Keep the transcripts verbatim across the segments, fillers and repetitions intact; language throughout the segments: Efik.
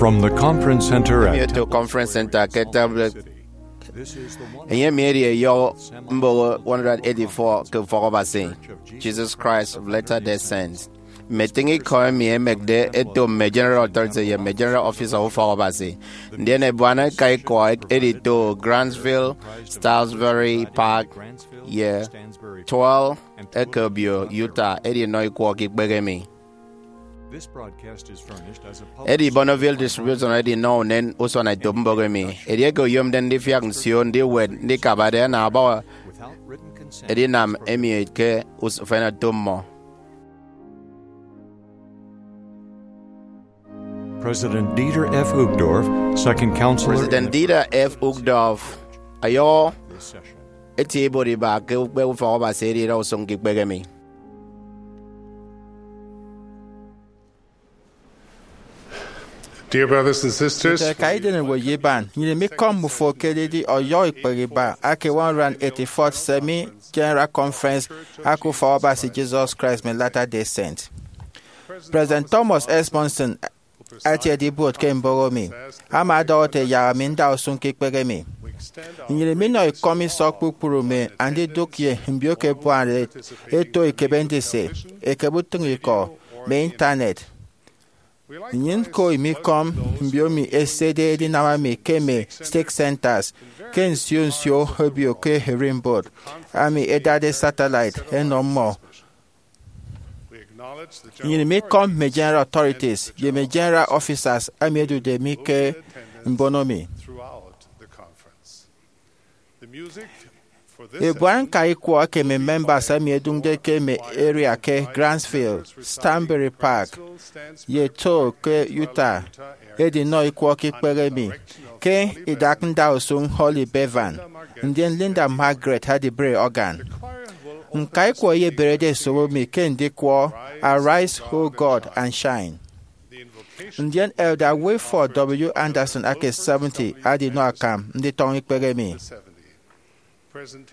From the Conference Center at Temple Conference Center ke Temple. Enye emi edi eyọ mboho one hundred eighty-four ke Ufọk Abasi, Jesus Christ of Latter-day Saints. Mme etịñ ikọ emi ẹmekde ẹto mme General Authority ye mme General Officer Ufọk Abasi, ndien ebuana eka ikọ edito Grantsville, Stroudsbury Park, ye Tull eke obio Utah edinọ ikwọ ke ikpehe emi. Edi Bonneville Distribution edinọ unen usuanetop mbọk emi. Edieke oyomde ndifiak nsio ndiwet ndikabade, ana abaña edinam emi ke us-, ufen oto mmọ. President Dieter F. Uchtdorf, Second Counselor. President Dieter F. Uchtdorf ọyọhọ eti ibuot iba ke ukpe Ufọk Abasi edi idausụñ ke ikpehe emi. Dear brothers and sisters, Nte eka idem ewe ye iban, nnyịn imikọm mmufo ke edidi ọyọhọ ikpehe iba ake one hundred eighty-fourth Semi General Conference ake Ufọk Abasi Jesus Christ of Latter-day Saints. President Thomas S. Monson atiede ibuot ke mboho mi, ama ọdọhọ ete yak ami nda usụñ ke ikpehe mi. Nnyịn iminọ ikọm isọk kpukpru mme andidụk ye mbio ke ebuana eto ekebe ndise, ekebe utịñikọ, mme intanet. Nnyịn ñko imikọm mbio mi ẹsede edinam ami ke mme stake centers ke nsio nsio obio ke ererimbot, ami ẹdade satellite ẹnọ mmọ. Nnyịn imikọm mme general authorities ye mme general officers emi ẹdude mi ke mbono mi. Ebuana ñka ikwọ eke mme members emi ẹdụñde ke mme area ke Grantsville, Stroudsbury Park, ye Tull ke Utah edinọ ikwọ ke ikpehe mi ke idak ndausụñ Holly Bevan, ndien Linda Margaret adibre organ. Ñka ikwọ ẹyeberede ẹsobo mi ke ndikwọ Arise, O God, and Shine. Ndien Elder Wilford W. Anderson ake seventy adinọ akam nditọñọ ikpehe mi. President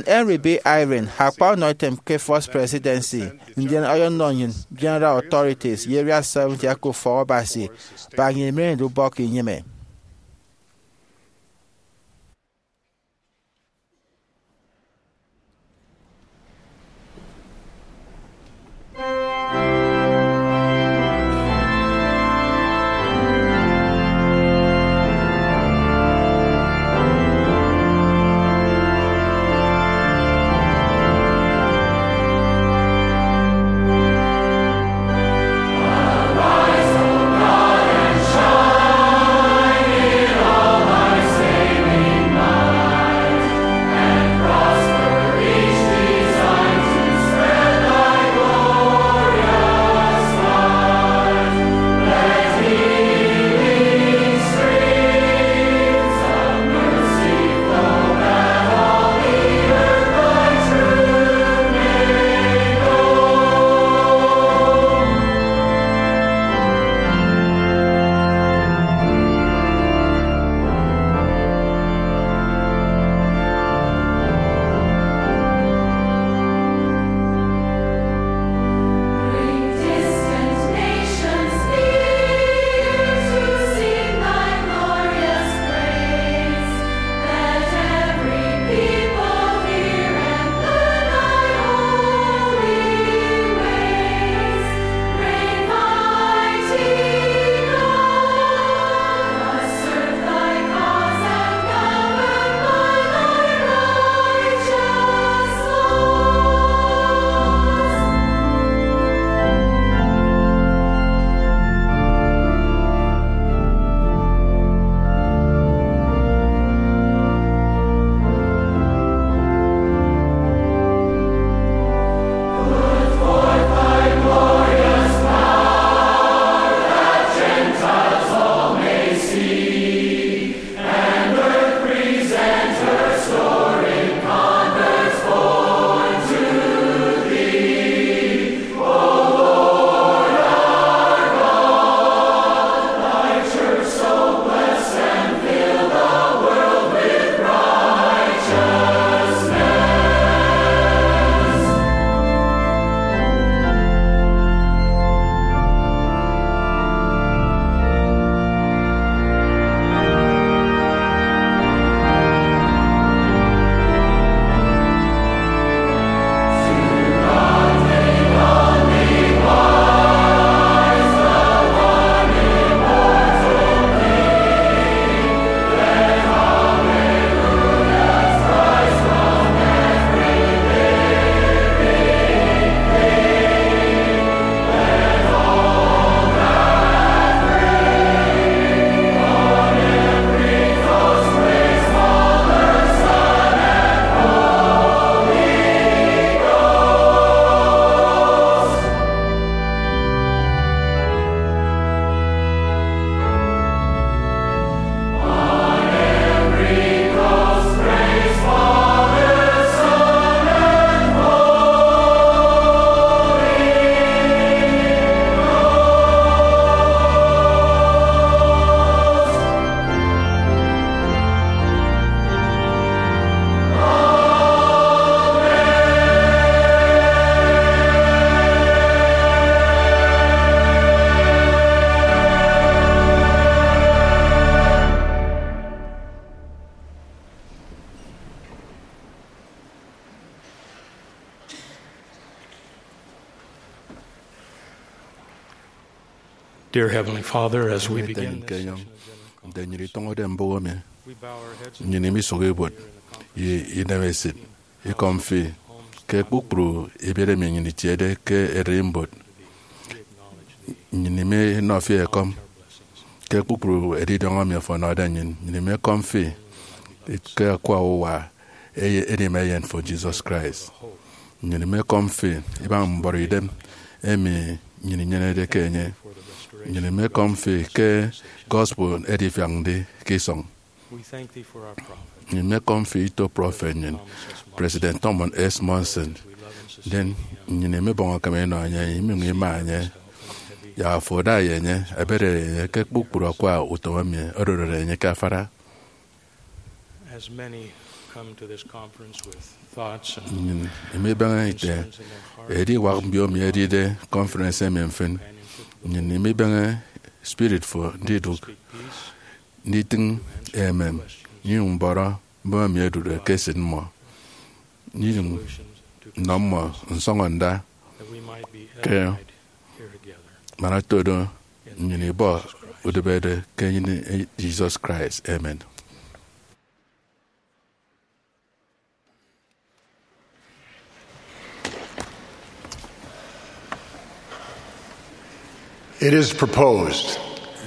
Henry B. Eyring akpa ọnọ item ke First Presidency, ndien ọyọnọ nnyịn General Authorities ye Area seventy ake Ufọk Abasi, bak nnyịn imeneñede ubọk inyịme. Dear Heavenly Father, as we Ete begin nnyịn ke this enyọñ, session of the nte nnyịn itọñọde mbụk emi, we bow our heads in nnyịn imisụk ibuot ye idemesit ikọm fi ke kpukpru ebiet emi nnyịn itiede ke ererimbot. Nnyịn iminọ fi ekọm ke kpukpru edidiọñ emi ọfọnọde nnyịn. Nnyịn imekọm fi ke akwa uwa eye-, edima Eyen fo, Jesus Christ. Nnyịn imekọm fi ibaña mbọrọ idem emi nnyịn inyenede ke enye. Nnyịn imekọm fi ke gospel edifiak ndi ke isọñ. We thank thee for our prophet. Nnyịn imekọm fi ito prọfet nnyịn, President Thomas S. Monson. Then, nnyịn imibọñ akam inọ enye, iminyụñ ima enye. Yak afo ada ye enye, ebede enye ke kpukpru akwa utom emi odorode enye ke afara. As many come to this conference with thoughts and Nnyịn imibeñe ite concerns in their heart, ediwak mbio emi edide conference emi mfịn. Companionship with nnyịn imibeñe spirit fo ndidụk, speak peace, nditịñ emem, nyụñ mbọrọ mbọm emi edude ke esịt mmọ, nyụñ nnọ mmọ nsọñọ nda that we might be ke edified here together. Man otodo nnyịn ibọ udịbede ke enyịn Jesus Christ. Amen. It is proposed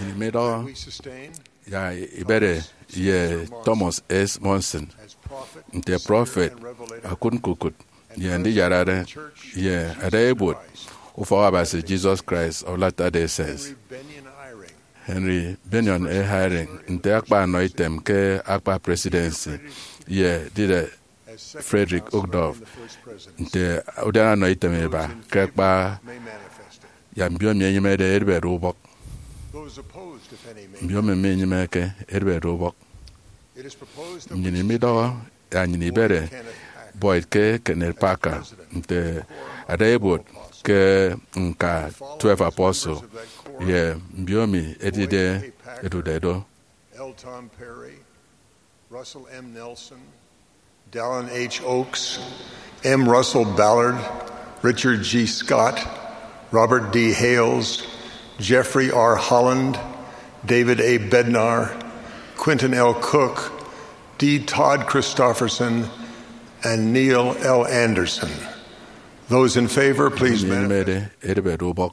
Nnyịn midọhọ that we sustain ya ibede ye Thomas S. Monson as prophet, nte prọfet, akụt ñkukụt, ye ndiyarare, ye ada ibuot Ufọk Abasi Jesus Christ of Latter-day Saints. Henry Bennion Eyring, Henry Bennion Eyring, nte akpa anọ item ke akpa presidency, ye dide Frederick Uchtdorf, nte udiana anọ item iba ke akpa, ya mbio emi enyịmede edịbede ubọk. Mbio emi minyịmeke edịbede ubọk. Nnyịn midọhọ ya nnyịn ibede Boyd K. Kenneth Packer nte ada ibuot ke ñka Twelve Apostle ye mbio emi edide edude do. L. Tom Perry, Russell M. Nelson, Dallin H. Oaks, M. Russell Ballard, Richard G. Scott, Robert D. Hales, Jeffrey R. Holland, David A. Bednar, Quentin L. Cook, D. Todd Christofferson, and Neil L. Andersen. Those in favor, please manifest. Edịbede ubọk.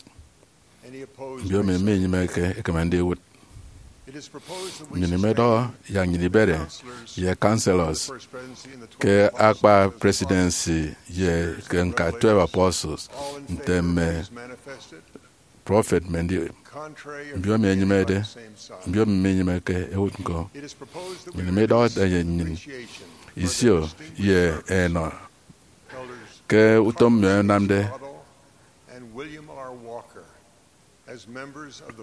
Any opposed? Mbio emi minyịmeke ekeme ndiwụt. It is proposed that we Nnyịn midọhọ ya nnyịn ibede ye counselors ke akpa presidency ye ke ñka Twelve Apostles, nte mme prọfet mme ndi mbio emi enyịmede, mbio emi minyịmeke ewụt ñko. Nnyịn midọhọ ete ye nnyịn isio ye enọ ke utom mme ẹnamde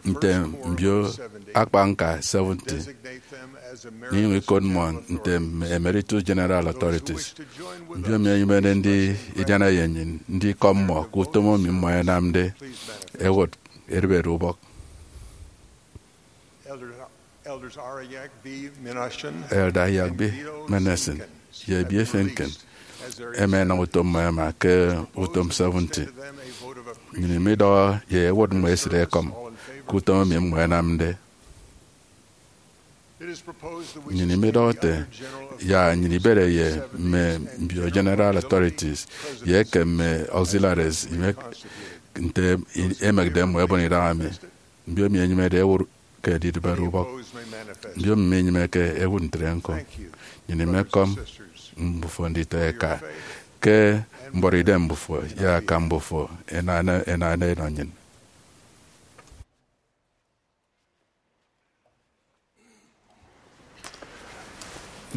nte mbio akpa ñka seventy, nyụñ ikot mmọ nte mme Emeritus General Authorities. Mbio emi ẹnyịmede ndidiana ye nnyịn ndikọm mmọ ke utom emi mmọ ẹnamde ẹwụt edịbede ubọk. Elder Ariak B. Menashin ye ebiefe ñkịn ẹma ẹnam utom mmọ ẹma ke utom seventy. Nnyịn midọhọ ye ẹwụt mmọ esịt ẹkọm ke utom emi mmọ ẹnamde. Nnyịn midọhọ ete ya nnyịn ibede ye mme mbio general authorities ye eke mme auxiliaries nte emekde mmọ ẹbon idaha mi. Mbio emi ẹnyịmede ẹwụt ke edidịbede ubọk. Mbio emi minyịmeke ẹwụt ntre ñko. Nnyịn imekọm mbufo nditọ eka ke mbọrọ idem mbufo ye akam mbufo ẹnana ẹnana ẹnọ nnyịn.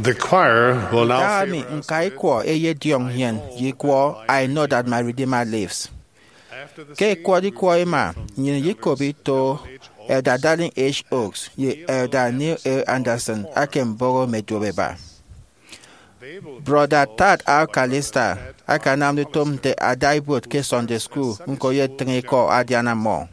The choir will now Ntak emi favor us ñka with ikwọ eyediọñ nnyịn ye ikwọ I Know That My Redeemer Lives. Ke ikwọde ikwọ ima, nnyịn iyekop ito Elder Dallin H. Oaks ye Elder Neil A. Andersen ake mbọhọ mme duopeba. Brọda Tad R. Callister akanamde utom nte ada ibuot ke Sunday School ñko ye etịñ ikọ adiana mmọ.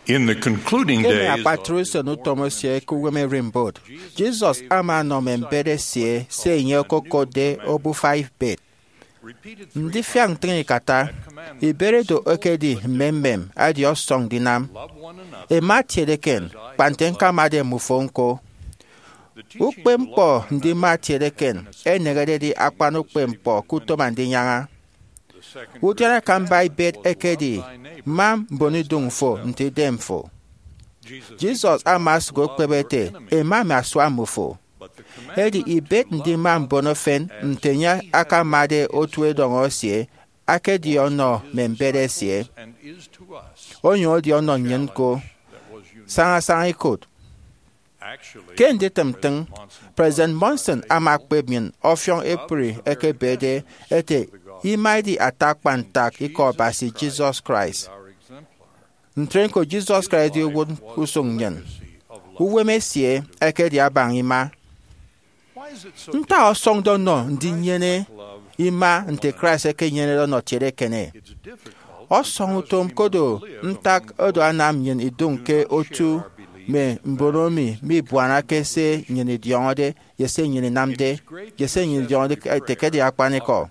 In the concluding ke mme days akpatre usen utom esie ke uwem erimbot, Jesus ama ọnọ mme mbet esie se enye okokotde obufa ibet. Ndifiak ntịñ ikata, ibet edo ekedi mmemmem, edi ọsọñ ndinam. Ẹma ẹtiede eken, kpa nte ñkamade mmufo ñko. Ukpepñkpọ ndima ẹtiede eken eneñede edi akpan ukpepñkpọ ke utom Andinyaña. Udiana akamba ibet ekedi, ma mbonidụñ fo nte idem fo. Jesus ama osụk okpep ete, Ema mme asua mmufo. Edi ibet ndima mbono efen nte enye akamade otu edọñọ esie, akedi ọnọ mme mbet esie, onyụñ edi ọnọ nnyịn ñko, sañasaña ikot. Ke nditịm ntịñ, President Monson ama okpep nnyịn ọfiọñ ekpri eke ebede ete, Ima edi ata akpan ntak Ikọ Abasi, Jesus Christ. Ntre ñko, Jesus Christ edi uwụt usụñ nnyịn. Uwem esie ekedi abaña ima. Ntak ọsọñde ọnọ ndinyene ima nte Christ ekenyenede ọnọ etiede eken? Ọsọñ utom, kodo ntak oro anam nnyịn idụñ ke otu mme mbono emi mibuanake se nnyịn idiọñọde ye se nnyịn inamde, ye se nnyịn idiọñọde ete ke edi akpanikọ.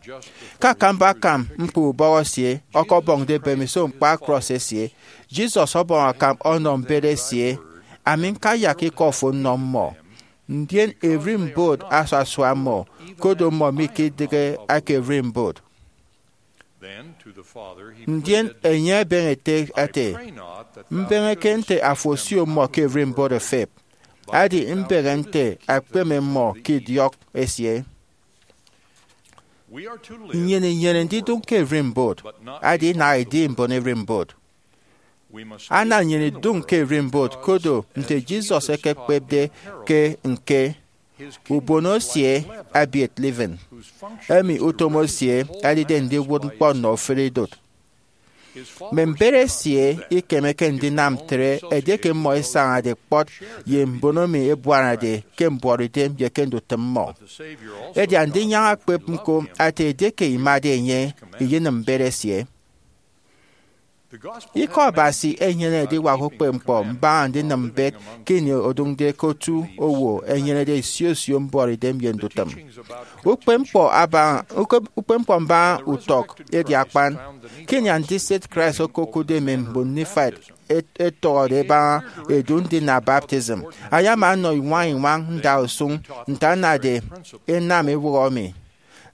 Ke akamba akam ñkpọ ubọhọ esie ọkọbọñde mbemiso ñkpa krọs esie, Jesus ọbọñ akam ọnọ mbet esie, Ami ñkayak ikọ fo nnọ mmọ, ndien erimbot asasua mmọ, kodo mmọ mikidịghe aka erimbot. Ndien enye ebeñe ete ete, Mbeñeke nte afo osio mmọ ke erimbot efep, edi mbeñe nte akpeme mmọ ke idiọk esie. Nnyịn inyene ndidụñ ke erimbot, edi inaha idi mbon erimbot. Ana nnyịn idụñ ke erimbot, kodo nte Jesus ekekpepde ke ñke, ubono esie ebiet leaven, emi utom esie edide ndiwụt ñkpọ nnọ ofụri idụt. Mme mbet esie ikemeke ndinam ntre edieke mmọ isañade kpọt ye mbono emi ebuanade ke mbuọtidem ye ke ndutịm mmọ. Edi Andinyaña okpep ñko ete edieke imade enye, iyenịm mbet esie. Ikọ Abasi enyene ediwak ukpepñkpọ mbaña ndinịm mbet ke ini odụñde ke otu owo ẹnyenede isio isio mbuọtidem ye ndutịm. Ukpepñkpọ abaña, ukep-, ukpepñkpọ mbaña utọk edi akpan. Ke ini andisịt Christ okokụtde mme mbon Nephite et-, ẹtọhọde ẹbaña edu ndina baptism, ayama ọnọ iñwañ-iñwañ ndausụñ nte anade ẹnam ewụhọ emi.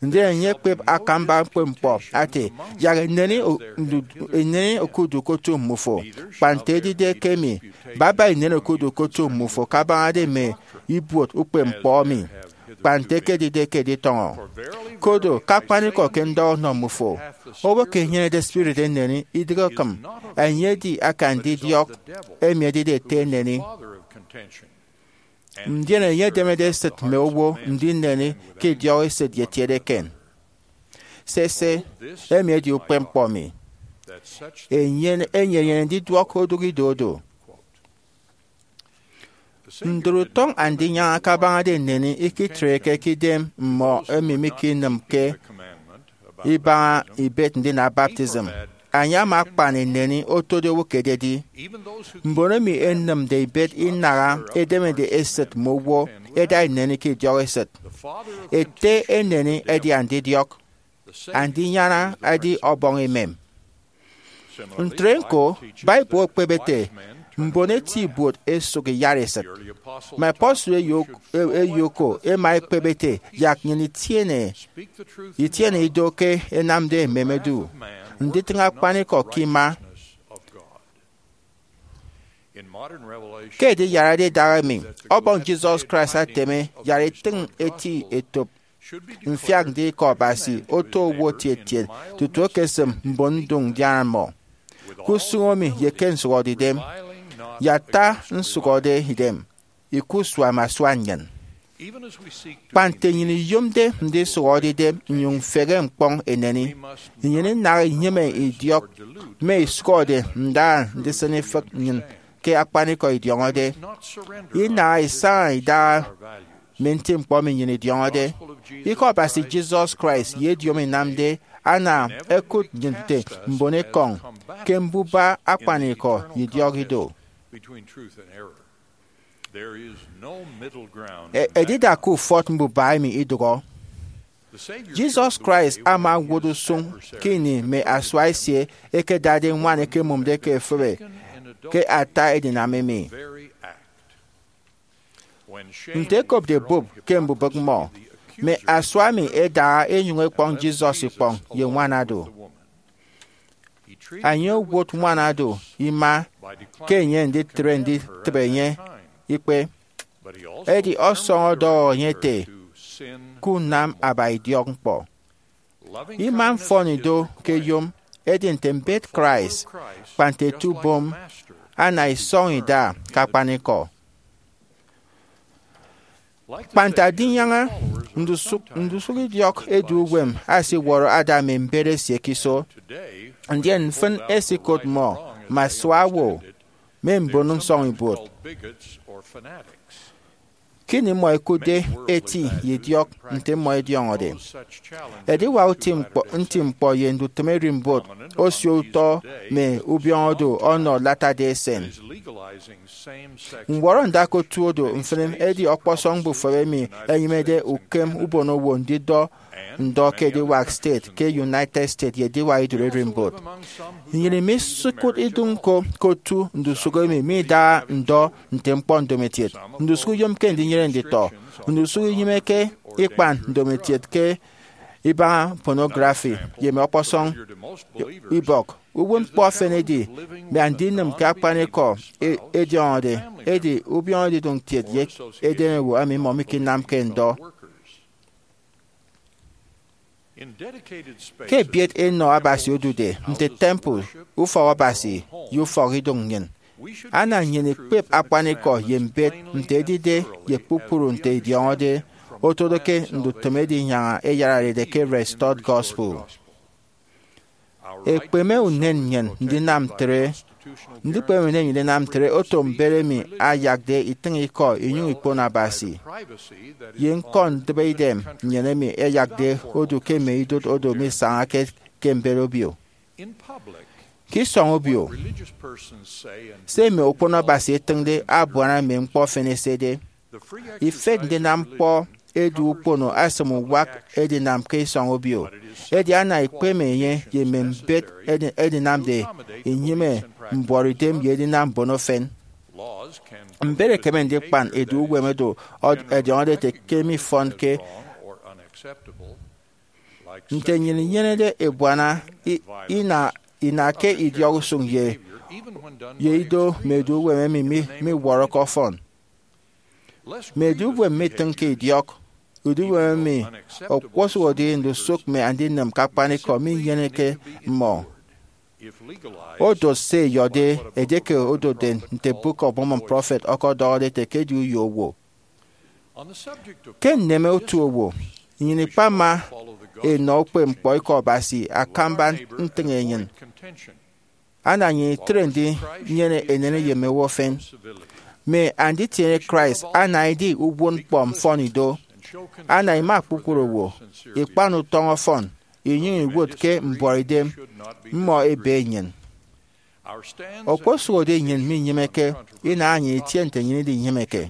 Ndien enye ekpep akamba ukpepñkpọ ete, Yak eneni o-, ndu-, eneni okudu ke otu mmufo, kpa nte edide ke emi, baba eneni okudu ke otu mmufo kabañade mme ibuot ukpepñkpọ emi, kpa nte ekedide ke editọñọ. Kodo ke akpanikọ ke ndọhọ nnọ mmufo, owo eke enyenede spirit eneni idịghe okịm, enye edi aka ndidiọk, emi edide ete eneni. Ndien enye edemede esịt mme owo ndineni ke idiọk esịt ye etiede eken. Sese, emi edi ukpepñkpọ mi. Enye, enye enyene ndiduọk odụk ido odo. Ndụt utọñ Andinyaña kabañade eneni ikitreke ke idem mmọ emi mikinịmke ibaña ibet ndina baptism. Enye ama akpan eneni otode owo ke ededi. Mbon emi ẹnịmde ibet inaha edemede esịt mme owo ẹda eneni ke idiọk esịt. Ete eneni edi andidiọk. Andinyaña edi ọbọñ emem. Ntre ñko, Bible okpep ete, Mbon eti ibuot ẹsụk iyara esịt. Mme apostle eyo-, e-, eyo oko ẹma ẹkpep ete, Yak nnyịn itiene, itiene ido ke ẹnamde emem ẹdu, nditịñ akpanikọ ke ima. Ke ediyarade idaha emi, Ọbọñ Jesus Christ ateme yara itịñ eti etop mfiak ndịk Ikọ Abasi oto owo tiet tiet tutu ekesịm mbon nduñ ndiana mmọ. Ke usụñ emi ye ke nsụhọdeidem, ye ata nsụhọdeidem, ikusua mme asua nnyịn. Kpa nte nnyịn iyomde ndisụhọde idem nnyụñ mfehe ñkpọñ eneni, nnyịn inaha inyịme idiọk mme isụhọde ndaha ndisịn ifịk nnyịn ke akpanikọ idiọñọde. Inaha isaña idaha mme nti ñkpọ emi nnyịn idiọñọde. Ikọ Abasi Jesus Christ ye ediomi inamde ana ẹkụt nnyịn nte mbon ekọñ ke mbuba akpanikọ ye idiọk ido. E- edida ke ufọt mbuba emi idụhọ. Jesus Christ ama owot usụñ ke ini mme asua esie ẹkedade ñwan ẹkemụmde ke efịbe ke ata edinam emi. Nte ẹkopde bụp ke mbubịk mmọ, mme asua emi ẹdaha ẹnyụñ ẹkpọñ Jesus ikpọñ ye ñwanado. Enye owot ñwanado ima ke enye nditre nditịbe enye ikpe, edi ọsọñọ ọdọhọ enye ete, ke unam aba idiọk ñkpọ. Ima mfọnido ke eyom, edi nte mbet Christ, kpa nte eto ubom, ana isọñ ida ke akpanikọ. Kpa nte adinyaña, ndusụk ndusụk idiọk edu uwem asiwọrọ ada mme mbet esie ke iso, ndien mfịn esikot mmọ mme asua owo, mme mbon nsọñibuot. Ke ini mmọ ẹkụtde eti ye idiọk nte mmọ ẹdiọñọde, ediwak uti ñkpọ, nti ñkpọ ye ndutịm ererimbot osio utọ mme ubiọñodo ọnọ Latter-day Saint. Ñwọrọ ndakka otu odo mfịn edi ọkpọsọñ mbufep emi ẹnyịmede ukem ubonowo ndidọ ndọ ke ediwak state ke United States ye ediwak idur ererimbot. Nnyịn misikụt idụñ ñko ke otu ndusụk emi midaha ndọ nte ñkpọ ndomokiet. Ndusụk iyomke ndinyene nditọ. Ndusụk inyịmeke ikpan ndomokiet ke ibaña pornography ye mme ọkpọsọñ ibọk. Uwụtñkpọ efen edi mme andinịm ke akpanikọ e- ẹdiọñọde, edi ubiọñọ edidụñ kiet ye eden owo emi mmọ mikinamke ndọ. Ke ebiet enọ Abasi odude, nte temple, ufọk Abasi, ye ufọk idụñ nnyịn, ana nnyịn ikpep akpanikọ ye mbet nte edide ye kpukpru nte idiọñọde, otodo ke ndutịm edinyaña ẹyararede ke Restored Gospel. Ekpeme unen nnyịn ndinam ntre. Ndikpeme unen nnyịn ndinam ntre oto mbet emi ayakde itịñ ikọ inyụñ ikpono Abasi, ye ñkọ ndịbe idem nnyịn emi ẹyakde odu ke mme idụt odo misañake ke mbet obio. Ke isọñ obio, se mme okpono Abasi ẹtịñde abuana mme ñkpọ efen ẹsede. Ifet ndinam ñkpọ edu ukpono asịm uwak edinam ke isọñ obio, edi ana ikpeme enye ye mme mbet edi- edinamde inyịme mbuọtidem ye edinam mbono efen. Mbet ẹkeme ndikpan edu uwem odo ọ- ẹdiọñọde ete ke mifọnke, nte nnyịn inyenede ebuana i- ina ina ke idiọk usụñ ye ye ido mme edu uwem emi mi- miwọrọke ọfọn. Mme edu uwem mitịñke idiọk, edu uwem emi okposụkedi ndusụk mme andinịm ke akpanikọ minyeneke mmọ. Odot se ẹyọde edieke odotde nte Book of Mormon prophet ọkọdọhọde ete ke edi uyo owo. Ke nneme otu owo, nnyịn ikpama enọ ukpepñkpọ ikọ Abasi akamba ntịñ enyịn. Ana nnyịn itre ndinyene eneni ye mme owo efen. Mme anditiene Christ ana idi uwụtñkpọ mfọnido. Ana ima kpukpru owo ikpan utọñ ọfọn, inyụñ iwụt ke mbuọtidem mmọ ebe nnyịn. Okposụkedi nnyịn minyịmeke, inaha nnyịn itie nte nnyịn idinyịmeke.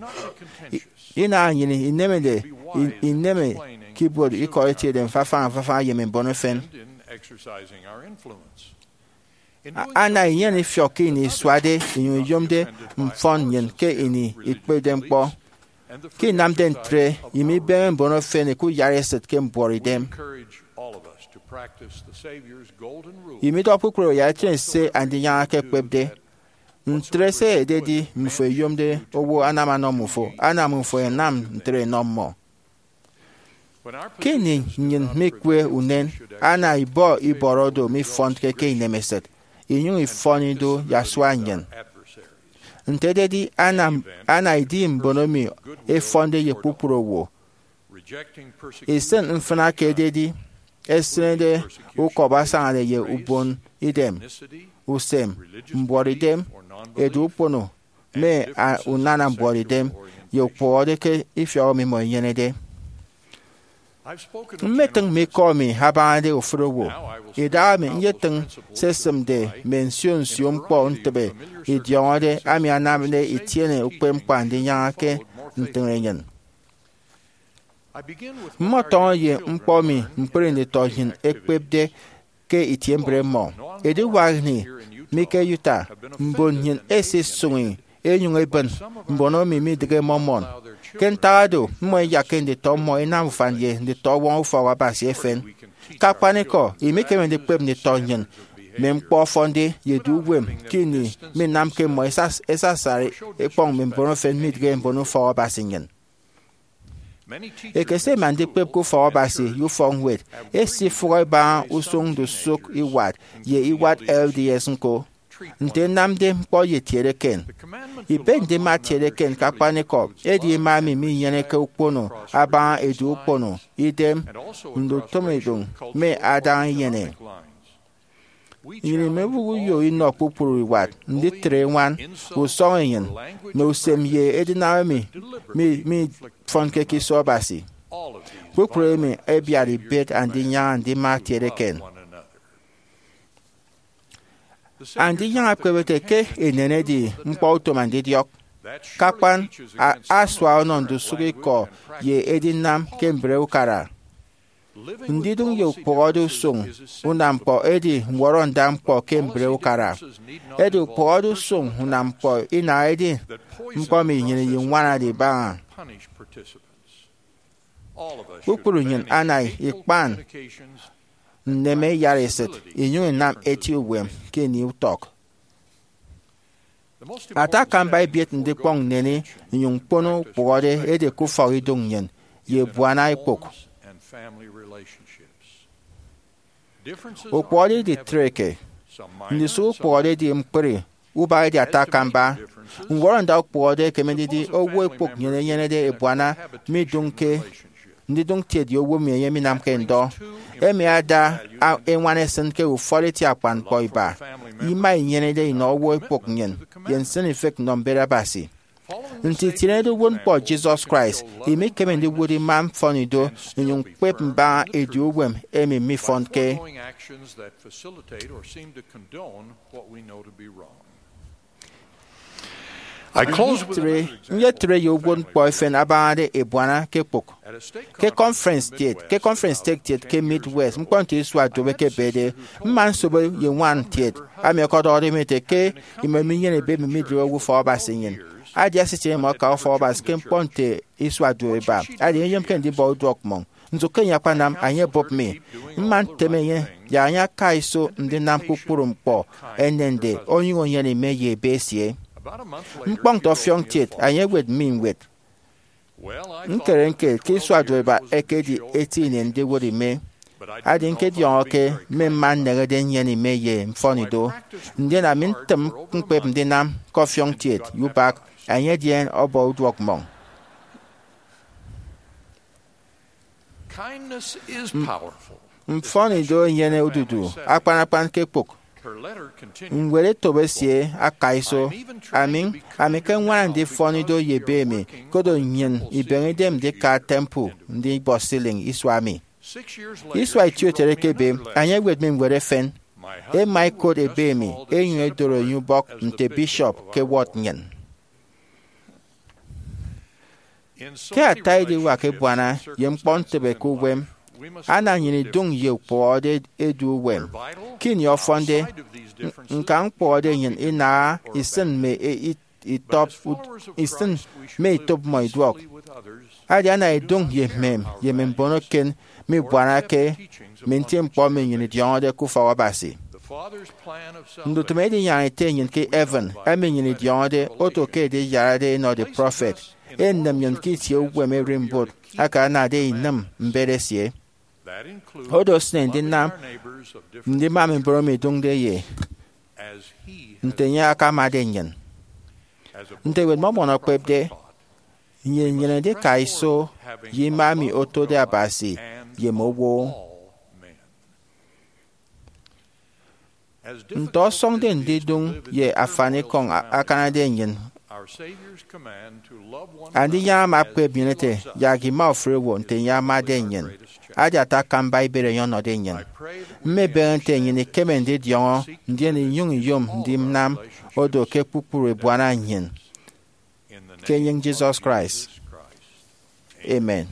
I- inaha nnyịn inemede i- ineme ke ibuot ikọ etiede mfafaña mfafaña ye mme mbon efen. A- ana inyene ifiọk ke ini isuade inyụñ iyomde mfọn nnyịn ke ini ikpepde ñkpọ. Ke inamde ntre, imibeme mbon efen ẹkuyara esịt ke mbuọtidem. Imidọhọ kpukpru owo ya itie se Andinyaña ekekpepde. Ntre se ededi mmifo ẹyomde owo anam anọ mmifo, ana mmifo ẹnam ntre ẹnọ mmọ. Ke ini nnyịn mikwe unen, ana ibọ ibọrọ odo mifọnke ke inemesịt, inyụñ ifọn ido ye asua nnyịn. Nte ededi, ana, ana idi mbon emi ẹfọnde ye kpukpru owo, isịn mfịna ke ededi, ẹsịnede ukọbọ asañade ye ubon idem, usem, mbuọtidem, edu ukpono, mme a- unana mbuọtidem, ye ukpụhọde ke ifiọk emi mmọ inyenede. Mmetịñ mme ikọ emi abañade ofụri owo. Idahaemi nyetịñ se ẹsịmde mme nsio nsio ñkpọ ntịbe idiọñọde ami anamde itiene ukpepñkpọ Andinyaña ke ntịñenyịn. Mmọtọñọ ye ñkpọ emi ñkpri nditọ nnyịn ẹkpepde ke itie mbre mmọ. Ediwak ini mi ke Utah, mbon nnyịn ẹsisụñi ẹnyụñ ẹbịn mbon emi midịghe Mormon. Ke ntak oro, mmọ ẹyak ke nditọ mmọ ẹnam ufan ye nditọwọñ ufọkabasi efen. Ke akpanikọ, imekeme ndikpep nditọ nnyịn mme ñkpọ ọfọnde ye edu uwem ke ini minamke mmọ ẹsas- ẹsasari ẹkpọñ mme mbon efen midịghe mbon ufọkabasi nnyịn. Ekese ẹma ndikpep ke ufọkabasi ye ufọkñwed esifụhọ ibaña usụñ ndusụk iwat ye iwat L D S ñko, nte ẹnamde ñkpọ ye etiede eken. Ibe ndima etiede eken ke akpanikọ edi ima emi minyeneke ukpono abaña edu ukpono, idem, ndutịmidụñ, mme adaña inyene. Nnyịn imebụk uyo inọ kpukpru iwat, nditre eñwan, usọñenyịn, mme usem ye edinam emi mi- mifọnke ke iso Abasi. Kpukpru emi ẹbiat ibet Andinyaña ndima etiede eken. Andinyaña ekpep ete ke enen edi ñkpọutom andidiọk. Ke akpan, a- asua ọnọ ndusụk ikọ ye edinam ke mbre ukara. Ndidụñ ye ukpụhọde usụñ unañkpọ edi ñwọrọnda ñkpọ ke mbre ukara. Edi ukpụhọde usụñ unañkpọ inaha edi ñkpọ emi nnyịn iñwanade ibaña. Kpukpru nnyịn ana ikpan nneme iyaresịt inyụñ inam eti uwem ke ini utọk. Ata akamba ebiet ndikpọñ nneni nnyụñ ñkpono ukpụhọde edi ke ufọk idụñ nnyịn ye ebuana ekpụk. Ukpụhọde iditreke. Ndusụk ukpụhọde edi ñkpri, ubak edi ata akamba. Ñwọrọnda ukpụhọde ekeme ndidi owo ekpụk nnyịn enyenede ebuana midụñke ndidụñ kiet ye owo emi enye minamke ndọ. Emi ada a- eñwan esịn ke ufọt eti akpan ñkpọ iba. Ima inyenede inọ owo ekpụk nnyịn ye nsịnifịk nnọ mbet Abasi. Nte itienede uwụtñkpọ Jesus Christ, imekeme ndiwụt ima mfọnido inyụñ ñkpep mbaña edu uwem emi mifọnke. Nditre, nyetre ye uwụtñkpọ efen abañade ebuana ke ekpụk. Ke conference kiet, ke conference stake kiet ke Midwest, ñkpọ nte isua duop ekebede, mma nsobo ye ñwan kiet ami ọkọdọhọde mi ete ke imọ minyene ebe emi midịghe owo ufọkabasi nnyịn. Adia esitịñ imọ aka ufọkabasi ke ñkpọ nte isua duop iba, adi enye eyomke ndibọ uduọk mmọñ. Nso ke enye akpanam, enye ebụp mi. Mma ntem enye yak enye aka iso ndinam kpukpru ñkpọ enende, onyụñ enyene ime ye ebe esie. Ñkpọñ nte ọfiọñ kiet, enye ewet mi ñwed. Ñkere ñkere ke isua duop iba ekedi eti ini ndiwot ime. Adi ñkediọñọ ke mme mma nnehede nnyene ime ye mfọnido, ndien ami ntịm ñkpep ndinam ke ọfiọñ kiet ye ubak, enye edi ọbọ uduọk mmọñ. Mfọnido enyene odudu akpan akpan ke ekpụk. Ñwed etop esie akaiso. Ami, ami ke ññwana ndifọn ido ye ebe emi, koro nnyịn ibeñe idem ndika temple ndibọ ceiling isua emi. Isua itieutom ekebe, enye ewet mi ñwed efen. Ẹma ẹkot ebe emi, ẹnyụñ ẹdoro enye ubọk nte bishop ke ward nnyịn. Ke ata ediwak ebuana ye ñkpọntịbe ke uwem, ana nnyịn idụñ ye ukpụhọde edu uwem. Ke ini ọfọnde, ñkañ ukpụhọde nnyịn inaha isịn mme e- it- itọp ud- isịn mme itop mmọ iduọk. Adi ana idụñ ye emem ye mme mbon eken mibuanake mme ntiemkpọ emi nnyịn idiọñọde ke ufọk Abasi. Ndutịm edinyaña Ete nnyịn ke heaven emi nnyịn idiọñọde oto ke ediyarade inọde prọfet, enem nnyịn ke itie uwem ererimbot aka anade inịm mbet esie. Odo esịne ndinam ndima mme mbon emi idụñde ye nte enye akamade nnyịn. Nte Ewet Mormon ekpepde, nnyịn inyene ndika iso ye ima emi otode Abasi ye mme owo. Nte ọsọñde ndidụñ ye afanikọñ a- akanade nnyịn, Andinyaña ama akpep nnyịn ete, yak ima ofụri owo nte enye amade nnyịn. Edi ata akamba ibet enye ọnọde nnyịn. Mmebeñe nte nnyịn ikeme ndidiọñọ ndien inyụñ iyom ndinam odo ke kpukpru ebuana nnyịn. Ke enyịñ Jisọs Kraịst, amen.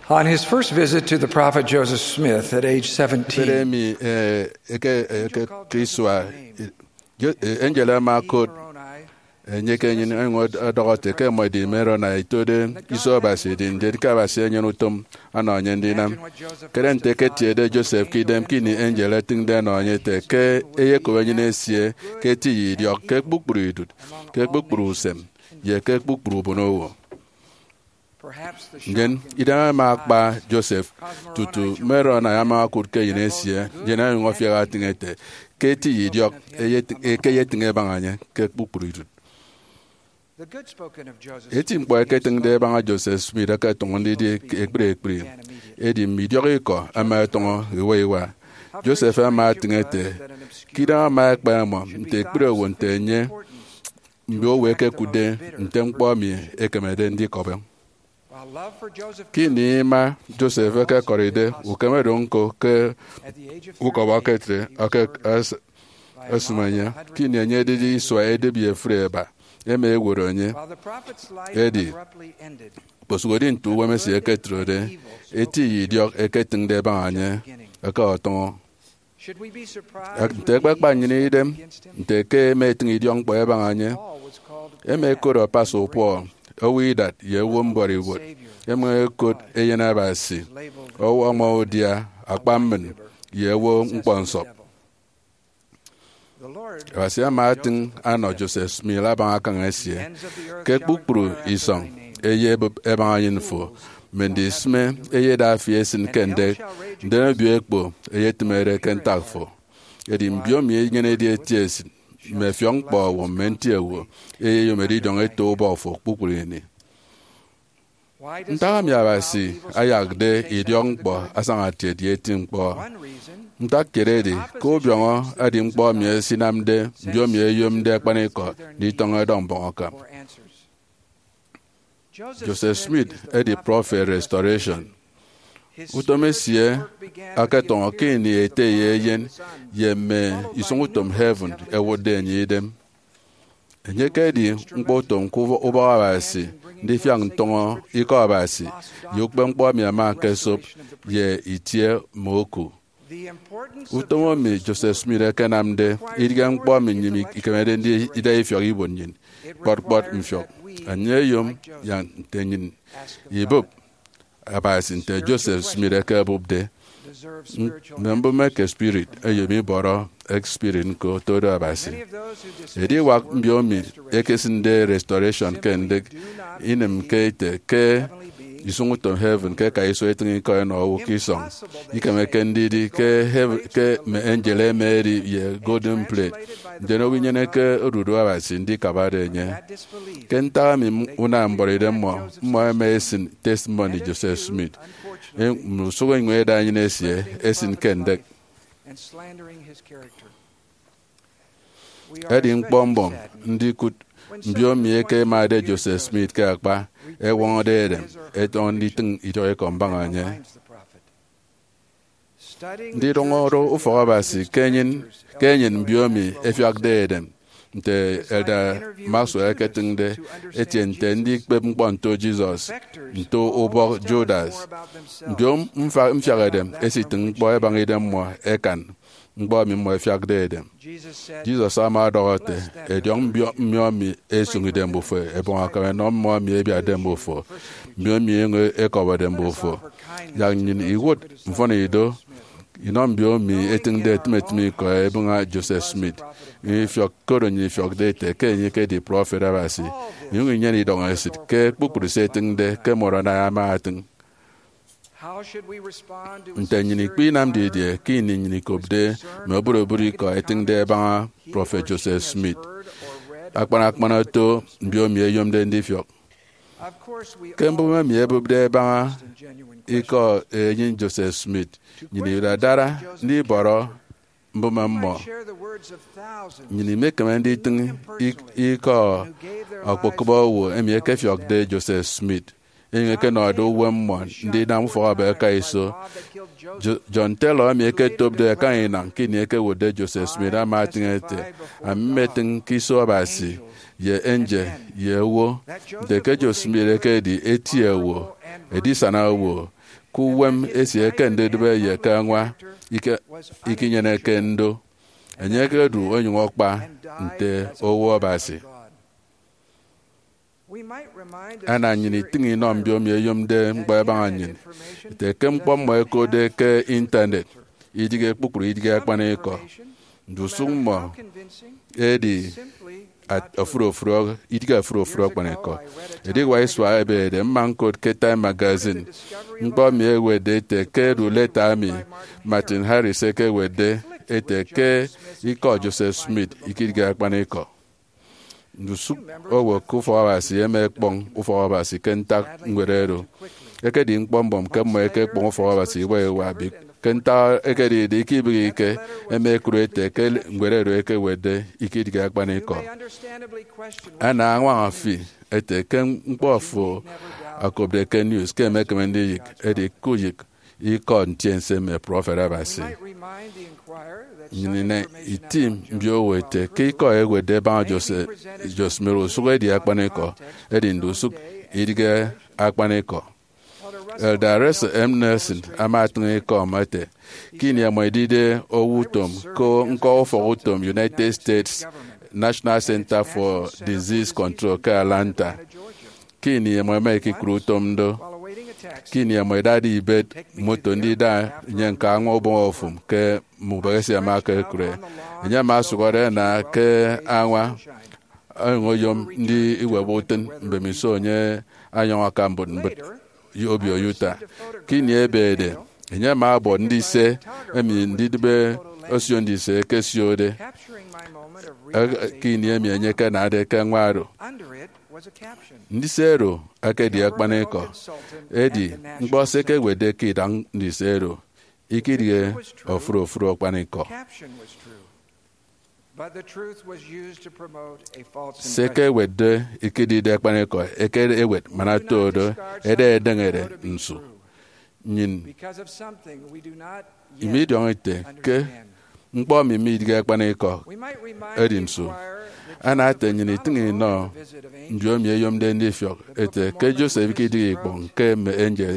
On his first visit to the prophet Joseph Smith at age seventeen, Ebere emi eh, eke eke ke isua eh, angel ama okot enye ke enyịn enyụñ ọdọhọ ete ke mmọ edi Moroni, itode iso Abasi edi ndien ke Abasi enyene utom ọnọ enye ndinam. Kere nte eketiede Joseph ke idem ke ini angel etịñde ọnọ enye ete ke eyekop enyịn esie ke eti ye idiọk ke kpukpru idụt, ke kpukpru usem, ye ke kpukpru ubonowo. Ndien idem ama akpa Joseph tutu Moroni ama okụt ke enyịn esie, ndien ọnyụñ ọfiak atịñ ete ke eti ye idiọk eke eyetịñ ebaña enye ke kpukpru idụt. Eti ñkpọ ẹketịñde ẹbaña Joseph Smith ẹketọñọ ndidi ekpri ekpri, edi mme idiọk ikọ ẹma ẹtọñọ iwa iwa. Joseph ama atịñ ete ke idem ama ekpe mmọ nte ekpri owo nte enye, mbiowo ẹkekụtde nte ñkpọ emi ekemede ndikọbọ. Ke ini ima Joseph ekekọride, ukeme do ñko ke ukọbọ eketre esịm enye. Ke ini enye edide isua edịp ye efuri eba, ẹma ẹwọrọ enye. Edi, okposụkedi nte uwem esie eketrede, eti ye idiọk eketịñde ẹbaña enye eke ọtọñọ. Nte ekpekpa nnyịn idem nte ke ẹma ẹtịñ idiọk ñkpọ ẹbaña enye? Ẹma ẹkot Pastor Paul, owo idat ye owo mbuọtidem ibuot. Ẹma ẹkot Eyen Abasi, owo ọmọ udia, akpa mmịn, ye owo ñkpọnsọp. Abasi ama atịñ anọ Joseph Smith abaña akañ esie. Ke kpukpru isọñ, eyebụp ẹbaña enyịn fo, mme ndisịme eyeda fi esịn ke ndek, ndien obio ekpo eyetịmede ke ntak fo. Edi mbiomi ẹnyenede eti esịt, mme ẹfiọk ñkpọ owo, mme nti owo, eyeyom edidiọñ eto ubọk fo kpukpru ini. Ntak emi Abasi ayakde idiọk ñkpọ asañatiet ye eti ñkpọ? Ntak kiet edi ke ubiọñọ edi ñkpọ emi esinamde mbiomi ẹyomde akpanikọ nditọñọ ẹdọ mbọñ akam. Joseph Smith edi prọfet Restoration. Utom esie aketọñọ ke ini ete ye eyen ye mme isụñutom heaven ẹwụtde enye idem. Enye ekedi ñkpọutom ke ubọk Abasi ndifiak ntọñọ Ikọ Abasi ye ukpepñkpọ emi ama okosop ye itie mme oku. Utom emi Joseph Smith ekenamde idịghe ñkpọ emi nnyịn ikemede ndida ifiọk ibuot nnyịn kpọt kpọt mfiọk. Enye oyom yak nte nnyịn ibụp Abasi nte Joseph Smith ekebụpde. Mme mbụme eke spirit ẹyom ibọrọ spirit ñko todo Abasi. Ediwak mbiomi ẹkesịnde Restoration ke ndịk inịmke ete ke isụñutom heaven ke eka iso etịñ ikọ ẹnọ owo ke isọñ. Ikemeke ndidi ke heaven ke mme angel ẹma ẹdi ye golden plate, ndien owo inyeneke odudu Abasi ndikabade enye. Ke ntak emi unam mbuọtidem mmọ, mmọ ẹma ẹsịn testimony Joseph Smith, mme usụk enyịñ ẹda enyịn esie ẹsịn ke ndek. Edi ñkpọ mbọm ndikụt mbiomi eke ẹmade Joseph Smith ke akpa, ẹwọñọde edem, ẹtọñọ nditịñ idiọk ikọ mbaña enye. Ndidụñọ do ufọk Abasi ke enyịn ke enyịn mbiomi ẹfiakde edem, nte Elder Maxwell eketịñde, etie nte ndikpep ñkpọ nto Jesus, nto ubọk Judas. Mbio mfa- mfiak edem ẹsitịñ ñkpọ ẹbaña idem mmọ ẹkan ñkpọ emi mmọ ẹfiakde edem. Jesus ama ọdọhọ ete, ẹdiọñ mbio mmiomi ẹsụñ idem mbufo, ẹbọñ akam ẹnọ mmọ emi ẹbiatde mbufo, mbiomi ẹnyụñ ẹkọbọde mbufo. Yak nnyịn iwụt mfọnido inọ mbiomi ẹtịñde etịm etịm ikọ ẹbaña Joseph Smith. Inyụñ ifiọk koro nnyịn ifiọkde ete ke enye ekedi prọfet Abasi, inyụñ inyene idọñesịt ke kpukpru se etịñde ke Moroni ama atịñ. Nte nnyịn ikpe inam didie ke ini nnyịn ikopde mme oburobụt ikọ ẹtịñde ẹbaña prọfet Joseph Smith, akpan akpan oto mbiomi ẹyomde ndifiọk? Ke mbụme emi ebụpde ẹbaña ikọ enyịñ Joseph Smith, nnyịn idadara ndibọrọ mbụme mmọ. Nnyịn imekeme nditịñ ik- ikọ okpokụba owo emi ẹkefiọkde Joseph Smith, enyịñ ẹkenọde uwem mmọ ndinam ufọk aba ẹka iso. Jo- John Taylor, emi ẹketopde akañ inañ ke ini ẹkewotde Joseph Smith, ama etịñ ete, "Ami mmetịñ ke iso Abasi, ye angel, ye owo, nte ke Joseph Smith ekedi eti owo, edisana owo, ke uwem esie ke ndudịbe ye ke añwa ike- ikinyeneke ndo. Enye ekedu onyụñ akpa nte owo Abasi." Ana nnyịn itịñ inọ mbiomi ẹyomde ñkpọ ẹbaña nnyịn, ete ke ñkpọ mmọ ẹkotde ke Intanet idịghe kpukpru idịghe akpanikọ. Ndusụk mmọ edi at- ofụri ofụri ọ- idịghe ofụri ofụri akpanikọ. Ediwak isua ẹbede, mma ñkot ke Time Magazine ñkpọ emi ẹwetde ete ke edu leta emi Martin Harris ekewetde ete ke ikọ Joseph Smith ikidịghe akpanikọ. Ndusụk owo ke Ufọk Abasi ẹma ẹkpọñ Ufọk Abasi ke ntak ñwed oro. Ekedi ñkpọ mbọm ke mmọ ẹkekpọñ Ufọk Abasi iwa iwa, bik- ke ntak ekedide ikibịghike, ẹma ẹkụt ete ke ñwed oro ekewetde ikidịghe akpanikọ. Ana añwaña fi ete ke ñkpọ fo okopde ke news ke emekeme ndiyịk, edi kuyịk ikọ ntiense mme prọfet Abasi. Nnyịn ina itim mbiowo ete ke ikọ ewetde ẹbaña Joseph, Joseph Smith usụk edi akpanikọ, edi ndusụk idịghe akpanikọ. Elder Russell M. Nelson ama etịñ ikọ ete ke ini ẹmọ ẹdide owo utom ke ñkọ ufọk utom United States National Center for Disease Control ke Atlanta, ke ini ẹmọ ẹma ẹkikụre utom do, ke ini ẹmọ ẹdade ibet moto ndida nnyịn ke añwa ubọñ ofụm ke mme ubọk esie ama ekekụre, enye ama osụhọde ana ke añwa onyụñ oyom ndiwebe utịn mbemiso enye anyọñ aka mbụt mbụt ye obio Utah. Ke ini ebede, enye ama ọbọ ndise emi ndidịbe osio ndise ẹkesiode. Ke ini emi enye ekenade ke añwa oro, ndise oro ekedi akpanikọ, edi ñkpọ se ẹkewetde ke idañ ndise oro ikidịghe ofụri ofụri akpanikọ. Se ẹkewetde ikidịghe akpanikọ ekewet man oto do, eda edeñede nsu. Nnyịn imidiọñọ ite ke ñkpọ emi midịghe akpanikọ edi nsu. Ana ete nnyịn itịñ inọ mbiomi ẹyomde ndifiọk ete ke Joseph ikidịghe ikpọñ ke mme angel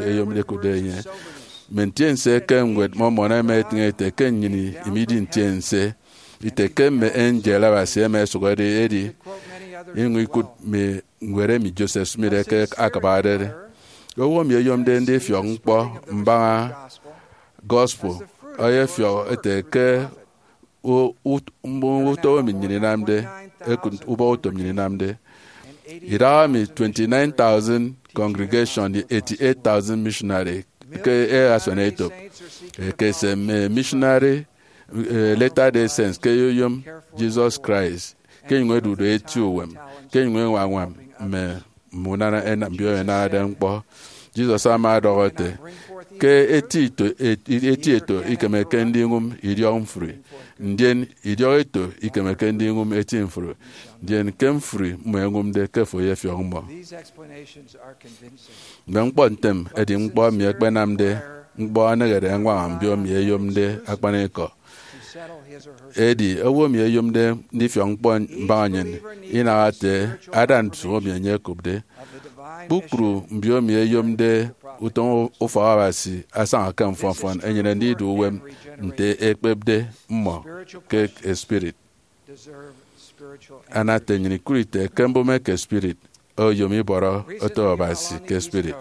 ẹyomde ẹkụtde enye. Mme ntiense ke ñwed Mormon ẹma ẹtịñ ete ke nnyịn imidi ntiense ite ke mme angel Abasi ẹma ẹsụhọde, edi inyụñ ikụt mme ñwed emi Joseph Smith eke akabade. Owo emi oyomde ndifiọk ñkpọ mbaña gospel ọyọfiọk ete ke u- ut- mbụñọ utom emi nnyịn inamde, ẹkụt ubọhọ utom nnyịn inamde. Idahaemi twenty-nine thousand congregation, eighty-eight thousand missionary ke asuanetop, ekese mme missionary eh, Latter-day Saints ke ẹyom Jesus Christ, ke ẹnyụñ ẹdude eti uwem, ke ẹnyụñ ẹñwañwam mme mme unana ẹna- mbio ẹnanade ñkpọ. Jesus ama ọdọhọ ete ke eti eto, et- eti eto ikemeke ndiñwụm idiọk mfri, ndien idiọk eto ikemeke ndiñwụm eti mfri, ndien ke mfri mmọ ẹñwụmde ke fo eyefiọk mmọ. Mme ñkpọ ntem ẹdi ñkpọ emi ẹkpenamde ñkpọ ẹnehede ẹñwaña mbiomi ẹyomde akpanikọ. Edi owo emi oyomde ndifiọk ñkpọ mbaña nnyịn inaha ete ada nsu emi enye okopde. Kpukpru mbiomi ẹyomde utom ufọk Abasi asaña ke mfọnfọn ẹnyene ndidu uwem nte ekpepde mmọ ke spirit. Ana ete nnyịn ikụt ite ke mbụme eke spirit oyom ibọrọ oto Abasi ke spirit.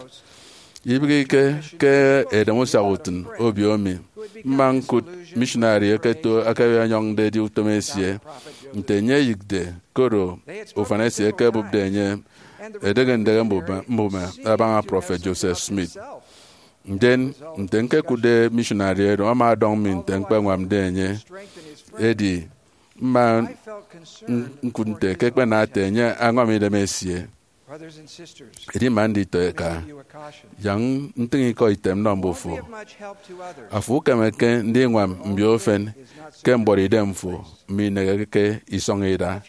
Ibịghike ke edem usiaha utịn obio mi, mma ñkụt missionary eketo eke enyọñde edi utom esie, nte enye eyịkde, koro ufan esie ekebụpde enye, edehe ndehe mbụme mbụme abaña Prọfet Joseph Smith. Ndien, nte ñkekụtde missionary oro, ama ọdọñ mi nte ñkpeñwamde enye. Edi mma ñkụt nte ke ẹkpena ete enye añwam idem esie. Edima nditọ eka, yak ntịñ ikọ item nnọ mbufo. Afo ukemeke ndiñwam mbio ufen ke mbuọtidem fo mineheke isọñ ida.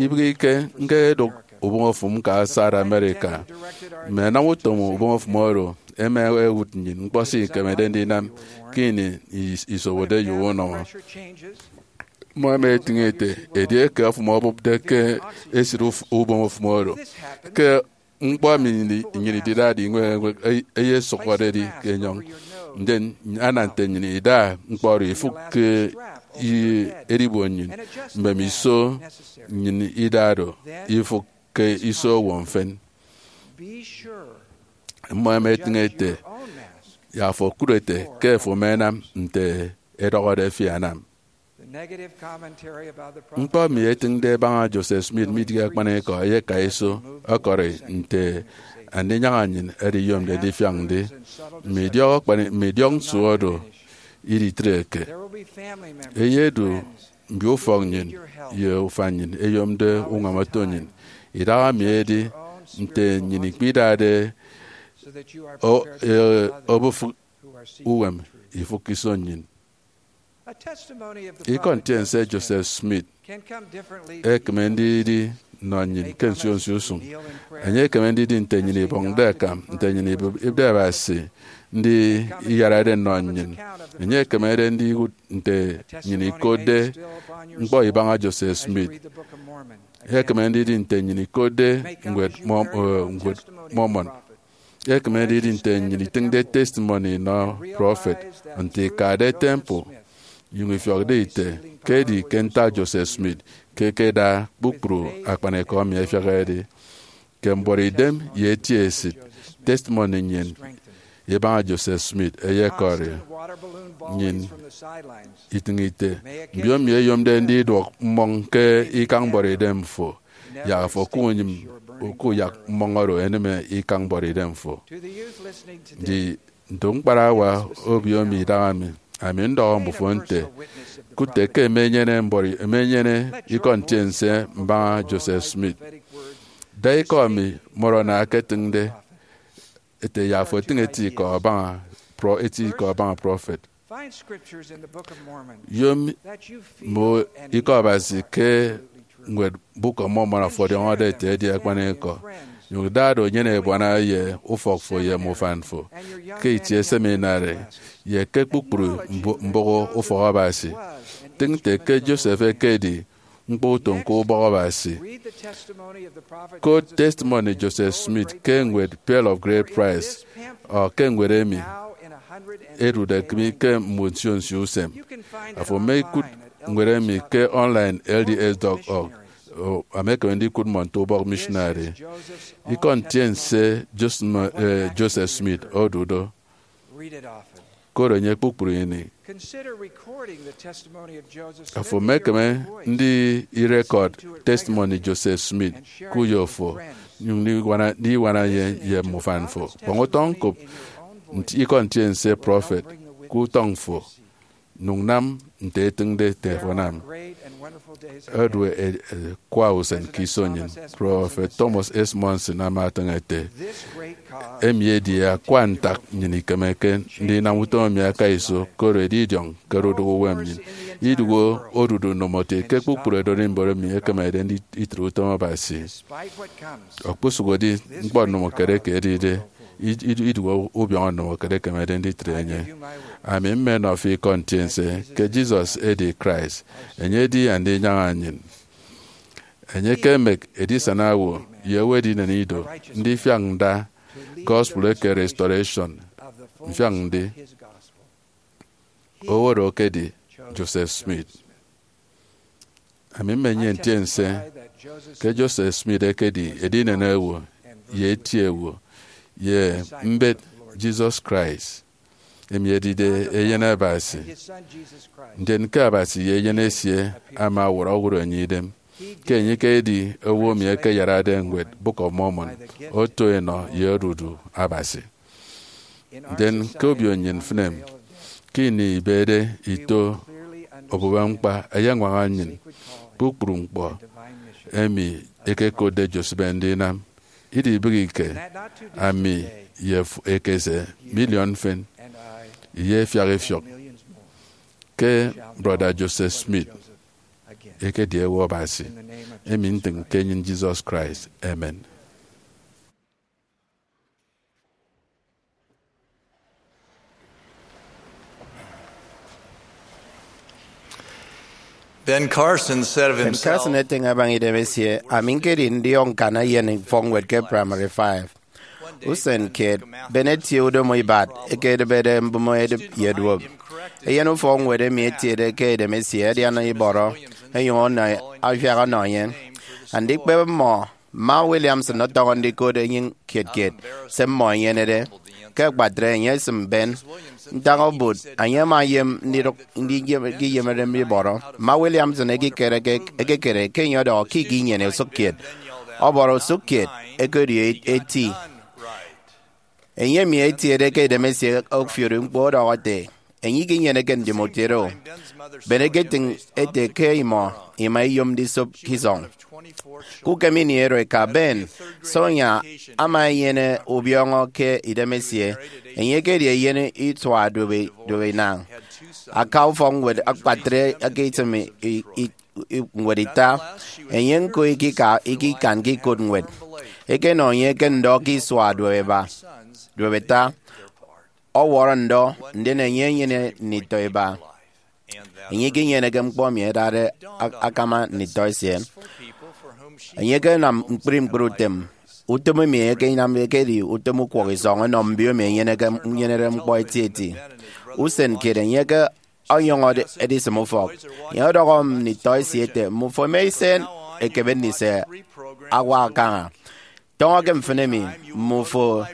Ibịghike ñkedụk ubọñ ofụm ñka South America. Mme ẹnam utom ubọñ ofụm oro ẹma ẹwụt nnyịn ñkpọ se ikemede ndinam ke ini is- isobode ye unọñọ. Mmọ ẹma ẹtịñ ete, edieke ofụm obụpde ke esịt uf- ubọñ ofụm oro, ke ñkpọ emi nnyịn ididade iñwek eñwek eyesụhọde edi ke enyọñ. Ndien ana nte nnyịn ida ñkpọ oro ifụk ke edibon nnyịn, mbemiso nnyịn ida do ifụk ke iso owo mfịn. Mmọ ẹma ẹtịñ ete, yak afo okụt ete ke afo ama anam nte ẹdọhọde fi anam. Ñkpọ emi etịñde ẹbaña Joseph Smith midịghe akpanikọ, ẹyeka iso ọkọri nte Andinyaña nnyịn ediyomde ndifiak ndi. Mme idiọk akpani- mme idiọk nsu oro iditreke. Eyedu mbio ufọk nnyịn ye ufan nnyịn ẹyomde uñwam oto nnyịn. Idaha mi edi nte nnyịn ikpidade o- e- obufịk uwem ifụk iso nnyịn. Ikọ ntiense Joseph Smith ekeme ndidi nnọ nnyịn ke nsio nsio usụñ. Enye ekeme ndidi nte nnyịn ibọñde akam, nte nnyịn ibịpde Abasi, ndi iyarade nnọ nnyịn. Enye ekemede ndiwụt nte nnyịn ikotde ñkpọ ibaña Joseph Smith. Ekeme ndidi nte nnyịn ikotde ñwed Mọ- eh, ñwed Mormon. Ekeme ndidi nte nnyịn itịñde testimony nnọ prọfet nte ikade temple, nyụñ ifiọkde ite ke edi ke ntak Joseph Smith ke ẹkeda kpukpru akpanikọ emi ẹfiak ẹdi. Ke mbuọtidem ye eti esịt, testimony nnyịn ibaña Joseph Smith eyekọri nnyịn itịñ ite. Mbiomi ẹyomde ndiduọk mmọñ ke ikañ mbuọtidem fo, yak afo kunyịm kuyak mmọñ oro enịme ikañ mbuọtidem fo. Ndi nto ñkparawa obio mi idaha mi, ami ndọhọ mbufo nte, kụt ete ke emenyene mbọri emenyene ikọ ntiense mbaña Joseph Smith. Da ikọ emi Moroni aketịñde ete yak afo etịñ eti ikọ abaña prọ- eti ikọ abaña prọfet. Yom mme ikọ Abasi ke ñwed Book of Mormon afo ọdiọñọde ete edi akpanikọ. Nyụñ da do nyene ebuana ye ufọk fo ye mme ufan fo ke itie seminary ye ke kpukpru mbo- mbụk ufọk Abasi. Tịñ nte ke Joseph ekedi ñkpọ utom ke ubọk Abasi. Kot testimony Joseph Smith ke ñwed Pearl of Great Price, ọ ke ñwed emi edude mi ke mme nsio nsio usem. Afo ama ikụt ñwed emi ke online L D S dot org. Ama ekeme ndikụt mmọ nte ubọk missionary. Ikọ ntiense Joseph, eh, Joseph Smith odu do. Koro enye kpukpru ini. Afo emekeme ndi irekọd testimony Joseph Smith ke uyo fo, nyụñ ndiñwana ye, ye mme ufan fo. Kpọñ utọ ñkop nti- ikọ ntiense prọfet ke utọñ fo, nyụñ nam nte etịñde ete afo anam. Edu e- e- akwa usen ke iso nnyịn. Prọfet Thomas S. Monson ama etịñ ete, emi edi akwa ntak nnyịn ikemeke ndinam utom emi aka iso, koro edidiọñ ke odudu uwem nnyịn. Idụhe odudu ndomokiet ke kpukpru ererimbot emi ekemede nditre utom Abasi. Okposụkedi ñkpọ ndomokiet eke edide, id- id- idụhe ubiọñọ ndomokiet ekemede nditre enye. Ami mmenọ fi ikọ ntiense ke Jesus edi Christ, enye edi Andinyaña nnyịn. Enye ke emek edisana owo ye owo edinen ido, ndifiak nda gospel eke restoration, mfiak ndi. Owo oro ekedi Joseph Smith. Ami mmenyene ntiense ke Joseph Smith ekedi edinen owo ye eti owo ye mbet Jesus Christ, emi edide Eyen Abasi, ndien ke Abasi ye Eyen esie ama ọwọrọ ọwọrọ enye idem, ke enye ekedi owo emi ekeyarade ñwed Book of Mormon oto enọ ye odudu Abasi. Ndien ke obio nnyịn mfịn emi, ke ini ibede ito obubeñkpa, eyeñwaña nnyịn kpukpru ñkpọ emi ekekotde Joseph ndinam. Idibịghike, ami ye f- ekese miliọn mfịn ye ẹfiak ifiọk ke Brọda Joseph Smith ekedi ewe Abasi. Emi ntịñ ke enyịn Jesus Christ, amen. Ben Carson said of Ben Carson himself, etịñ abaña idemesie, "Ami ñkedi ndiọk ñkan eyen ufọkñwed ke Primary Five." Usen kiet, Ben etie udomo ibat ekedịbede mbụme edịp ye duop. Eyen ufọkñwed emi etiede ke idemesie adiana ibọrọ, ẹnyụñ ọnọ, afiak ọnọ enye. Andikpep mmọ, Mma Williamson ọtọñọ ndikot enyịñ kiet kiet se mmọ ẹnyenede. Ke akpatre, enye esịm Ben ntaña obot, enye ama eyem ndidụk ndiyem- ndiyemede ibọrọ. Mma Williamson ekikere ke, ekekere ke enye ọdọhọ ke ikinyene usụk kiet. Ọbọrọ usụk kiet ekedi eti. Enye emi etiede ke idemesie ofiori ñkpọ ọdọhọ ete, "Enye ikinyeneke ndimụt oro." Ben eketịñ ete ke imọ ima iyom ndisop ke isọñ. Ke ukem ini oro eka Ben Sonia ama enyene ubiọñọ ke idemesie, enye ekedi eyen isua duop, duop inañ. Aka ufọkñwed akpatre aka itịm i- i- i- ñwed ita. Enye ñko ikika ikikanke ikot ñwed. Ekenọ enye ke ndọ ke isua duop iba, duop ita. Ọwọrọ ndọ, ndien enye enyene nditọ iba. Enye ikinyeneke ñkpọ emi ẹdade ak- akama nditọ esie. Enye ekenam ñkpri ñkpri utom. Utom emi enye ekenam ekedi utom ukwọhọ isọñ ọnọ mbio emi ẹnyeneke, ẹnyenede ñkpọ etieti. Usen kiet enye ke ọnyọñọ edi- edisịm ufọk. Enye ọdọhọ nditọ esie ete, "Mmufo ema isen ekebe ndise awak kaña. Tọñọ ke mfịn emi, mmufo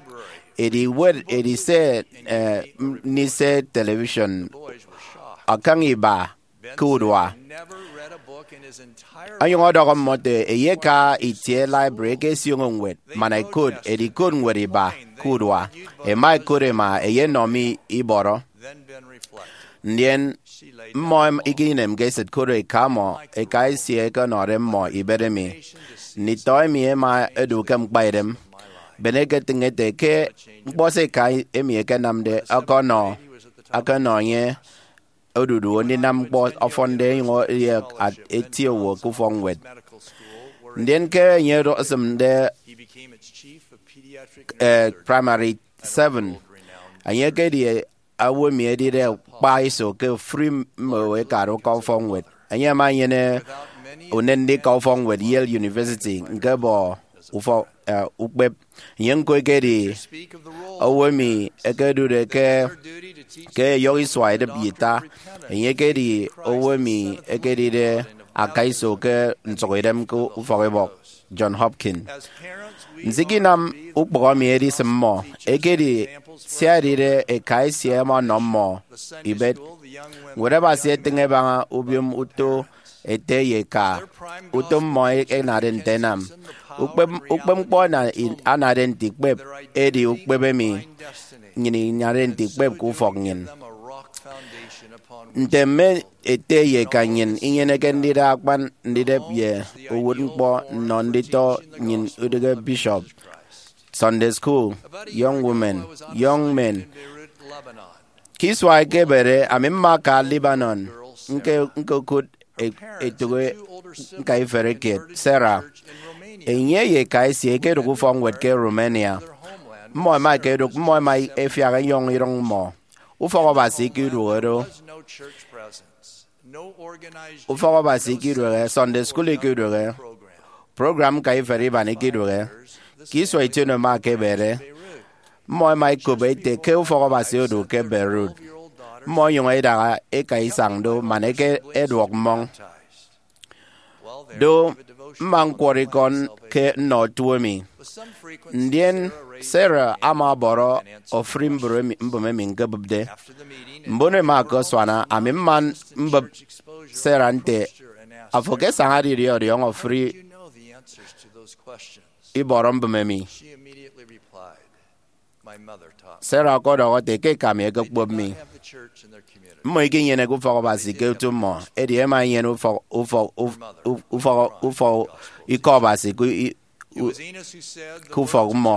edi iwet, edi se, eh, m- ndise television akañ iba ke urua." Onyụñ ọdọhọ mmọ ete, "Eyeka itie library eke esioño ñwed man ẹkot, edi ikot ñwed iba ke urua. Ẹma ẹkot ẹma ẹyenọ mi ibọrọ." Ndien mmọ em- ikinemke esịt koro eka mmọ, eka esie ẹkenọde mmọ ibet emi. Nditọ emi ẹma ẹdu ke ñkpaidem. Ben eketịñ ete ke ñkpọ se eka emi ẹkenamde ọkọnọ, ọkọnọ enye odudu ndinam ñkpọ ọfọnde, enyụñ edi at- eti owo ke ufọkñwed. Ndien ke enye esịmde, eh, Primary Seven, enye ekedi owo emi edide akpa iso ke ofụri mme owo ẹkade uka ufọkñwed. Enye ama enyene unen ndika ufọkñwed Yale University, ñkebọ ufọk, eh, ukpep. Enye ñko ekedi owo emi ekedude ke, ke eyọhọ isua edịp ye ita. Enye ekedi owo emi ekedide akaiso ke nsụhọidem ke ufọkibọk John Hopkins. Nsikinam ukpọhọ emi edisịm mmọ ekedi sia edide eka esie ẹma ọnọ mmọ ibet. Ñwed Abasi etịñ ẹbaña ubiom uto ete ye eka, utom mmọ ẹnade nte ẹnam. Ukpep, ukpep ñkpọ ana- i- anade nte ikpep edi ukpep emi nnyịn inade nte ikpep ke ufọk nnyịn. Nte mme ete ye eka nnyịn inyeneke ndida akpan ndidep ye uwụtñkpọ nnọ nditọ nnyịn idịghe bishop, Sunday school, young women, young men. Ke isua ẹkebede, ami mma aka Lebanon, ñke, ñkokụt e- etụk e- ñkaiferi kiet, Sarah. Enye ye eka esie ẹkedụk ufọkñwed ke Romania. Mmọ ẹma ẹkedụk, mmọ ẹma ẹfiak ẹnyọñ irụñ mmọ. Ufọk Abasi ikiduhe do. Ufọk Abasi ikiduhe, Sunday school ikiduhe, program ñkaiferi iban ikiduhe. Ke isua ition ẹma ẹkebede, mmọ ẹma ẹkop ete ke ufọk Abasi odu ke Beirut. Mmọ ẹnyụñ ẹdaha eka isañ do man ẹke ẹduọk mmọñ. Do, mma ñkwọrọ ikọ ke nnọ otu emi. Ndien Sarah ama ọbọrọ ofụri mbụme emi, mbụme emi ñkebụpde. Mbon ẹma ẹkasuana, ami mma mbụp Sarah nte, "Afo ke saña didie ọdiọñọ ofụri ibọrọ mbụme emi?" Sarah ọkọdọhọ ete ke eka mi ẹkekpop mi. Mmọ ikinyeneke ufọk Abasi ke otu mmọ, edi ẹma ẹnyene ufọk, ufọk, uf- uf- ufọk, ufọk ikọ Abasi ke i- ke ufọk mmọ.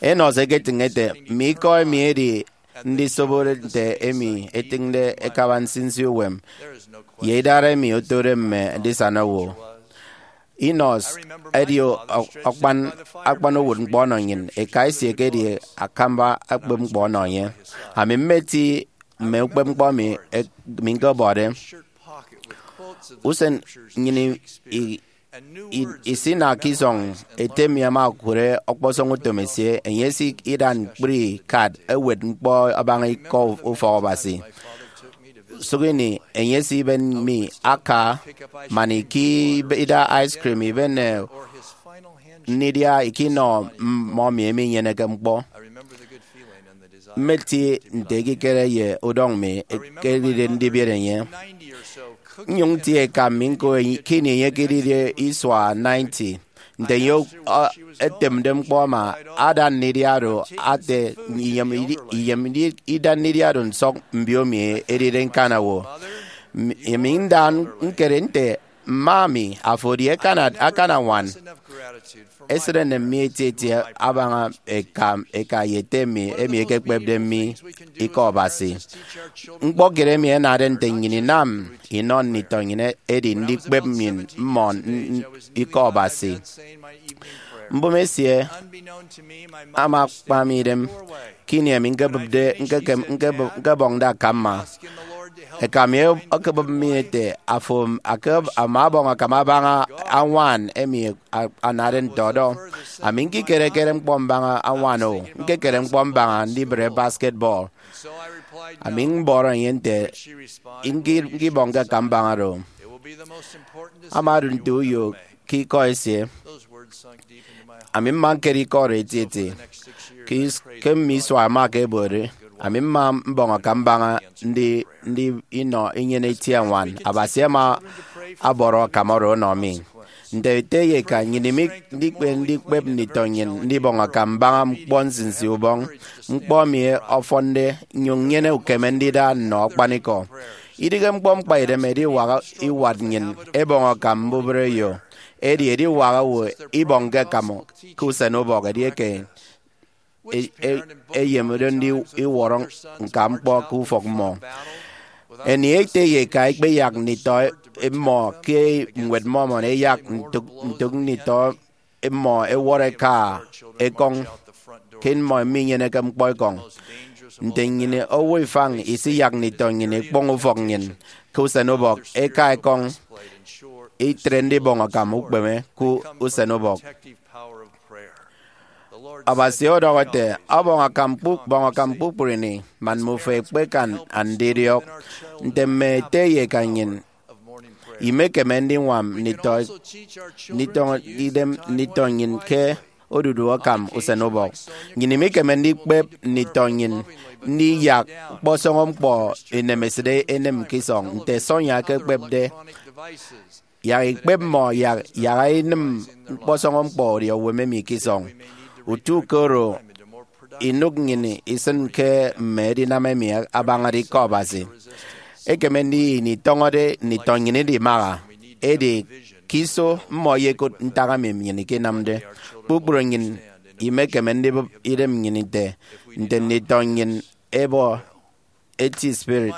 Enos eketịñ ete, mme ikọ emi edi ndisobode nte emi etịñde ẹkaba nsinsi uwem, ye idara emi otode mme ndisana owo. Enos edi akpan akpan uwụtñkpọ ọnọ nnyịn. Eka esie ekedi akamba ukpepñkpọ ọnọ enye. Ami mmeti mme ukpepñkpọ emi mi ñkọbọde. Usen nnyịn isinakke isọñ, ete mi ama okụre ọkpọsọñ utom esie. Enye esida ñkpri kad ewet ñkpọ abaña ikọ ufọk Abasi. Sụk ini enye esiben mi aka man ida ice cream iben nnidia ikinọ mmọ mi emi inyeneke ñkpọ. Mmeti nte ekikere ye udọñ mi ekedide ndibiere enye. Nnyụñ ntie eka mi ñko ke ini enye ekedide isua ninety, nte enye etemde ñkpọ ama ada nnidia oro ate iyem ida nnidia oro nsọk mbio mi edide ñkana owo. Emi nda ñkere nte, mma mi, afo edi akana ñwan. Esịt enem mi etieti abaña eka ye ete mi emi ekekpepde mi ikọ Abasi. Ñkpọ kiet emi anade nte nnyịn inam inọ nditọ nnyịn edi ndikpep nnyịn mmọ ikọ Abasi. Mbụme esie ama akpa mi idem ke ini emi ñkebịpde ñkebọñde aka mma. Eka mi okebụp mi ete, afo ama ọbọñ akam abaña añwan emi anade nte ọdọ. Ami ñkikere-kere ñkpọ mbaña añwan o, ñkekere ñkpọ mbaña ndibre basketball. Ami mbọrọ enye nte ñkibọñke akam mbaña oro. Ama odu nte uyo ke ikọ esie. Ami mma ñkere ikọ oro etieti. Ke mme isua ẹma ẹkebode, ami mma mbọñ akam mbaña ndi ndi inọ inyene itie añwan. Abasi ama ọbọrọ akam oro ọnọ mi. Nte ete ye eka, nnyịn imekeme ndikpep nditọ nnyịn ndibọñ akam mbaña ñkpọ nsinsi ubọñ. Ñkpọ emi ọfọnde nnyụñ nnyene ukeme ndida nnọ akpanikọ. Idịghe ñkpọ ñkpaidem ediwak iwat nnyịn ẹbọñ akam mbubreyo, edi ediwak owo ibọñke akam ke usen ubọk edieke eyemde ndiwọrọ ñka ñkpọ ke ufọk mmọ. Emi ete ye eka ikpeyak nditọ mmọ ke ñwed Mormon, ẹyak ntụk ntụk nditọ mmọ ẹwọrọ ẹka ekọñ ke mmọ minyeneke ñkpọ ekọñ. Nte nnyịn owo ifañ isiyak nditọ nnyịn ikpọñ ufọk nnyịn ke usen ubọk, ẹka ekọñ, itre ndibọñ akam ukpeme ke usen ubọk. Abasi ọdọhọ ete, ọbọñ akam kpukpru ini, man mmufo ẹkpekan andidiọk. Nte mme ete ye eka nnyịn, imekeme ndiñwam nditọ idem nditọ nnyịn ke odudu akam usen ubọk. Nnyịn imekeme ndikpep nditọ nnyịn ndiyak ñkpọsọñọ ñkpọ inemesịt enem ke isọñ, nte Sonia ekekpepde. Yak ikpep mmọ yak yak inịm ñkpọsọñọ ñkpọ ọdiọk uwem emi ke isọñ. Utu ke oro, inụk nnyịn isịn ke mme edinam emi abañade ikọ Abasi. Ekeme ndiyịghe ini itọñọde nditọ nnyịn idimaha, edi ke iso mmọ ẹyekụt ntak emi nnyịn ikinamde. Kpukpru nnyịn imekeme ndibụp idem nnyịn ite nte nditọ nnyịn ẹbọ eti spirit,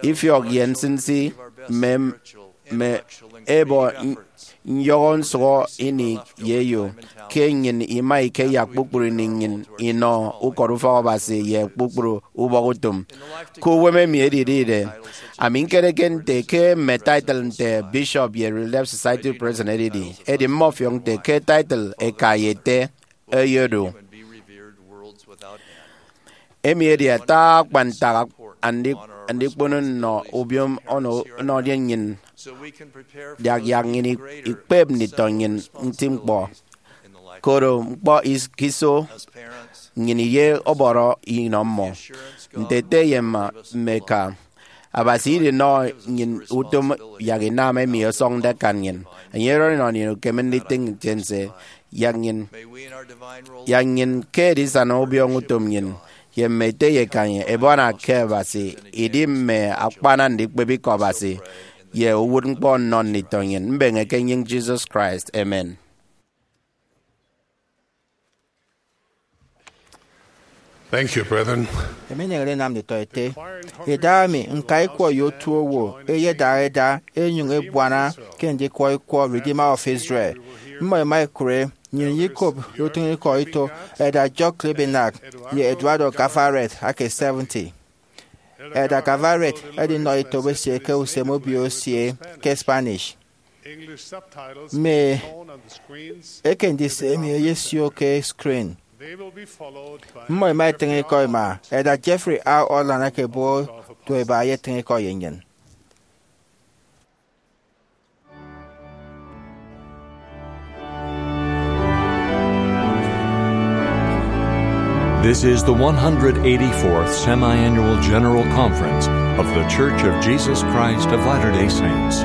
ifiọk ye nsinsi, mme mme ẹbọ nyọhọ nsụhọ ini ye eyo, ke nnyịn ima ikeyak kpukpru ini nnyịn inọ ukot ufọk Abasi ye kpukpru ubọk utom. Ke uwem emi edidide, ami ñkereke nte ke mme title nte bishop ye Relief Society president edidi, edi mmọfiọk nte ke title eka ye ete ẹyedu. Emi edi ata akpan ntak andi- andikpono nnọ ubiom ọnọ ọnọde nnyịn. Yak yak nnyịn ikpep nditọ nnyịn nti ñkpọ, koro ñkpọ is- ke iso nnyịn iye ọbọrọ inọ mmọ. Nte ete ye mma mme eka, Abasi idinọ nnyịn utom yak inam emi ọsọñde akan nnyịn. Enye ọdọhọ inọ nnyịn ukeme nditịñ ntiense yak nnyịn yak nnyịn ke edisana ubiọñọ utom nnyịn ye mme ete ye eka nnyịn ẹbuana ke Abasi idi mme akpan andikpep ikọ Abasi ye uwụtñkpọ nnọ nditọ nnyịn. Mbeñe ke enyịñ Jesus Christ, amen. Thank you, brethren. Emi eneñede enam nditọ ete, idahaemi ñka ikwọ ye otu owo eyedara eda enyuñ ebuana ke ndikwọ ikwọ Redeemer of Israel. Mmọ ema ekure nnyịn ye ikop ye utịñikọ ito Elder Jock Klebenak ye Eduardo Gavaret ake seventy. Elder Gavaret edinọ ito esie ke usem obio esie ke Spanish. Mme eke ndise emi eyesio ke screen. Mmọ ema etịñ ikọ ema. Elder Jeffrey R. Holland eke Bodo eba eyetịñ ikọ ye nnyịn. This is the one hundred eighty-fourth Semi-Annual General Conference of The Church of Jesus Christ of Latter-day Saints.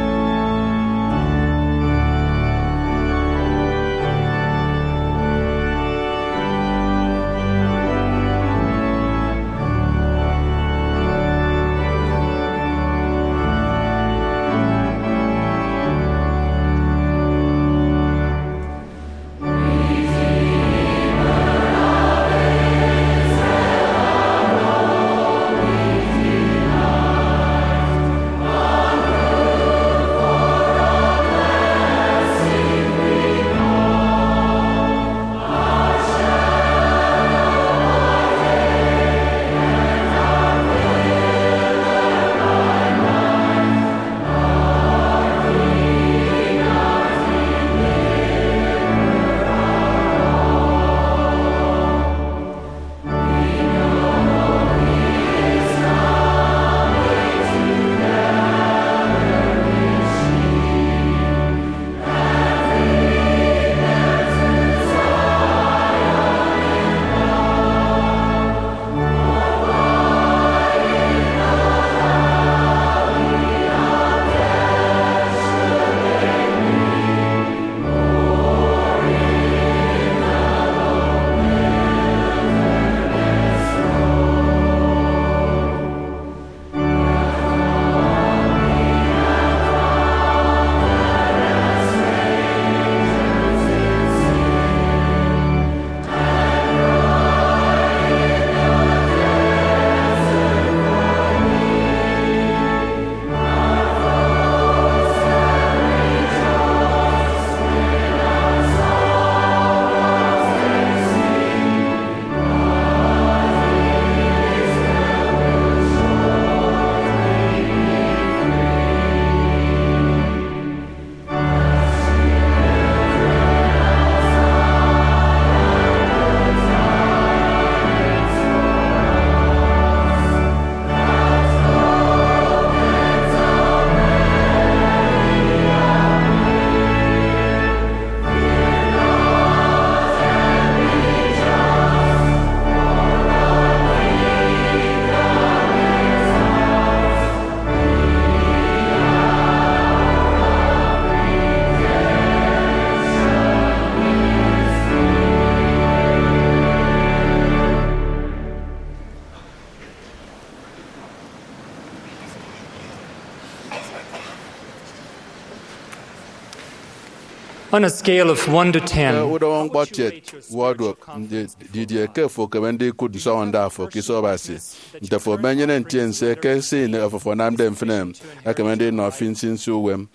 On a scale of one to ten, ke udọñọ ñkpọtiet wọdwọk, ndi- didie ke fo ekeme ndikụt nsọñọnda fo ke iso Abasi? Nte fo menyene ntiense ke se ini fo anamde mfịn ekeme ndinọ fi nsinsi uwem?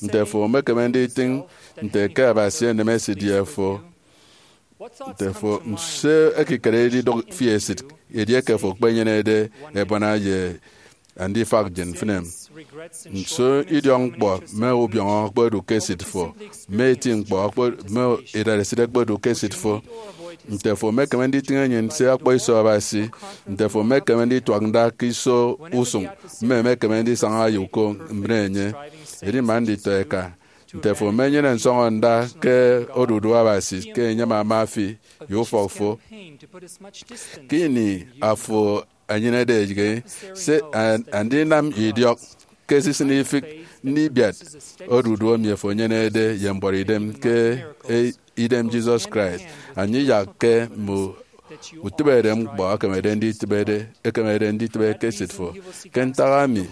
Nte fo mekeme nditịñ nte ke Abasi enem esidi ye fo? Nte fo, nso ekikere edidụk fi esịt edieke fo ekpenyenede ebuana ye andifak ye mfịn em? Nso idiọkñkpọ mme ubiọñọ ọkpọdu ke esịt fo, mme eti ñkpọ ọkpọ- mme idaresit ẹkpọdu ke esịt fo? Nte fo mekeme nditịñ enyịn se ọkpọ iso Abasi? Nte fo mekeme ndituak nda ke iso usụñ mme emekeme ndisaña ye uko mbre enye? Edi man nditọ eka, nte fo menyene nsọñọnda ke odudu Abasi ke enye ama ama fi ye ufọk fo? Ke ini afo enyenede eyịghe, se an- andinam idiọk ke esisịn ifịk ndibiat odudu emi afo enyenede ye mbuọtidem ke e- idem Jesus Christ. Anye iyakke mme utịbeñede ñkpọ ekemede nditịbede ekemede nditịbe ke esịt fo. Ke ntak emi,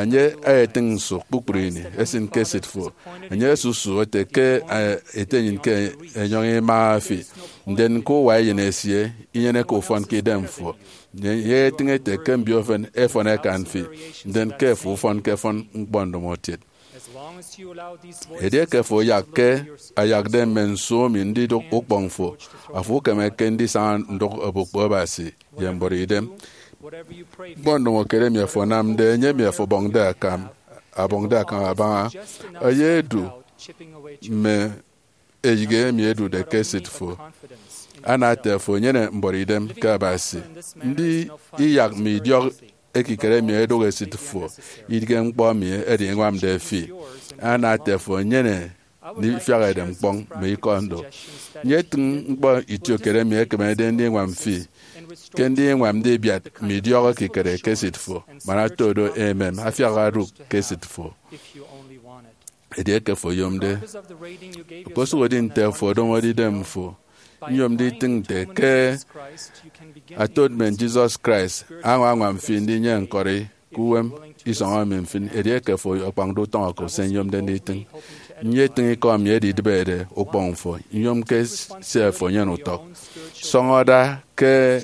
enye etịñ nsu kpukpru ini esịn ke esịt fo. Enye esusu ete ke, eh, ete enyịn ke enyọñ ima fi. Ndien ke uwa eyen esie inyeneke ufọn ke idem fo, enye etịñ ete ke mbio efen ẹfọn ẹkan fi, ndien ke fo ufọn ke fọn ñkpọ ndomokiet. Edieke fo oyak ke ayakde mme nsu emi ndidụk ukpọñ fo, afo ukemeke ndisaña ndụk obukpo Abasi ye mbọrọ idem. Ñkpọ ndomokiet emi afo anamde, enye emi afo ọbọñde akam, abọñde akam abaña, eyedu mme eyịghe emi ẹdude ke esịt fo. Ana ete afo enyene mbọrọ idem ke Abasi. Ndi iyak mme idiọk ekikere emi ẹdụk esịt fo idige ñkpọ emi ẹdiñwamde fi? Ana ete afo enyene ndifiak edem ñkpọñ mme ikọ ndo. Nyetịñ ñkpọ itiokiet emi ẹkemede ndiñwam fi ke ndiñwam ndibiat mme idiọk ekikere ke esịt fo, man oto do emem afiak odụk ke esịt fo. Edieke fo oyomde, okposụkedi nte afo odomode idem fo, nyom nditịñ nte ke atonement Jesus Christ añwañwam fi ndinyene ñkọri ke uwem isọñ emi mfịn. Edieke fo akpañde utọñ oko se nyomde nditịñ, nyetịñ ikọ emi edidịbede ukpọñ fo, nyom ke se afo enyene utọk. Sọñọ da ke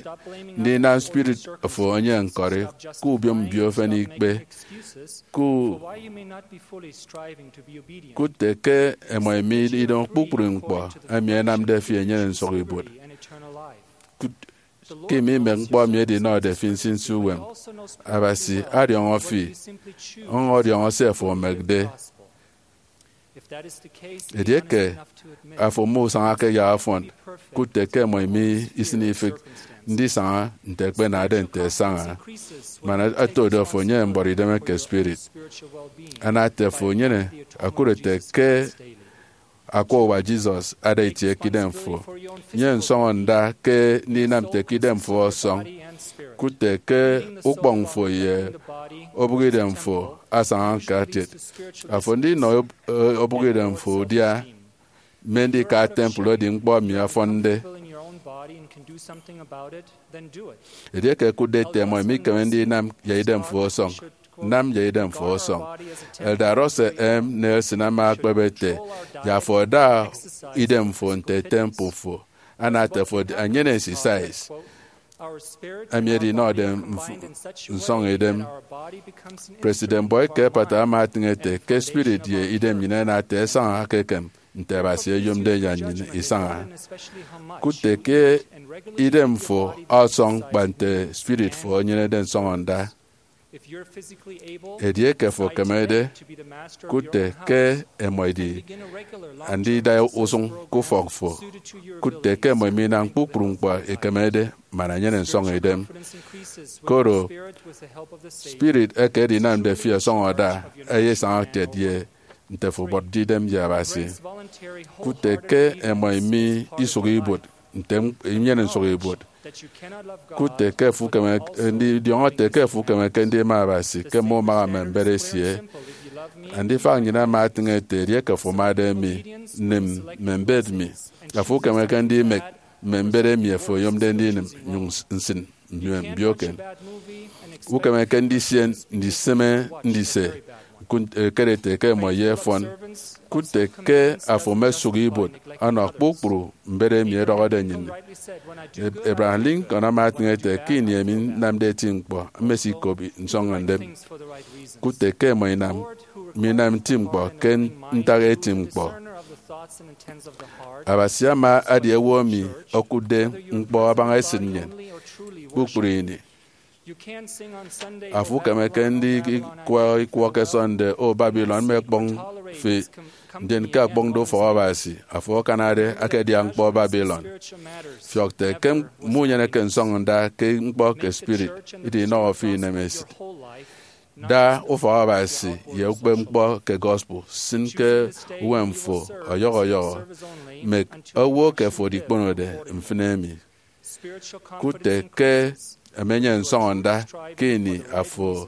ndinam spirit fo enyene ñkọri, ke ubiom mbio efen ikpe, ku-, kụt ete ke ẹmọ emi idem kpukpru ñkpọ emi ẹnamde fi enyene nsụhọibuot. Kụt ke ime imek ñkpọ emi edinọde fi nsinsi uwem, Abasi adiọñọ fi, ọñọ ọdiọñọ se afo emekde. Edieke afo musañake yak ọfọn, kụt ete ke ẹmọ emi isịne ifịk ndisaña nte ẹkpenade nte ẹsaña, man oto do afo enyene mbọrọ idem eke spirit. Ana ete afo enyene akụre ete ke akwa uwa Jesus ada itie ke idem fo. Nyene nsọñọ nda ke ndinam nte ke idem fo ọsọñ, kụt ete ke ukpọñ fo ye obụk idem fo asaña ñkatiet. Afo ndinọ ob-, obụk idem fo udia, mme ndika temple edi ñkpọ emi ọfọnde. Edieke ẹkụtde ete ẹmọ emi ikeme ndinam ye idem fo ọsọñ, nam ye idem fo ọsọñ. Elder Russell M. Nelson ama ekpep ete, ye afo ada idem fo nte temple fo, ana ete afo enyene exercise emi edinọde mf-, nsọñidem. President Boyd K. Packer ama etịñ ete ke spirit ye idem nnyịn ẹnam ata ẹsaña ke ekem nte Abasi oyomde nnyịn isaña. Kụt ete ke idem fo ọsọñ kpa nte spirit fo enyenede nsọñọ nda. Edieke fo ekemede, kụt ete ke ẹmọ ẹdi andida usụñ ke ufọk fo. Kụt ete ke ẹmọ ẹminam kpukpru ñkpọ ekemede man enyene nsọñidem. Koro spirit eke edinamde fi ọsọñọ ada, eyesaña kiet ye nte fo obotde idem ye Abasi. Kụt ete ke ẹmọ emi isụk ibuot nte m-, inyene nsụk ibuot. Kụt ete ke fo ukeme, eh, ndidiọñọ ete ke fo ukemeke ndima Abasi ke mme umaha mme mbet esie. Andifak nnyịn ama etịñ ete, edieke fo amade mi, nịm mme mbet mi. Afo ukemeke ndimek mme mbet emi afo oyomde ndinịm, nyụñ s-, nsịn mme mbioken. Ukemeke ndisie ndisịme ndise, ñkụt, eh, kere ete ke ẹmọ ye ẹfọn. Kụt ete ke afo mesụk ibuot ọnọ kpukpru mbet emi ẹdọhọde nnyịn. Ab-, Abraham Lincoln ama etịñ ete, ke ini emi nnamde eti ñkpọ, mmesikop nsọñidem. Kụt ete ke ẹmọ inam, minam nti ñkpọ ke ntak eti ñkpọ. Abasi ama adi owo emi okụtde ñkpọ abaña esịt nnyịn kpukpru ini. Afo ukemeke ndikwọ ikwọ ke Sunday, O Babylon, mme ẹkpọñ fi, ndien ke akpọñde ufọk Abasi, afo akanade akedian ñkpọ Babylon. Fiọk ete ke munyeneke nsọñọ nda ke ñkpọ ke spirit, idinọhọ fi inemesịt. Da ufọk Abasi ye ukpepñkpọ ke gospel sịn ke uwem fo ọyọhọ ọyọhọ. Mek owo ke fo edikponode mfịn emi. Kụt ete ke emenyene nsọñọ nda ke ini afo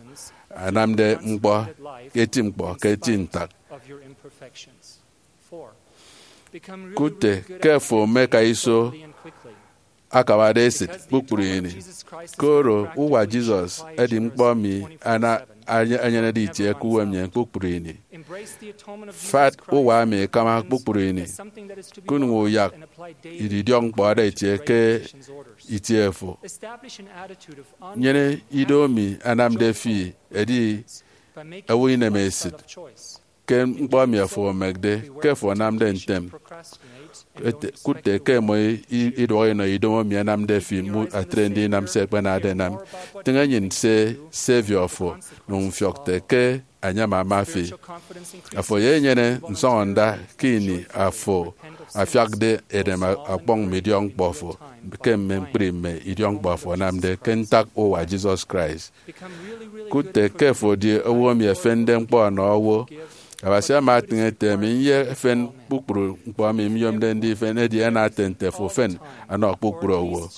anamde ñkpọ, eti ñkpọ ke eti ntak. Kụt ete ke fo meka iso akabade esịt kpukpru ini. Koro uwa Jesus edi ñkpọ emi ana-, enye-, enyenede itie ke uwem nnyịn kpukpru ini. Fat uwa emi ikama kpukpru ini, kunyụñ uyak idiọk ñkpọ ada itie ke itie fo. Nyene ido emi anamde fi edi owo inemesịt ke ñkpọ emi afo emekde ke afo anamde ntem. Ete, kụt ete ke mmọ i-, iduọk inọ idomo emi anamde fi mu atre ndinam se ekpenade enam. Tịñ enyịn se Savior fo, nụñ fiọk ete ke anyam ama fi. Afo eyenyene nsọñọnda ke ini afo afiakde edem ọkpọñ mme idiọk ñkpọ fo ke mme ñkpri mme idiọk ñkpọ afo anamde ke ntak uwa Jesus Christ. Kụt ete ke afo edi owo emi efende ñkpọ ọnọ owo. Abasi ama atịñ ete, emi nyefen kpukpru ñkpọ emi nyomde ndifen, edi ana ete nte afo fen ọnọ kpukpru owo.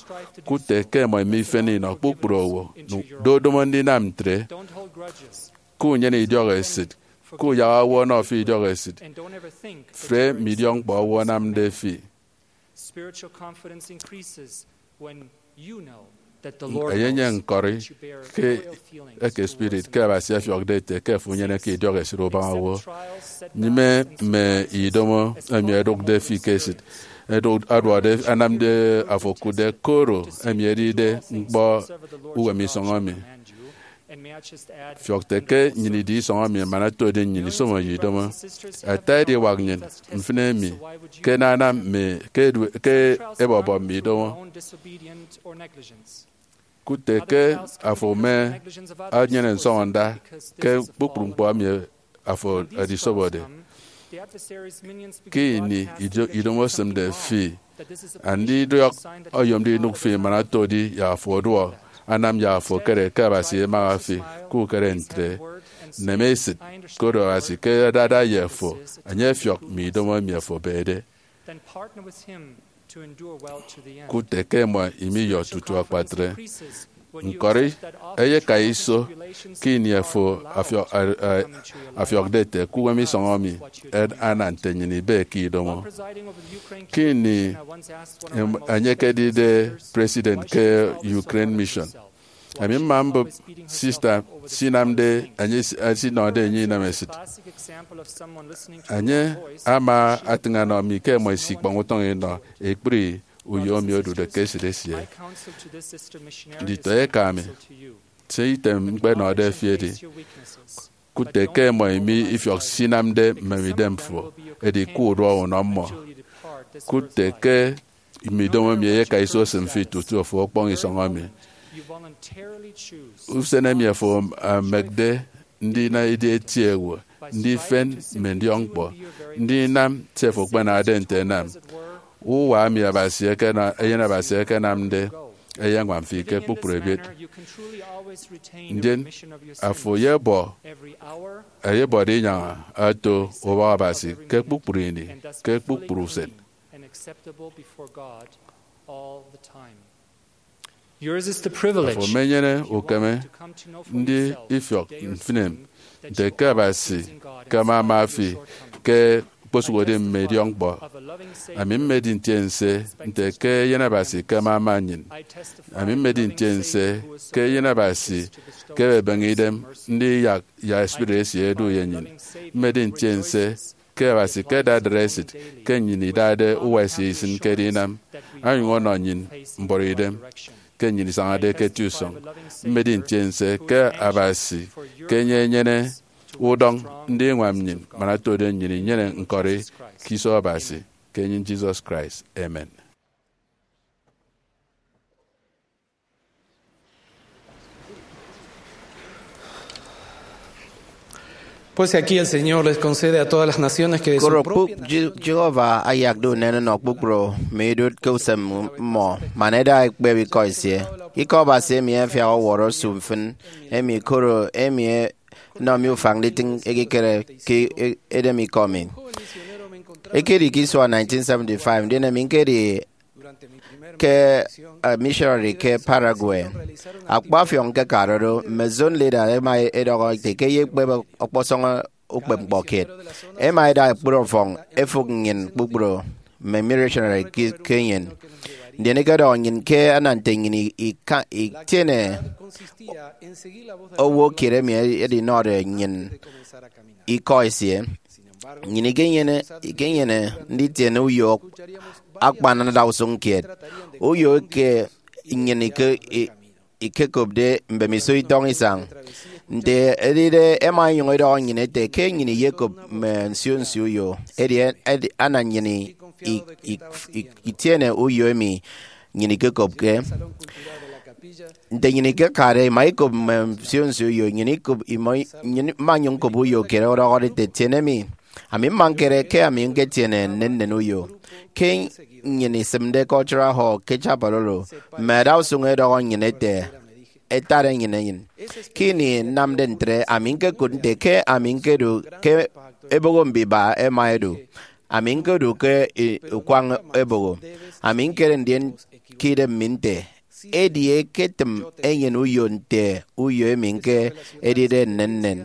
Kụt ete ke mmọ mifen inọ kpukpru owo. Dodomo ndinam ntre. Kunyene idiọk esịt. Kuyak owo ọnọ fi idiọk esịt. Fre mme idiọk ñkpọ owo anamde fi. Spiritual confidence increases when you know that the Lord Enye enye knows nkọri that you bear ke loyal feelings eke towards spirit him. Ke Abasi ọfiọkde ete ke afo unyeneke idiọk esịt ubaña owo. Nyịme mme idomo emi ẹdụkde fi ke esịt, ẹdụk-, aduọde anamde afo okụtde koro emi edide ñkpọ uwem isọñ emi. Fiọk ete ke nnyịn idi isọñ emi man otode nnyịn isomo ye idomo. Ata ediwak nnyịn mfịn emi ke nanam mme ke edu-, ke ebọbọ mme idomo. Kụt ete ke afo mme enyene nsọñọnda ke kpukpru ñkpọ emi afo edisobode. Ke ini ido-, idomo esịmde fi, andidiọk oyomde inụk fi man otode ye afo oduọ, anam ye afo ekere ke Abasi emaha fi. Ke ukere ntre, neme esịt, koro Abasi ke adada ye afo, enye efiọk mme idomo emi afo ebede. Kụt ete ke mmọ imiyọ tutu akpatre. Ñkọri eyeka iso ke ini afo afiọ-, a-, a-, afiọkde ete ke uwem isọñ emi ed-, ana nte nnyịn ibe ke idomo. Ke ini em-, enye ekedide president ke Ukraine Mission, ami mma mbụp sista sinamde enye si-, esinọde enye inemesịt. Enye ama atịñ anọ mi ke mmọ isikpọñ utọñ inọ ekpri uyo emi odude ke esịt esie. Nditọeka mi, se item ñkpenọde fi edi, kụt ete ke mmọ imi ifiọk se inamde mmem idem fo, edi ke uduọ unọ mmọ. Kụt ete ke mme idomo emi eyeka iso esịm fi tutu afo ọkpọñ isọñ emi. Usen emi afo emekde ndina edi eti ewe, ndifen mme ndiọkñkpọ, ndinam se afo ekpenade nte enam. Uwa emi Abasi ekena-, Eyen Abasi ekenamde eyeñwam fi ke kpukpru ebiet. Ndien afo eyebọ, eyebọde inyaña ato ubọk Abasi ke kpukpru ini, ke kpukpru usen. Yours is the privilege. Afo emenyene ukeme ndi ifiọk mfịn nte ke Abasi ke ama ama fi ke okposụkedi mme idiọkñkpọ. Ami mmedi ntiense nte ke Eyen Abasi ke ama ama nnyịn. Ami mmedi ntiense ke Eyen Abasi ke ebebeñe idem ndiyak ya spirit esie edu ye nnyịn. Mmedi ntiense ke Abasi ke adadara esịt ke nnyịn idade uwa esie isịn ke edinam, onyụñ ọnọ nnyịn mbuọtidem ke nnyịn isañade ke eti usọñ. Mmedi ntiense ke Abasi ke enye enyene udọñ ndiñwam nnyịn man otode nnyịn inyene ñkọri ke iso Abasi ke enyịn Jesus Christ. Amen. Pues aquí el Señor les concede a todas las naciones que de su Koro propia kpuk Je-, Jehovah ayakde unen ọnọ kpukpru mme idụt ke usem mmọ, man ẹda ẹkpep ikọ esie. Ikọ Abasi emi afiak ọwọrọ osu mfịn emi, koro emi e-, enọ mi ufañ nditịñ ekikere ke e-, edem ikọ mi. Ekedi ke isua nineteen seventy-five, ndien emi ñkedi ke, eh, missionary ke Paraguay. Akpa ọfiọñ ñkekade do, mme zone leader ẹma ẹdọhọ ete ke ẹyekpep ọkpọsọñ ukpepñkpọ kiet. Ẹma ẹda ẹkpri ọfọñ ẹfụk nnyịn kpukpru mme missionary ke, ke enyịn. Ndien ekedọhọ nnyịn ke ana nte nnyịn ika-, itiene owo kiet emi edinọde nnyịn ikọ esie. Nnyịn ikenyene, ikenyene nditiene uyo akpan adausụñ kiet, uyo eke nnyịn ike-, i-, ikekopde mbemiso itọñ isañ. Nte edide, ẹma ẹnyụñ ẹdọhọ nnyịn ẹte ke nnyịn iyekop mme nsio nsio uyo. Edi, edi, ana nnyịn i-, i-, i-, i-, itiene uyo emi nnyịn ikekopke. Nte nnyịn ikekade, ima ikop mme nsio nsio uyo, nnyịn ikop, ima, nnyịn ima nyụñ ñkop uyo kiet ọdọhọde ete, "Tiene mi." Ami mma ñkere ke ami ñketiene nnennen uyo. Ke nnyịn isịmde Cultural Hall ke chapel oro, mme adausụñ ẹdọhọ nnyịn ẹte, ẹtade nnyịn enyịn. Ke ini nnamde ntre, ami ñkekụt nte ke ami ñkedu ke eboho mbiba ẹma ẹdu. Ami ñkedu ke i-, ukwañ eboho. Ami ñkere ndien ke idem mi nte, "Edi eketịm enyịn uyo nte uyo emi ñke edide nnennen."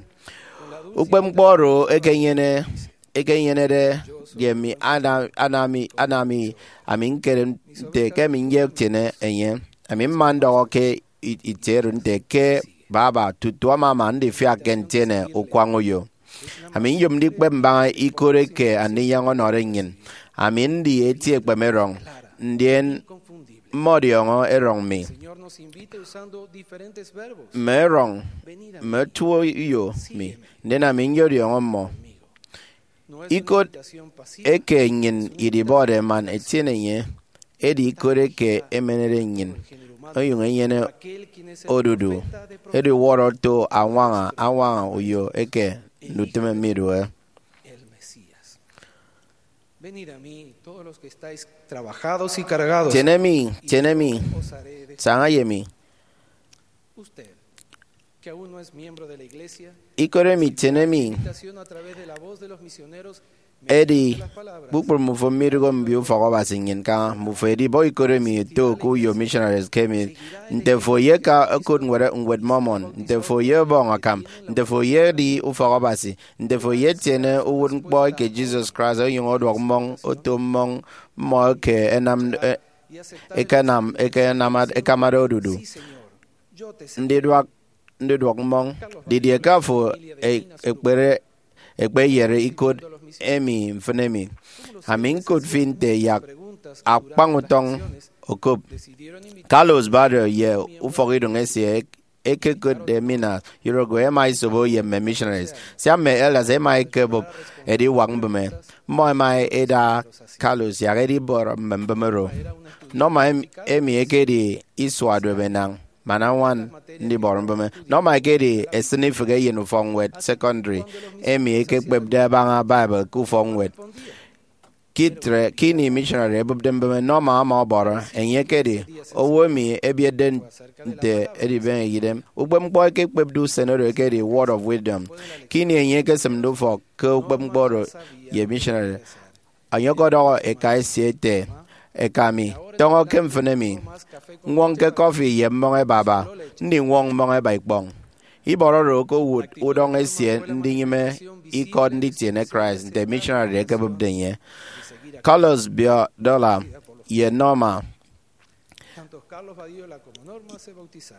Ukpepñkpọ oro ekenyene, ekenyenede ye mi ana, ana mi, ana mi, ami ñkere nte ke ami nyetiene enye. Ami mma ndọhọ ke i-, itie oro nte ke baba tutu amama ndifiak ke ntiene ukwañ uyo. Ami nyom ndikpep mbaña ikot eke Andinyaña ọnọde nnyịn. Ami ndi eti ekpeme erọñ, ndien mmọdiọñọ erọñ mi, mme erọñ, mme otuo uyo mi, ndien ami nyọdiọñọ mmọ. Ikot eke nnyịn idibọde man etiene enye, edi ikot eke emenede nnyịn, onyụñ enyene odudu, ediwọrọ oto añwaña, añwaña uyo eke ndutịme midụhe. Venid a mí, todos los que estáis trabajados y cargados, tiene mi, tiene mi, os haré descansar. Saña ye mi. Usted, que aún no es miembro de la iglesia, ikot emi tiene mi, invitación a través de la voz de los misioneros, edi, kpukpru mmufo midụhe mbio ufọk Abasi nnyịn kaña, mmufo edibọ ikot emi eto ke uyo missionaries ke emi, nte fo ye ka okot ñwed, ñwed Mormon, nte fo ye ọbọñ akam, nte fo ye edi ufọk Abasi, nte fo ye tiene uwụtñkpọ eke Jesus Christ onyụñ ọduọk mmọñ, oto mmọñ, mmọ eke ẹnam, e, ẹkenam, ẹkenam, ẹkamade odudu. Ndiduak, ndiduak mmọñ. Didie ke afo e-, ekpere, ekpeyere ikot emi mfịn emi? Ami ñkụt fi nte yak akpañ utọñ okop. Carlos Barrio ye ufọkidụñ esie ekekotde Minas, Uruguay, ẹma ẹsobo ye mme missionaries. Sia mme elders ẹma ẹkebụp ediwak mbịme, mmọ ẹma ẹda Carlos yak edibọrọ mme mbịme oro. Norma em-, emi ekedi isua duop enañ man añwan ndibọrọ mbịme. Norma ekedi esịne ifịk eyen ufọkñwed sekọndri emi ekekpepde abaña Bible ke ufọkñwed. Ke itre, ke ini missionary ebụpde mbịme, Norma ama ọbọrọ. Enye ekedi owo emi ebietde nte edibeñe idem. Ukpepñkpọ ekekpepde usen oro ekedi Word of Wisdom. Ke ini enye ekesịmde ufọk ke ukpepñkpọ oro ye missionary, enye ọkọdọhọ eka esie ete, "Eka mi, tọñọ ke mfịn emi, ññwọñke coffee ye mmọñ ẹba aba, ndiñwọñ mmọñ ẹba ikpọñ." Ibọrọ oro okowụt udọñ esie ndinyịme ikọt nditiene Christ nte missionary ẹkebụpde enye. Carlos Badiola ye Norma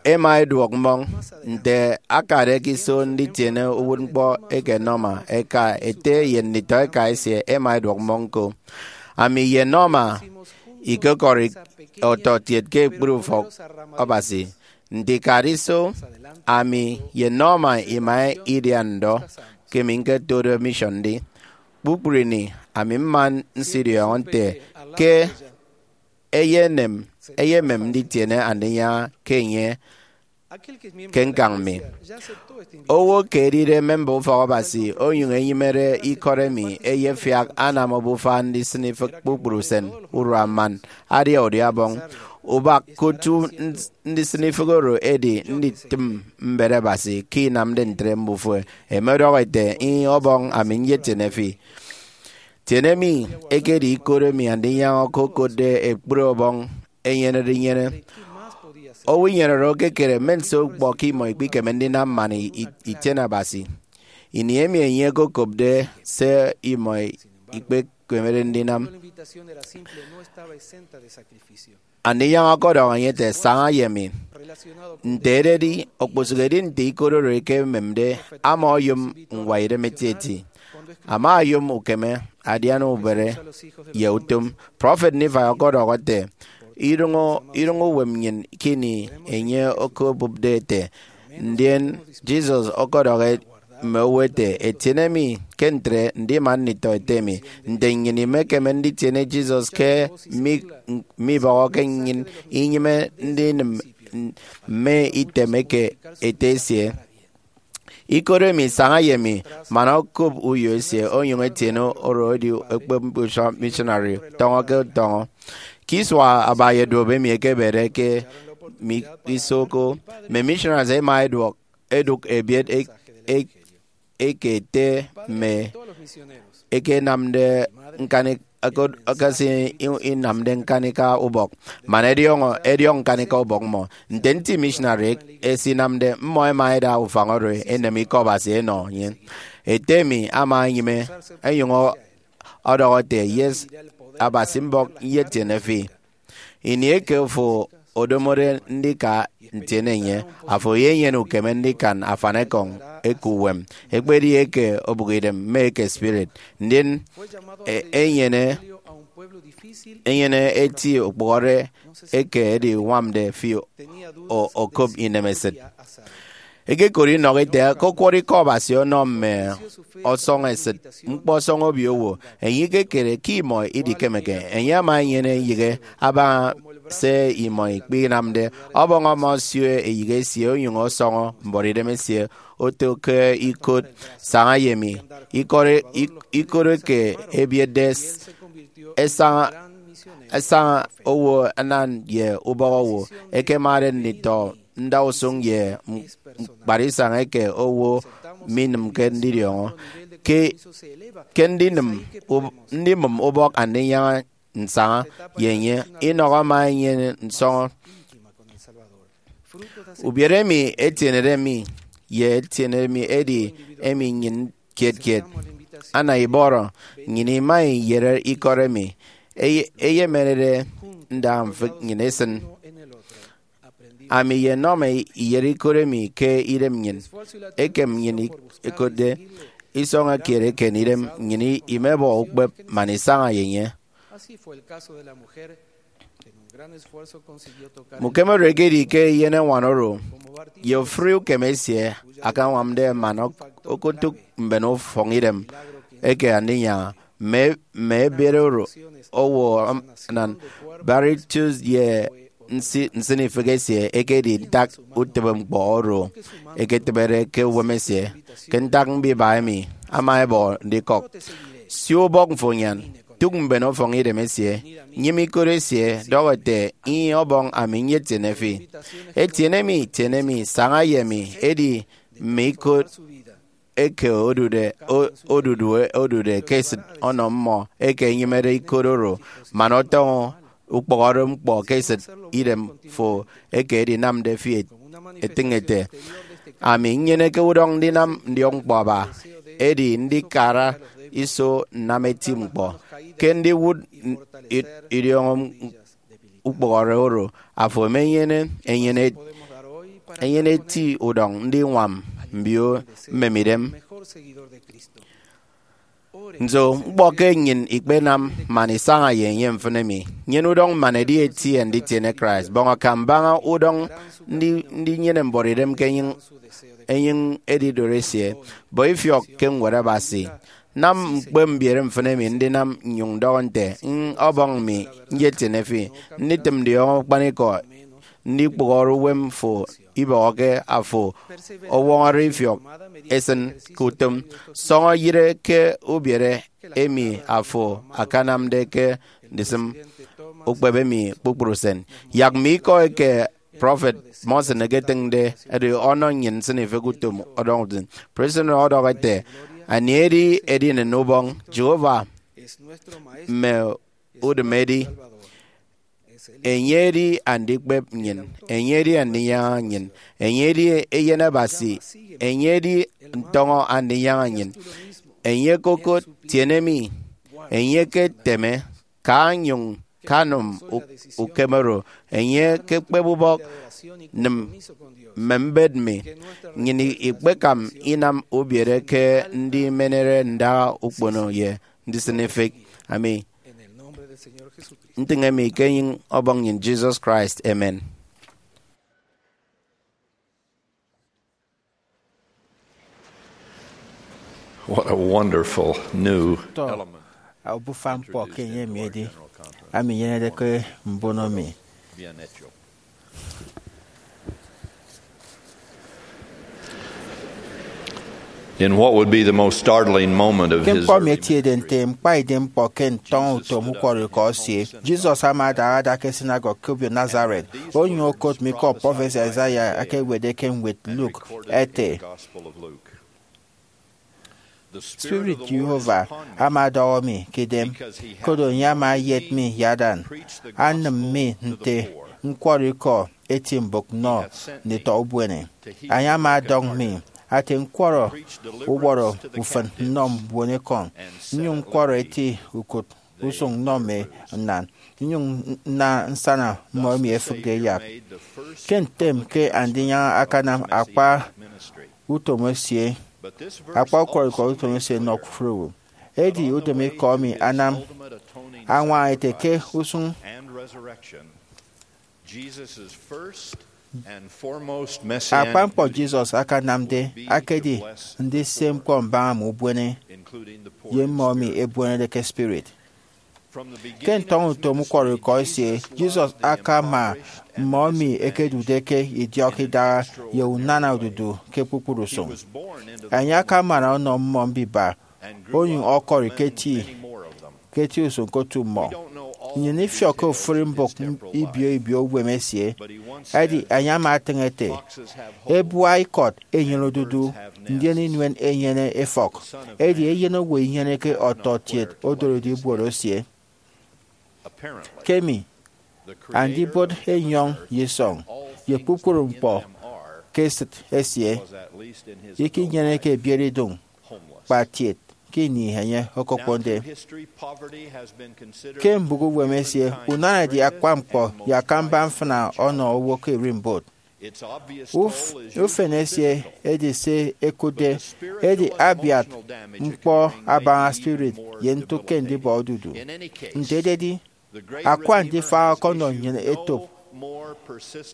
ẹma ẹduọk mmọñ. Nte akade ke iso nditiene uwụtñkpọ eke Norma, eka ete ye nditọeka esie ẹma ẹduọk mmọñ ñko. Ami ye Norma ikekọri ọtọkiet ke ekpri ufọk Abasi. Nte ikade iso, ami ye Norma ima idian ndọ ke emi ñketode mission ndi. Kpukpru ini, ami mma nsidiọñọ nte ke eyenem, eyemem nditiene Andinyaña ke enye ke ñkañ mi. Owo ke edide memba ufọk Abasi onyụñ enyịmede ikọt emi eyefiak anam obufa ndisịn ifịk kpukpru usen, urua man adia udia ọbọñ. Ubak ke otu ndisịn ifịk oro edi nditịm mbet Abasi. Ke inamde ntre, mbufo ẹmọdọhọ ẹte, "Ih, Ọbọñ, ami nyetiene fi." Tiene mi ekedi ikot emi Andinyaña okokotde ekpri ọbọñ enyenede inyene. Owo inyene oro ekekere mme nso ñkpọ ke imọ ikpikeme ndinam man i-, i-, itiene Abasi. Ini emi enye okokopde se imọ ikpekemede ndinam, Andinyaña ọkọdọhọ enye ete, "Saña ye mi." Nte ededi, okposụkedi nte ikot oro ekememde, ama oyom ñwaidem etieti. Ama oyom ukeme adian ubere ye utom. Prọfet Nephi ọkọdọhọ ete, "Idụñ, idụñ uwem nnyịn ke ini enye okobụpde ete, ndien Jesus ọkọdọhọ mme owo ete, 'Etiene mi ke ntre ndima nditọ ete mi.'" Nte nnyịn imekeme nditiene Jesus ke mi, mibọhọke nnyịn inyịme ndinịm mme item eke ete esie? Ikot emi saña ye mi man okop uyo esie onyụñ etiene oro edi ekpep missionary tọñọ ke tọñọ. Ke isua abaña duop emi ekebede ke mi isoko, mme missionaries ẹma ẹduọk, ẹdụk ebiet e-, e-, eke ete mme eke ẹnamde ñkanika, eke, eke si inamde ñkanika ubọk, man ẹdiọñọ, ẹdiọk ñkanika ubọk mmọ. Nte nti missionary ẹsinamde, mmọ ẹma ẹda ufañ oro ẹnem Ikọ Abasi ẹnọ enye. Ete mi ama enyịme, ẹnyụñ ọ-, ọdọhọ ete, "Yes, Abasi mbọk nyetiene fi. Ini eke fo odomode ndika ntiene enye, afo eyenyene ukeme ndikan afanikọñ eke uwem, ekpedi eke obụkidem mme eke spirit, ndien e-, enyene, enyene eti ukpụhọre eke ediñwamde fi o-, okop inemesịt." Ekekot inọhọ ete ke ọkwọrọ Ikọ Abasi ọnọ mme ọsọñesịt ñkpọsọñ obio owo. Enye ikekere ke imọ idikemeke. Enye ama enyene eyịghe abaña se imọ ikpinamde. Ọbọñ ama osio eyịghe esie onyụñ ọsọñọ mbuọtidem esie oto ke ikot saña ye mi. Ikot, ik-, ikot eke ebietde s-, esaña, esaña owo anan ye ubọk owo ẹkemade nditọ ndausụñ ye m-, ñkparisañ eke owo minịmke ndidiọñọ. Ke, ke ndinịm ub-, ndimụm ubọk Andinyaña nsaña ye enye, Enoch ama enyene nsọñọ. Ubiere emi etienede mi ye etienede mi edi emi nnyịn kiet kiet. Ana ibọrọ nnyịn ima iyere ikọt emi eye-, eyemerede ndaha mfịk nnyịn esịn. Ami ye Norma iyere ikot emi ke idem nnyịn. Ekem nnyịn ik-, ikotde isọñọ kiet eken idem, nnyịn i-, imebọ ukpep man isaña ye enye. Mme ukeme oro ekedi ke eyen eñwan oro, ye ofụri ukeme esie, akañwamde man ok-, okotụk mben ufọkidem eke Andinyaña. Mme, mme ebiet oro owo anan, Barry Childs ye nsi-, nsịnifịk esie ekedi ntak utịbeñkpọ oro eketịbede ke uwem esie. Ke ntak mbiba emi ama ẹbọ ndikọk, sio ubọk mfo nyan, tụk mben ufọkidem esie, nyịme ikot esie, dọhọ ete, "Ih, Ọbọñ, ami nyetiene fi. Etiene mi, tiene mi, saña ye mi," edi mme ikot eke odude, o-, odudu, odude ke esịt ọnọ mmọ eke ẹnyịmede ikot oro, man ọtọñọ ukpụhọre ñkpọ ke esịt idem fo eke edinamde fi et-, etịñ ete, "Ami nnyeneke udọñ ndinam ndiọkñkpọ aba, edi ndikara iso nnam eti ñkpọ ke ndiwụt n-, i-, idiọñọ ukpụhọre oro, afo emenyene enyene, enyene eti udọñ ndiñwam mbio mmemidem." Nso ñkpọ ke nnyịn ikpenam man isaña ye enye mfịn emi? Nyene udọñ man edi eti ye nditiene Christ. Bọñ akam baña udọñ ndi-, ndinyene mbuọtidem ke enyịñ, enyịñ edidot esie. Bọ ifiọk ke Ñwed Abasi. Nam ñkpe mbiere mfịn emi ndinam nnyụñ ndọhọ nte, "Ih, Ọbọñ, mi nyetiene fi." Nditịm ndiọñọ akpanikọ ndikpụhọre uwem fo ibọhọke afo ọwọñọde ifiọk esịn ke utom. Sọñọ yịre ke ubiere emi afo akanamde ke ndisịm ukpep emi kpukpru usen. Yak mme ikọ eke Prọfet Monson eketịñde ẹdu ọnọ nnyịn nsịnifịk utom ọdọñ usen. President ọdọhọ ete, "Anie edi edinen ubọñ Jehovah mme udịm edi? Enye edi andikpep nnyịn, enye edi andinyaña nnyịn, enye edi Eyen Abasi, enye edi ntọñọ andinyaña nnyịn. Enye ke okot, tiene mi, enye ke teme, ka nyụñ kanụm u-, ukem oro. Enye ke ekpep ubọk, nịm mme mbet mi. Nnyịn ikpekam inam ubiere ke ndimenere ndaha ukpono ye ndisịn ifịk. Ami ntịñe mi ke enyịñ Ọbọñ nnyịn Jesus Christ. Amen. What a wonderful new Tọ, element. Obufa ñkpọ ke enye mi edi, ami nyenede ke mbono mi. Bien hecho. In what would be the most startling moment of Ke his ñkpọ mi early etiede nte ñkpaidem ñkpọ ke ntọñọ utom ukwọrọikọ esie, Jesus ama ada ada ke synagogue ke obio Nazareth, onyụñ okot mi ikọ prọfesi Isaiah eke ewetde ke ñwed Luke, ete, Spirit Jehovah ama ọdọhọ mi ke idem, koro enye ama eyet mi ye adan, anịm mi nte ñkwọrọ ikọ eti mbụk nnọ nditọ ubuene. Enye ama ọdọñ mi ate ñkwọrọ uwọrọ ufịn nnọ mbuonekọñ, nnyụñ ñkwọrọ eti ukụt usụñ nnọ mme nnan, nnyụñ nna nsana mmọ emi ẹfịkde ẹyak. Ke ntem ke andinyaña akanam akpa utom esie, akpa ukwọrọikọ utom esie nnọ kufre owo. Edi udịm ikọ emi anam añwaña ete ke usụñ akpa ñkpọ Jesus akanamde akedi ndise ñkpọ mbaña mme ubuene ye mmọ emi ebuenede ke spirit. Ke ntọñọ utom ukwọrọikọ esie, Jesus akama mmọ emi ẹkedude ke idiọk idaha ye unana odudu ke kpukpru usụñ. Enye akamana ọnọ mmọ mbiba, onyụñ ọkọri ke eti, ke eti usụñ ke otu mmọ. Nnyịn ifiọkke ofụri mbụk ibio ibio uwem esie, edi enye ama etịñ ete, ebua ikọt enyene odudu, ndien inuen enyene efọk, edi eyen owo inyeneke ọtọkiet odoride ibuot esie. Kemi, andibot enyọñ ye isọñ ye kpukpru ñkpọ ke esịt esie ikinyeneke ebiere idụñ, kpa kiet ke ini enye okokponde. Ke mbụk uwem esie, unana edi akpa ñkpọ ye akamba mfịna ọnọ owo ke ererimbot. Uf-, ufen esie edi se ẹkụtde, edi abiat ñkpọ abaña spirit ye ntụk ke ndibọ odudu. Nte ededi, akwa ndifaha ọkọnọ nnyịn etop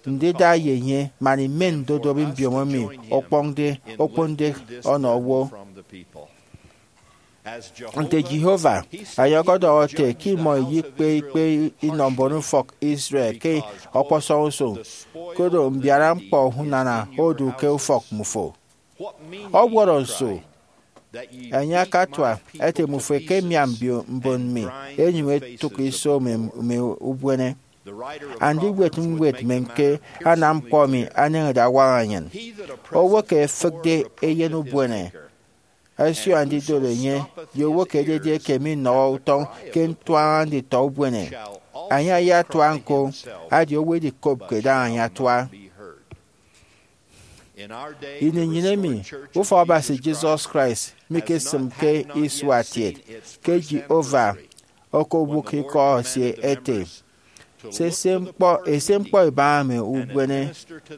ndida ye enye man imen ndodop mbiomo emi okpọñde, okponde ọnọ owo. Nte Jehovah, enye ọkọdọhọ ete ke imọ iyikpe ikpe inọ mbonufọk Israel ke ọkpọsọñ usụñ, koro mbiara ñkpọ unana odu ke ufọk mmufo. Ọwọrọ nso? Enye akatua ete, mmufo ẹkemiam mbio-, mbon mi, ẹnyụñ ẹtụk iso mme, mme ubuene. Andiwet ñwed men ke anam ñkpọ emi aneñede awaña nnyịn. Owo ke efịkde eyen ubuene, ẹsio andidot enye, ye owo ke ededi eke minọhọ utọñ ke ntuaña nditọ ubuene, enye ayatua ñko, adi owo edikopke daña enye atua. Ini nnyịn emi, ufọkabasi Jesus Christ mikesịmke isua kiet, ke Jehovah okobụk ikọ esie ete, sese ñkpọ, ese ñkpọ ibaña mme ubuene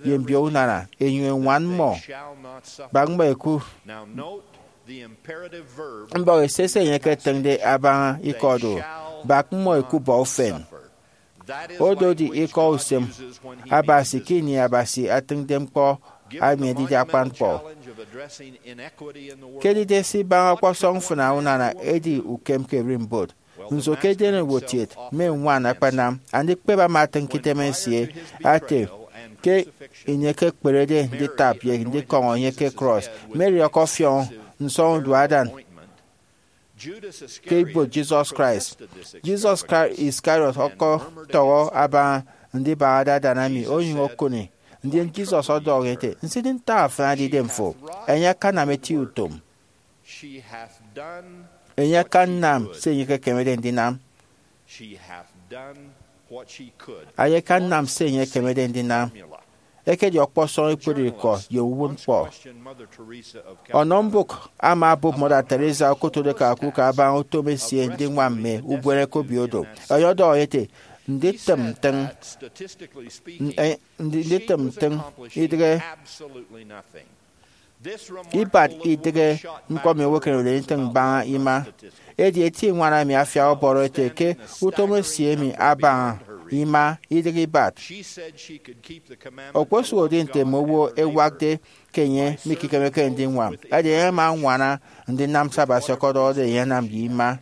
ye mbio unana, enyụñ eñwan mmọ, bak mmọ ẹku. Mbọk esese enye eketịñde abaña ikọ do, bak mmọ ẹkubọ ufen. Ododi ikọ usem Abasi ke ini Abasi atịñde ñkpọ emi edide akpan ñkpọ. Ke edide se ibaña ọkpọsọñ mfịna unana edi ukem ke ererimbot. Nso ke edenowo kiet mme ñwan akpanam? Andikpep ama atịñ ke item esie ate, ke ini ekekperede nditap ye ndikọñọ enye ke krọs, Mary ọkọfiọñ nsọñudu adan ke ibuot Jesus Christ. Judas Isca-, Iscariot ọkọtọhọ abaña ndibahade adan emi, onyụñ okụni. Ndien Jesus ọdọhọ enye ete, nsidịñ ntak afan edidem fo. Enye akanam eti utom. Enye akanam se enye ekekemede ndinam. Enye akanam se enye ekemede ndinam. Ekedi ọkpọsọñ ekpere ikọ ye uwụtñkpọ. Ọnọ mbụk ama obụp Mother Teresa okotode ke akuk abaña utom esie ndiñwam mme ubuene ke obio do. Enye ọdọhọ enye ete, nditịm ntịñ, nditịm ntịñ idịghe ibat idịghe ñkpọ emi owo eken owụtde ntịñ mbaña ima. Edi eti ñwan emi afia ọbọrọ ete ke utom esie emi abaña ima idịghe ibat. Okposụkedi nte mme owo ẹwakde ke enye mikekemeke ndiñwam, edi enye ama añwana ndinam se Abasi ọkọdọhọde enye anam ye ima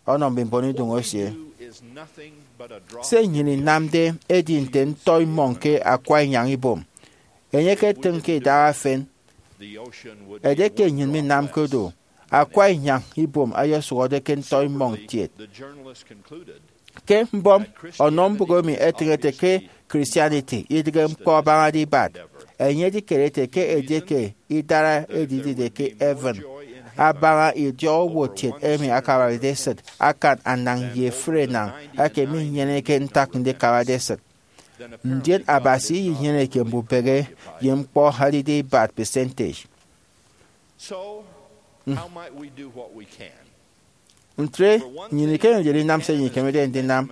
ọnọ mme mbon iduñ esie. Se nnyịn inamde edi nte ntọimmọñ ke akwa inyañ ibom. Enye eketịñ ke idaha efen. Edieke nnyịn minamke do, akwa inyañ ibom ayosụhọde ke ntọimmọñ kiet. Ke mbọm ọnọ mbụk emi etịñede ke Christianity idịghe ñkpọ abañade ibat, enye edikere ete ke edieke idara edidide ke heaven abaña idiọk owo kiet emi akabarede esịt akan anañ ye efre enañ eke minyeneke ntak ndikabade esịt, ndien Abasi iyinyeneke mbubehe ye ñkpọ ẹdide ibat percentage. Ntre, nnyịn ikemede ndinam se nnyịn ikemede ndinam.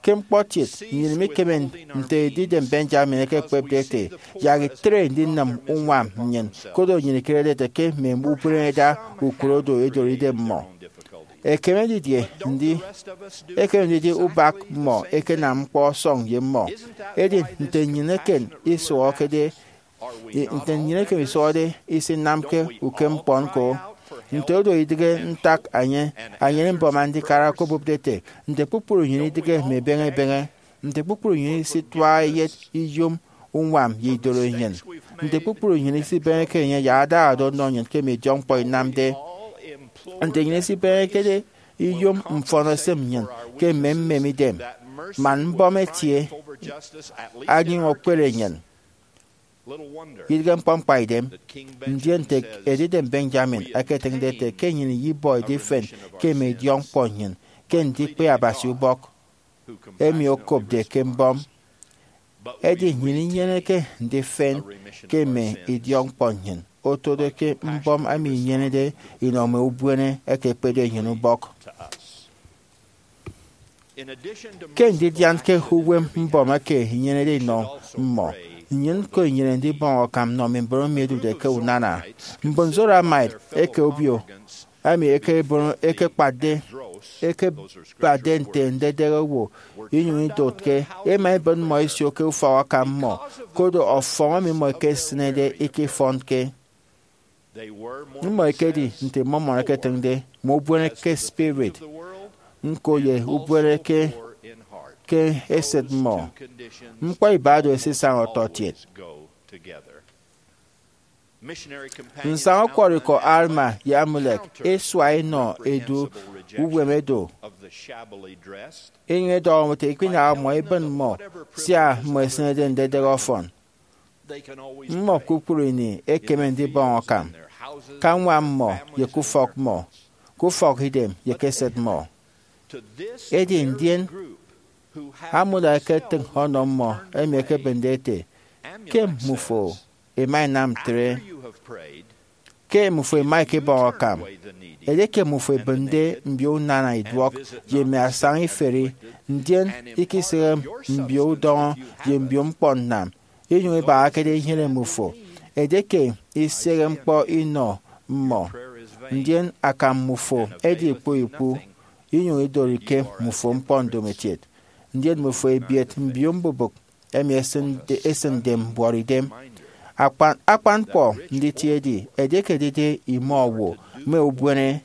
Ke ñkpọtiet, nnyịn mikeme nte Edidem Benjamin ekekpepde ete, yak itre ndinịm uñwam nnyịn, koro nnyịn ikerede ete ke mme ubren ẹda ukot odo ẹdori idem mmọ. Ekeme didie ndi? Ekeme ndidi ubak mmọ ekenam ñkpọ ọsọñ ye mmọ. Edi nte nnyịn eken isụhọkede, nte nnyịn eken isụhọde isinamke ukemñkpọ ñko? Nte odo idịghe ntak anye, anyene mbọm andikara okobụpde ete, nte kpukpru nnyịn idịghe mme ebeñe ebeñe? Nte kpukpru nnyịn isituaha eyet iyom uñwam ye idoro nnyịn? Nte kpukpru nnyịn isibeñeke enye yak adahade ọnọ nnyịn ke mme idiọkñkpọ inamde? Nte nnyịn isibeñekede iyom mfọn esịm nnyịn ke mme mmem idem, man mbọm etie anyụñ okpere nnyịn? Idịghe ñkpọ ñkpaidem, ndien nte Edidem Benjamin eketịñde ete ke nnyịn iyibọ idifen ke mme idiọkñkpọ nnyịn ke ndikpe Abasi ubọk, emi okopde ke mbọm. Edi nnyịn inyeneke ndifen ke mme idiọkñkpọ nnyịn, otodo ke mbọm emi inyenede inọ mme ubuene eke ekpede nnyịn ubọk. Ke ndidianke uwem mbọm eke inyenede inọ mmọ, nnyịn ñko inyene ndibọñ akam nnọ mme mbon emi ẹdude ke unana. Mbon Zoramite eke obio emi ẹkebon-, ẹkekpatde, ẹkebade nte ndedehe owo inyụñ idotke, ẹma ẹbịn mmọ ẹsio ke ufọk akam mmọ, koro ọfọñ emi mmọ ẹkesịnede ikifọnke. Mmọ ẹkedi nte Mormon eketịñde, mme ubuene ke spirit, ñko ye ubuene ke, ke esịt mmọ. Ñkpọ iba do ẹsisaña ọtọkiet. Nsaña ukwọrọikọ Alma ye Amulek esua enọ edu uwem edo, enyịñ edọhọ ete, ikpinaha mmọ, ibịn mmọ, sia mmọ ẹsịnede ndedehe ọfọn. Mmọ kpukpru ini ẹkeme ndibọñ akam, ke añwam mmọ, ye ke ufọk mmọ, ke ufọkidem, ye ke esịt mmọ. Edi ndien, Amulek eketịñ ọnọ mmọ emi ẹkebịnde ete, ke mmufo ima inam ntre, ke mmufo ima ikibọñ akam. Edieke mmufo ibịnde mbio unana iduọk ye mme asaña iferi, ndien ikisehe mbio udọñọ ye mbio ñkpọ nnam, inyụñ ibahakede inyene mmufo, edieke isehe ñkpọ inọ mmọ, ndien akam mmufo edi ikpu ikpu, inyụñ idorike mmufo ñkpọ ndomokiet, ndien mmufo ebiet mbio mbubịk emi esịnde, esịnde mbuọtidem. Akpan, akpan ñkpọ nditie edi, edieke edide imọ owo mme ubuene,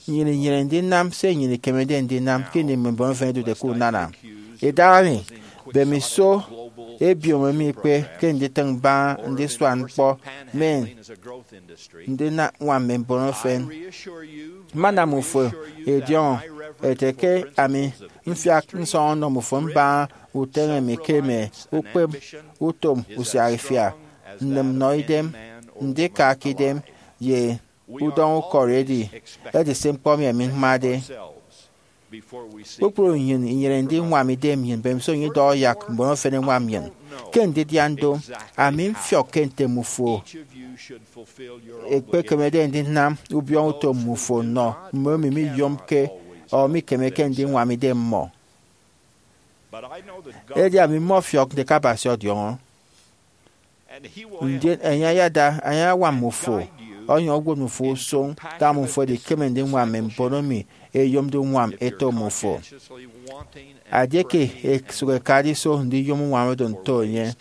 nnyịn inyene ndinam se nnyịn ikemede ndinam ke ini mme mbon efen ẹdude ke unana. Idahaemi, mbemiso ebiom emi ikpe ke nditịñ mbaña ndisua ñkpọ men ndinam ñwam mme mbon efen. Mmanam mmufo idiọñọ ete ke ami mfiak nsọñọ nnọ mmufo mbaña uteñe mi ke mme ukpep utom usiaha-ifia, nnịm nnọ idem, ndika ke idem, ye udọñọ ukọri edi, edi se ñkpọ emi ami mmade. Kpukpru nnyịn inyene ndiñwam idem nnyịn mbemiso nnyịn idọhọ yak mbon efen ẹñwam nnyịn. Ke ndidian do, ami mfiọk ke nte mmufo ekpekemede ndinam ubiọñọ utom mmufo nnọ mme emi miyomke ọ mikemeke ndiñwam idem mmọ. Edi ami mmọfiọk nte ke Abasi ọdiọñọ, ndien enye ayada ayañwam mmufo, ọnyọñ owot mmufo usụñ ke mmufo ẹdikeme ndiñwam mme mbon emi ẹyomde uñwam ẹto mmufo. Edieke ẹsụk ẹkade iso ndiyom uñwam oro nto enye,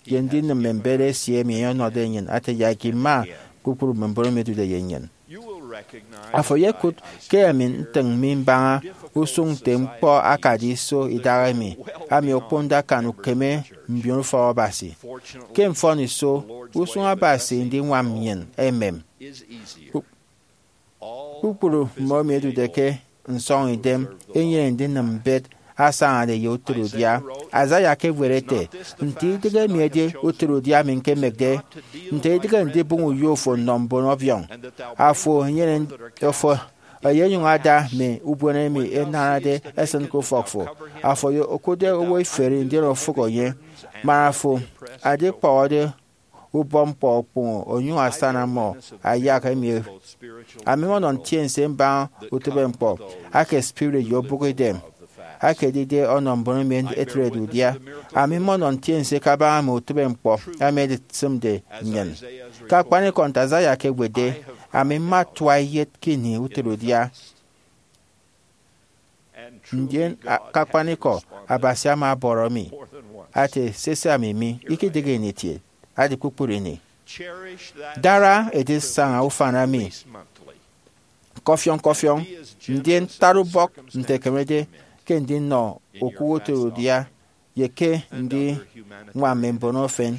ye ndinịm mme mbet esie emi enye ọnọde nnyịn ate yak ima kpukpru mme mbon emi ẹdude ye nnyịn. Afo eyekụt ke ami ntịñ mi mbaña usụñ nte ñkpọ akade iso idahaemi, ami okponde akan ukeme mbionufọk Abasi. Ke mfọniso, usụñ Abasi ndiñwam nnyịn emem. Kpukpru mmọemi ẹdude ke nsọñidem ẹnyene ndinịm mbet asañade ye utịrudia. Isaiah ekewet ete, "Nte idịghe emi edi utịrudia mi ñkemekde, nte idịghe ndibụñ uyo fo nnọ mbon ọbiọñ? Afo enyene, afo eyenyụñ ada mme ubuene emi ẹnarade ẹsịn ke ufọk fo. Afo okụtde owo iferi ndien ofụk enye, man afo adikpọhọde ubọ ñkpọ okpụhọ onyụñ asana mmọ ayak emi." Ami mmọnọ ntiense mbaña utịbeñkpọ ake spirit ye obụkidem aka edide ọnọ mbon emi ẹtrede udia. Ami mmọnọ ntiense kabaña mme utịbeñkpọ emi ẹdisịmde nnyịn. Ke akpanikọ, nte Isaiah ekewetde, ami mma tua iyet ke ini utịrudia. Ndien a- ke akpanikọ, Abasi ama ọbọrọ mi ate, "Sese, ami mi, ikidịghe ini itie, adi kpukpru ini." Dara edisaña ufan emi kọfiọñ kọfiọñ, ndien tat ubọk nte ẹkemede ke ndinọ okụk utịrudia, ye ke ndiñwam mme mbon efen,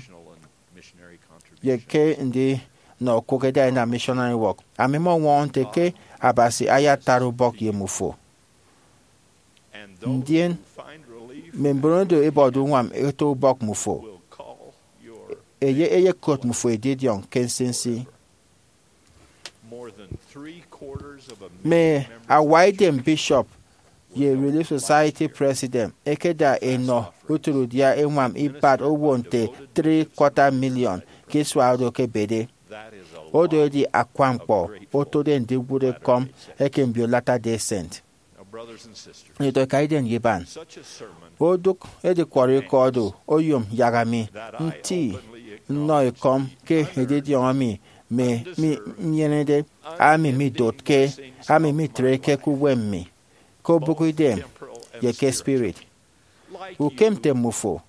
ye ke ndinọ okụk ẹda ẹnam missionary work. Ami mmọñwọñọ nte ke Abasi ayatat ubọk ye mmufo. Ndien mme mbon oro ẹbọde uñwam ẹto ubọk mmufo, enye eyekot mmufo edidiọñ ke nsinsi. Mme awaidem bishop ye Relief Society president ẹkeda ẹnọ utịrudia ẹñwam ibat owo nte three quarter million ke isua oro ẹkebede. Odo edi akwa ñkpọ otode ndiwụt ekọm eke mbio Latter-day Saint. Nditọ ikaidem ye iban, odụk edikwọrọ ikọ oro oyom yak ami nti nnọ ekọm ke edidiọñ emi mi mi nyenede. Ami midotke, ami mitreke ke uwem mi, ke obụkidem, ye ke spirit. Ukem nte mmufo,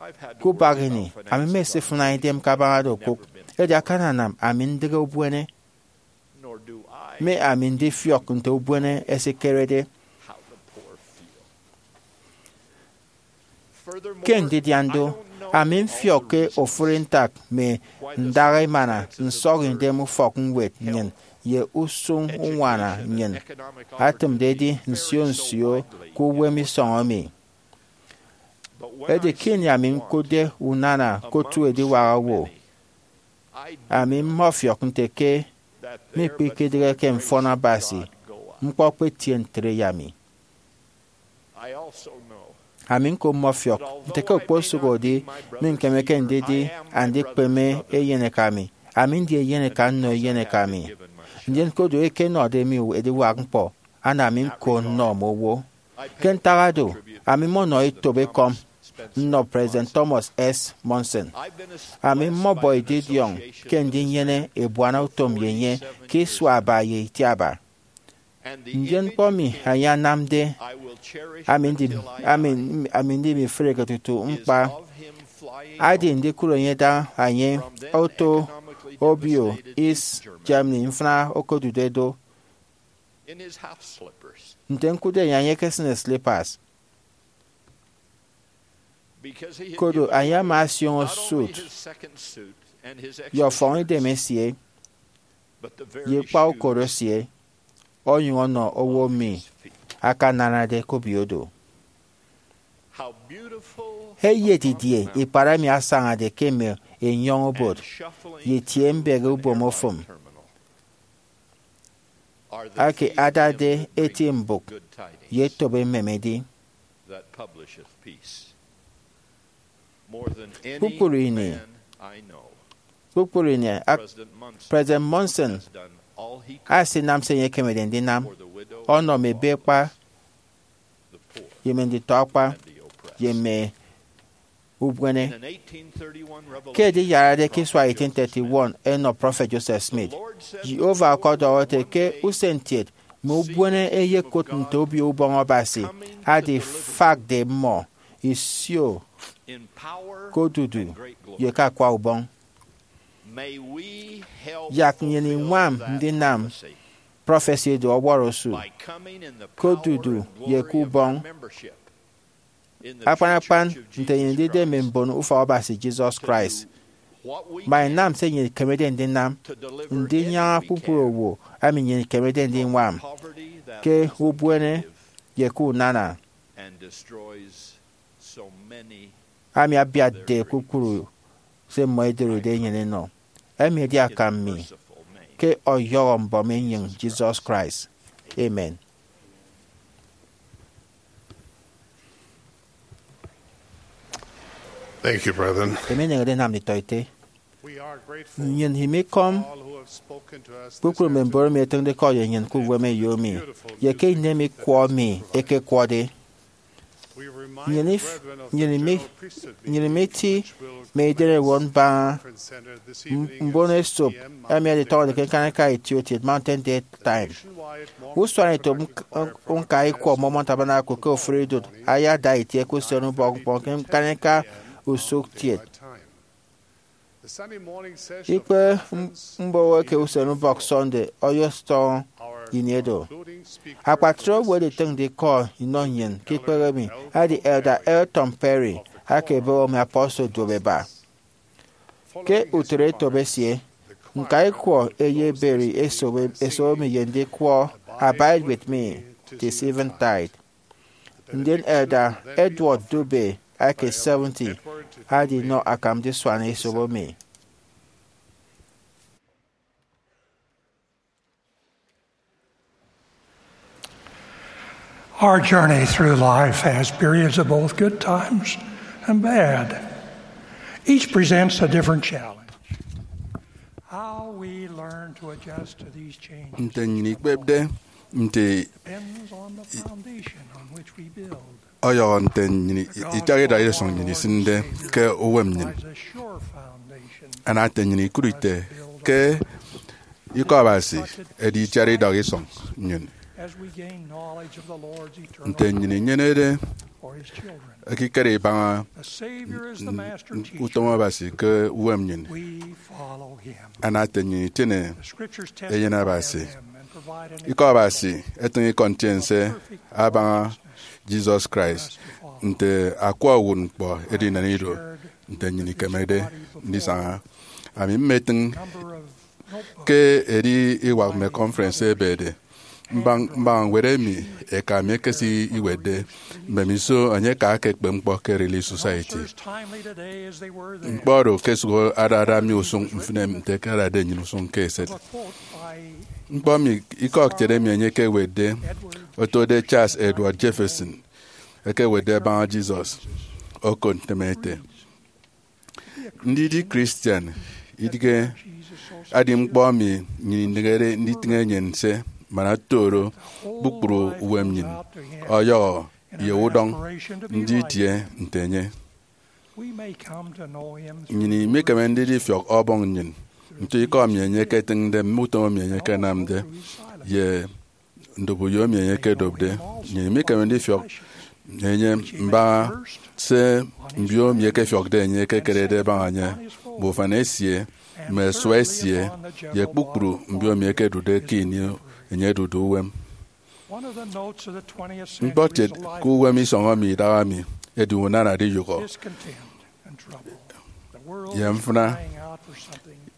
ke ubak ini, ami mesifụna idem kabaña do okụk, edi akananam ami ndịghe ubuene, me ami ndifiọk nte ubuene ẹsikerede. Ke ndidian do, ami mfiọk ke ofụri ntak mme ndaha emana nsọñidem ufọkñwed nnyịn ye usụñ uñwana nnyịn atịmde edi nsio nsio ke uwem isọñ emi. Edi ke ini ami ñkụtde unana ke otu ediwak owo, ami mmọfiọk nte ke mikpikidịgheke mfọn Abasi, ñkpọ ekpetie ntre ye ami. Ami ñko mmọfiọk nte ke okposụkedi mi ñkemeke ndidi andikpeme eyeneka mi, ami ndi eyeneka nnọ eyeneka mi. Ndien ke odu eke nnọde mi ediwak ñkpọ, ana mi ñko nnọ mme owo. Ke ntak oro, ami mmọnọ etop ekọm nnọ President Thomas S. Monson. Ami mmọbọ edidiọñ ke ndinyene ebuana utom ye enye ke isua aba ye itiaba. Ndien ñkpọ emi enye anamde, ami ndi, ami, ami ndi mifreke tutu ñkpa, adi ndikụt enye da enye oto obio East Germany mfịna okodude do. Nte ñkụtde enye, enye ekesịne slippers. Kodo enye ama asioño suit ye ọfọñidem esie ye kpa ukot esie, onyụñ ọnọ owo emi akananade ke obio do. Eyet didie ikpat emi asañade ke mme enyọñ obot ye itie mbehe ubom ofụm ake adade eti mbụk ye etop emem edi! Kpukpru ini, kpukpru ini, ak-, President Monson asinam se enye ekemede ndinam ọnọ mme ebekpa, ye mme nditọ-akpa, ye mme ubuene. Ke ediyarade ke isua eighteen thirty-one ẹnọ Prọfet Joseph Smith, Jehovah ọkọdọhọ ete ke usentiet mme ubuene ẹyekụt nte Obio Ubọñ Abasi adifakde mmọ isio ke odudu ye ke akwa ubọñ. Yak nnyịn iñwam ndinam prọfesi edu ọwọrọ osu ke odudu ye ke ubọñ, akpan akpan nte nnyịn ndide mme mbon ufọk Abasi Jesus Christ. Ma inam se nnyịn ikemede ndinam ndinyaña kpukpru owo, ami nnyịn ikemede ndiñwam ke ubuene ye ke unana, ami abiatde kpukpru se mmọ ẹdoride enyịn ẹnọ. Emi edi akam mi ke ọyọhọ mbọm enyịñ Jesus Christ. Amen. Thank you, brethren. Emi eneñede enam nditọete. We are grateful nnyịn imikọm to all who have spoken to us this kpukpru mme mbon emi ẹtịñde ke ọyọ nnyịn ke uwem eyo mi, ye ke inem ikwọ mi ekekwọde. Nnyịn if- nnyịn imi- nnyịn imiti mme idem ẹwot mbaña mbon esop ẹmi ẹditọñọde ke ñkaniika itiokiet Mountain Daytime. Usuanetop ñka ikwọ Mormon Tabernacle ke ofụri idụt ayada itie ke usen ubọk ñkpọ ke ñkaniika usụkkiet. Ikpe mboho eke usen ubọk Sunday ọyọsọñọ ini edo. Akpatre owo ẹditịñde ikọ inọ nnyịn ke ikpehe emi edi Elder Elton Perry aka ebe emi apostle duop eba. Ke utịt etop esie, ñka ikwọ eyeberi esop esop emi ye ndikwọ Abide With Me Till Eventide. Ndien Elder Edward Dube aka seventy adinọ akam ndisuan esop emi. Our journey through life has periods of both good times and bad. Each presents a different challenge. How we learn to adjust to these changes Nte nnyịn ikpepde nte depends on the foundation on which we build. Ọyọhọ nte nnyịn itiaha idak isọñ nnyịn isịnde ke uwem nnyịn. Ana ete nnyịn ikụt ite ke Ikọ Abasi edi itiat idak isọñ nnyịn. Nte nnyịn inyenede ekikere ibaña utom Abasi ke uwem nnyịn, ana ete nnyịn itịne eyen Abasi. Ikọ Abasi etịñ ikọ ntiense abaña Jesus Christ nte akwa uwụtñkpọ edinen ido nte nnyịn ikemede ndisaña. Ami mmetịñ ke edi iwak mme conference ebede mbaña ñwed emi eka mi ekesi iwetde. Mbemiso enye aka ekpep ñkpọ ke Relief Society. Ñkpọ oro okesụk adada mi usụñ mfịna nte ẹkadade nnyịn usụñ ke eset. Ñkpọ mi ikọkiet emi enye ekewetde otode Charles Edward Jefferson ekewetde abaña Jesus okot ntem ete, ndidi Christian idịghe adi ñkpọ emi nnyịn inịghede nditịñ enyịn nse, man oto oro kpukpru uwem nnyịn ọyọhọ ye udọñ ndidie nte enye. Nnyịn imikeme ndifiọk Ọbọñ nnyịn nto ikọ emi enye eketịñde mme utom emi enye ekenamde ye ndopuyo emi enye ekedopde. Nnyịn imikeme ndifiọk enye mbaña se mbio emi ẹkefiọkde enye ẹkekerede ẹbaña enye, mme ufan esie, mme ẹsua esie, ye kpukpru mbio emi ẹkedude ke ini enye odude uwem. Ñkpọkiet ke uwem isọñ emi idaha mi edi unana ediyụhọ ye mfịna.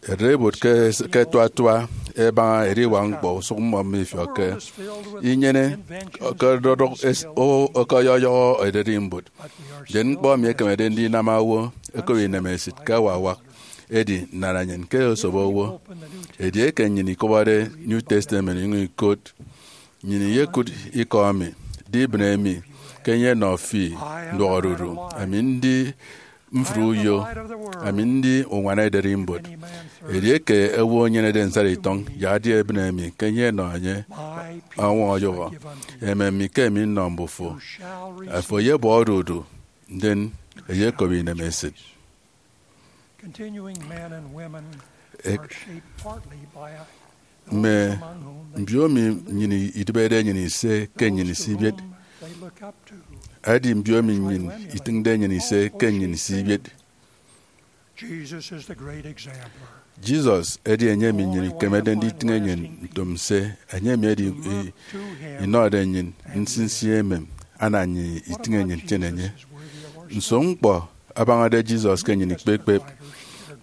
Ererimbot ke ẹtuatua ẹbaña ediwak ñkpọ usụk mmọ mifiọkke. Inyene ọkọdọdọk owo ọkọyọyọhọ ererimbot, ndien ñkpọ emi ekemede ndinam owo ẹkop inemesịt ke awawak edi nnana nnyịn ke osobo owo. Edieke nnyịn ikọbọde New Testament inyụñ ikot, nnyịn iyekụt ikọ emi, di ibịne mi ke enye enọ fi nduọk odudu. Ami ndi mfri uyo, ami ndi uñwana ederimbot. Edieke owo enyenede nsarikitọñ, yak edi ebịne mi ke enye enọ enye ọñwọñ ọyụhọ, emem mi ke emi nnọ mbufo. Afo eyebọ odudu, ndien eyekop inemesịt. Continuing men and women are shaped partly by a Mme mbiomi nnyịn idịbede enyịn ise ke nnyịn isibiet. Edi mbiomi nnyịn itịñde enyịn ise ke nnyịn isibiet. Jesus edi enye emi nnyịn ikemede nditịñ enyịn ntom nse. Enye emi edi i- inọde nnyịn nsinsi emem, ana nnyịn itịñ enyịn itiene enye. Nso ñkpọ abañade Jesus ke nnyịn ikpep ikpep?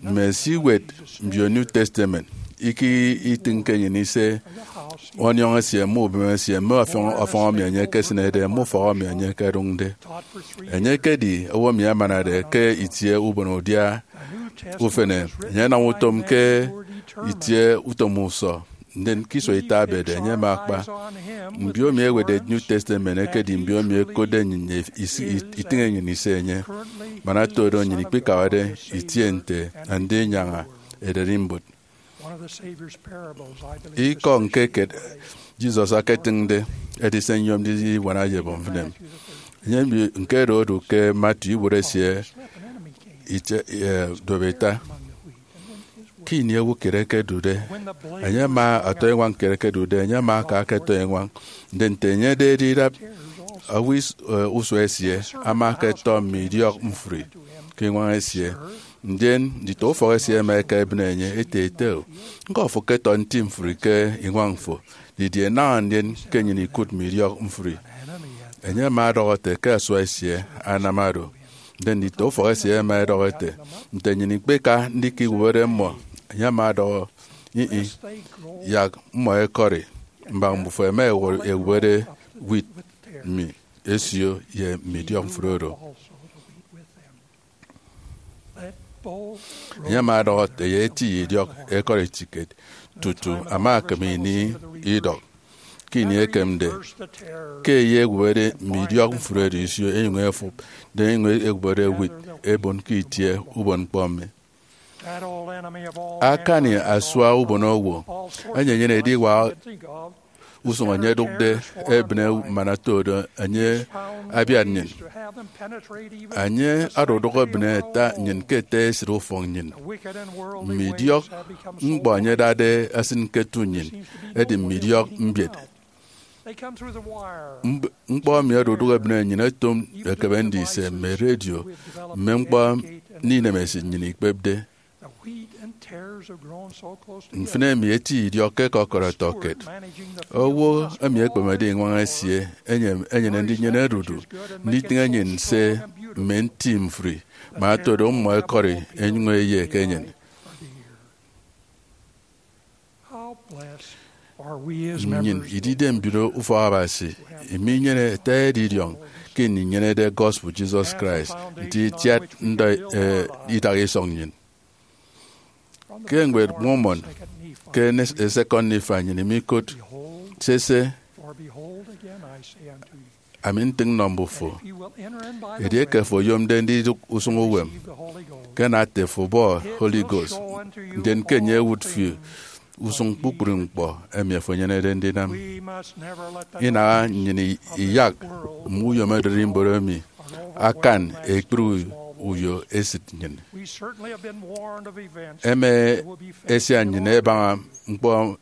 Mme esiwet mbio New Testament iketịñke enyịn ise, ọniọñ esie, mme ubem esie, mme ọfọñ, ọfọñ emi enye ekesịnede, mme ufọk emi enye ekedụñde. Enye ekedi owo emi amanade ke itie ubon udia ufene. Enye anam utom ke itie utom usọ, ndien ke isua ita ebede enye ama akpa. Mbio emi ewetde New Testament ekedi mbio emi ekotde nnyịn isi- itịñ enyịn ise enye. Man ata do nnyịn ikpikabade itie nte andinyaña ederimbot. Ikọ ñke kiet Jesus aketịñde edi se nyom ndiwana ye ebọ mfịn emi. Enye mbio ñke oro odu ke Matthew ibuot esie ite, eh, duop ita. Ke ini owo kiet ekedude, enye ama, ọtọiñwañ kiet ekedude, enye ama aka ke ọtọiñwañ. Ndien nte enye edide idap, owo is- eh, usua esie ama aka etọ mme idiọk mfri ke iñwañ esie. Ndien nditọ ufọk esie ẹma ẹka ẹbịne enye, ete, "Ete o, ñkọ fo ke tọ nti mfri ke iñwañ fo? Didie naña ndien ke nnyịn ikụt mme idiọk mfri?" Enye ama ọdọhọ ete ke asua esie anam oro. Ndien nditọ ufọk esie ẹma ẹdọhọ ete, "Nte nnyịn ikpeka ndika iwụbede mmọ?" Enye ama ọdọhọ, "Ih-ih, yak mmọ ẹkọri, mbak mbufo ẹma ẹwụbede wheat mi ẹsio ye mme idiọk mfri oro." Enye ama ọdọhọ ete, "Ye eti ye idiọk ẹkọri etiket," tutu ama ekịm ini idọk. Ke ini ekemde, ke ye ẹwụbede mme idiọk mfri oro isio, ẹnyụñ ẹfụp, ndien ẹnyụñ ẹwụbede wheat ẹbon ke itie ubon ñkpọ emi. Akani asua ubonowo, enye enyene ediwak usụñ enye ẹdụkde ebịne man oto do enye abiat nnyịn. Enye odụdụk ebịne ata nnyịn ke ete esịt ufọk nnyịn. Mme idiọk ñkpọ enye ẹdade ẹsịn ke etu nnyịn, edi mme idiọk mbiet. Mb- ñkpọ emi odụdụk ebịne nnyịn ẹto ekebe ndise mme redio, mme ñkpọ inemesịt nnyịn ikpepde. Mfịn emi eti idiọk ke kọkọrọ ẹtọkiet. Owo emi ekpemede iñwañ esie enye- enyene ndinyene odudu nditịñ enyịn nse mme nti mfri, man oto do mmọ ẹkọri ẹnyụñ ẹyek enyịn. Nnyịn idide mbio ufọk Abasi, iminyene ata edidiọñ ke ini inyenede gospel Jesus Christ nte itiat ndọ, eh, idak isọñ nnyịn. Ke ñwed Mormon, ke ne- eh, Second Nephi, nnyịn imikot, "Sese, ami ntịñ nnọ mbufo, edieke fo oyomde ndidụk usụñ uwem, ke nate fo bọ Holy Ghost, ndien ke enye ewụt fi usụñ kpukpru ñkpọ emi afo enyenede ndinam." Inaha nnyịn i- iyak mme uyom ererimbot emi akan ekpri u- uyo esịt nnyịn. Ẹma ẹsian nnyịn ẹbaña ñkpọ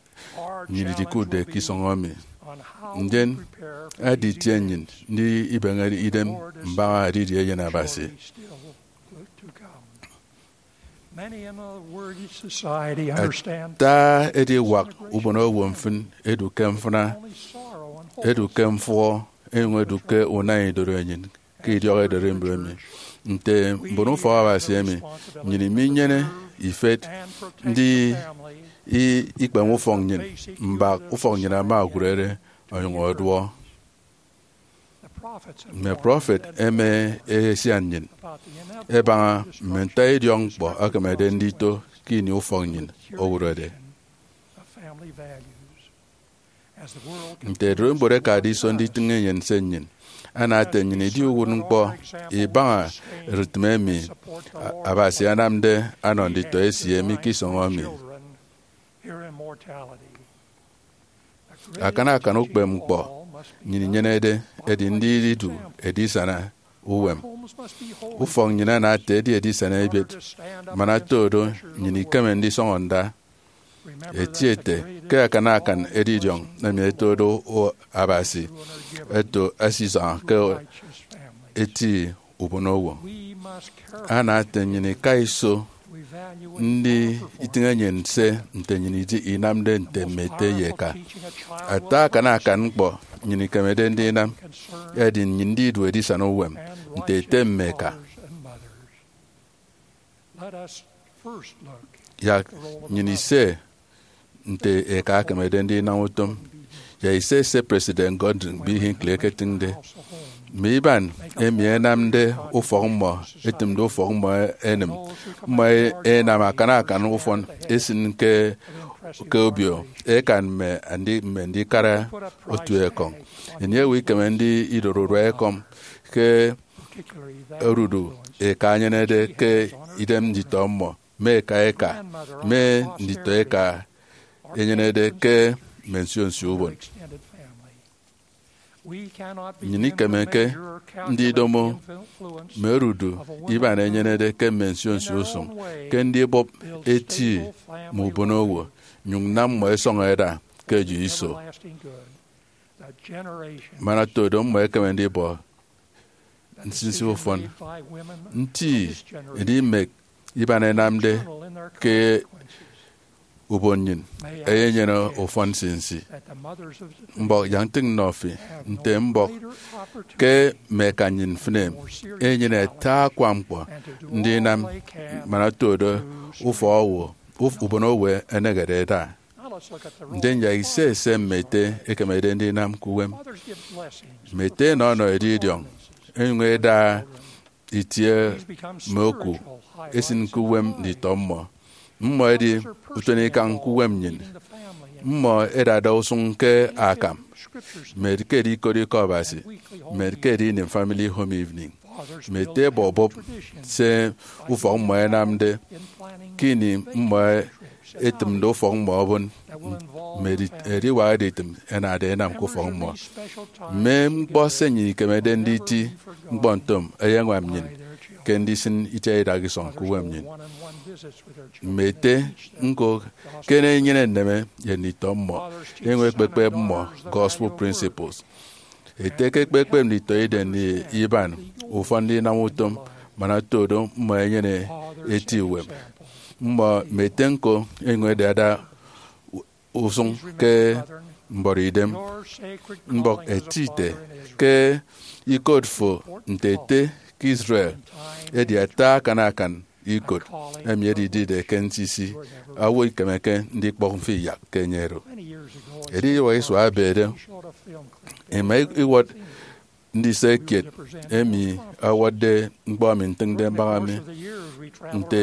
nnyịn idikụtde ke isọñ emi. Ndien edi itie nnyịn ndibeñe idem mbaña edidi Eyen Abasi. Ata ediwak ubonowo mfịn edu ke mfịna, edu ke mfụhọ, enyụñ edu ke unañ idorenyin ke idiọk ederimbot emi. Nte mbon ufọk Abasi emi, nnyịn iminyene ifet ndi i- ikpeme ufọk nnyịn, mbak ufọk nnyịn ama okurere onyụñ ọduọ. Mme prọfet ẹma ẹsian nnyịn ẹbaña mme nta idiọk ñkpọ ẹkemede ndito ke ini ufọk nnyịn owụrọde. Nte ererimbot ẹkade iso nditịñ enyịn nse nnyịn, ana ete nnyịn idi uwụtñkpọ ibaña ererimbot emi Abasi anamde ọnọ nditọ esie mi ke isọñ emi. Akana akan ukpepñkpọ nnyịn inyenede edi ndidu edisana uwem. Ufọk nnyịn ana ete edi edisana ebiet, man oto do nnyịn ikeme ndisọñọ nda. Eti ete ke akana akan edidiọñ emi ẹtode Abasi ẹto ẹsisaña ke eti ubonowo. Ana ete nnyịn ika iso ndi itịñ enyịn se nte nnyịn idi inamde nte mme ete ye eka. Ata akana akan ñkpọ nnyịn ikemede ndinam edi nnyịn ndidu edisana uwem nte ete mme eka. Yak nnyịn ise nte eka ekemede ndinam utom. Yak ise se President Gordon B. Hinckley eketịñde. Mme iban emi ẹnamde ufọk mmọ, ẹtịmde ufọk mmọ ẹnịm, mmọ ẹnam akana akan ufọn ẹsịn ke ke obio eka mme andi- mme ndikara otu ekọñ. Enye owo ikeme ndi idoro urua ekọñ ke odudu eka enyenede ke idem nditọ mmọ, mme eka eka, mme nditọ eka enyenede ke mme nsio nsio ubon. Nnyịn ikemeke ndidomo mme odudu iban enyenede ke mme nsio nsio usụñ ke ndibọp eti mme ubonowo, nyụñ nam mmọ ẹsọñọ ẹda ke eyo iso. Man oto do mmọ ẹkeme ndibọ nsinsi ufọn. Nti edi mme iban ẹnamde ke ubon nnyịn ẹyenyene ufọn nsinsi. Mbọk yak ntịñ nnọ fi nte mbọk ke mme eka nnyịn mfịn em enyene ata akwa ñkpọ ndinam man oto do ufọk owo, uf- ubon owo ẹnehede ẹda. Ndien yak ise se mme ete ekemede ndinam ke uwem. Mme ete ẹnọnọ edidiọñ, ẹnyụñ ẹda itie mme oku ẹsịn ke uwem nditọ mmọ. Mmọ ẹdi utenikañ ke uwem nnyịn. Mmọ ẹdada usụñ ke akam, mme ke ẹdi ikot ikọ Abasi, mme ke ẹdi ini family home evening. Mme ete ẹbọbọp se ufọk mmọ ẹnamde ke ini mmọ ẹtịmde ufọk mmọ obon, mme edi- ediwak editịm ẹnade ẹnam ke ufọk mmọ. Mme ñkpọ se nnyịn ikemede nditi ñkpọ ntom ẹyeñwam nnyịn ke ndisịn itiat idak isọñ ke uwem nnyịn. Mme ete ñko ke enyene nneme ye nditọ mmọ, enyụñ ekpekpep mmọ gospel principles. Ete ke ekpekpep nditọidem ye iban ufọn ndinam utom man oto do mmọ ẹnyene eti uwem. Mmọ mme ete ñko enyụñ ẹdada usụñ ke mbọrọidem. Mbọk eti ete ke ikot fo nte ete ke Israel edi ata akan akan ikot emi edidide ke nsinsi, owo ikemeke ndikpọk mfịn yak ke enye oro. Ediwak isua ebede, ima iwọt ndise kiet emi ọwọtde ñkpọ emi ntịñde mbaña mi. Nte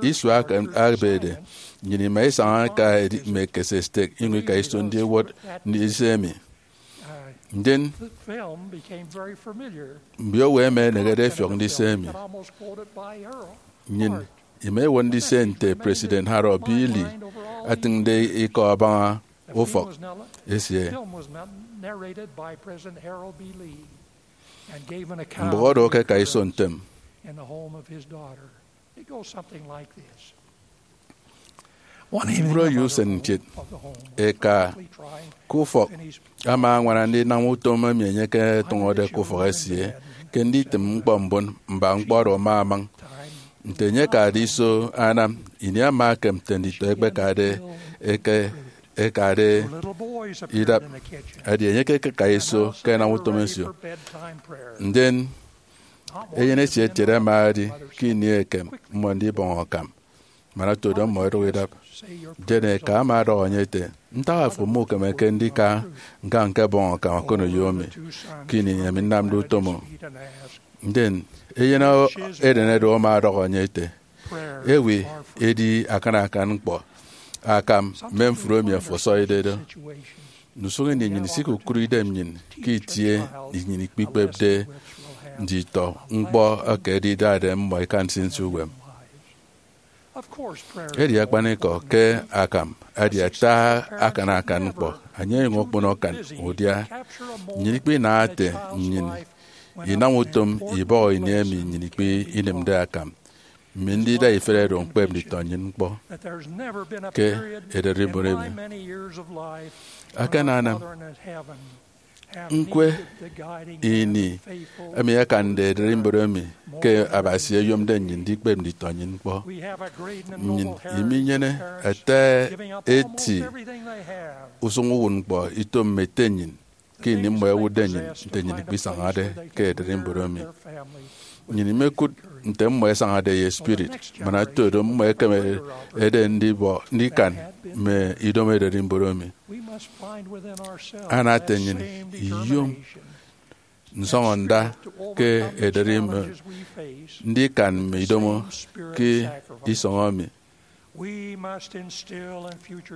isua aka ebede, nnyịn ima isaña ika edi mme ekese stek, inyụñ ika iso ndiwọt ndise emi. Ndien mbiowo ẹma ẹnehede ẹfiọk ndise emi. Nnyịn ima iwọt ndise nte President Harold B. Lee atịñde ikọ abaña ufọk esie. Mbụk oro ke ẹka iso ntem. Mbụrọ ye usen kiet, eka ke ufọk ama añwana ndinam utom emi enye eketụñọde ke ufọk esie ke nditịm ñkpọ mbon mba ñkpọ oro ama amañ. Nte enye ekade iso anam, ini ama ekem nte nditọ ẹkpekade eke ekade idap, edi enye ekeka iso ke ẹnam utom nsio. Ndien eyen esie etiede ama edi ke ini ekem mmọ ndibọñ akam, man oto do mmọ ẹdụk idap. Ndien eka ama ọdọhọ enye ete, "Ntak afo mukemeke ndika ñka ñkebọñ akam okoneyo mi ke ini emi nnamde utom?" Ndien eyen eden edu ama ọdọhọ enye ete, "Ewe edi akan akan ñkpọ akam mme mfri emi ẹfọsọide do?" Ndusụk ini nnyịn isikukụre idem nnyịn ke itie nnyịn ikpikpepde nditọ ñkpọ eke ẹdidade mmọ ẹka nsinsi uwem. Edi akpanikọ ke akam edi ata akan akan ñkpọ, enye enyụñ okpono akan udia. Nnyịn ikpinaha ete nnyịn inam utom ibọhọ ini emi nnyịn ikpe inịmde akam mme ndida ifet oro ñkpep nditọ nnyịn ñkpọ ke ererimbot emi. Akananam ñkwe ini emi akande ererimbot emi ke Abasi eyomde nnyịn ndikpep nditọ nnyịn ñkpọ. Nnyịn iminyene ata eti usụñ uwụtñkpọ ito mme ete nnyịn ke ini mmọ ẹwụtde nnyịn nte nnyịn ikpisañade ke ererimbot emi. Nnyịn imekụt nte mmọ ẹsañade ye spirit, man otodo mmọ ẹkemede ndibọ ndikan mme idomo ererimbot emi. Ana ete nnyịn iyom nsọñọnda ke ederi mme ndikan mme idomo ke isọñ emi.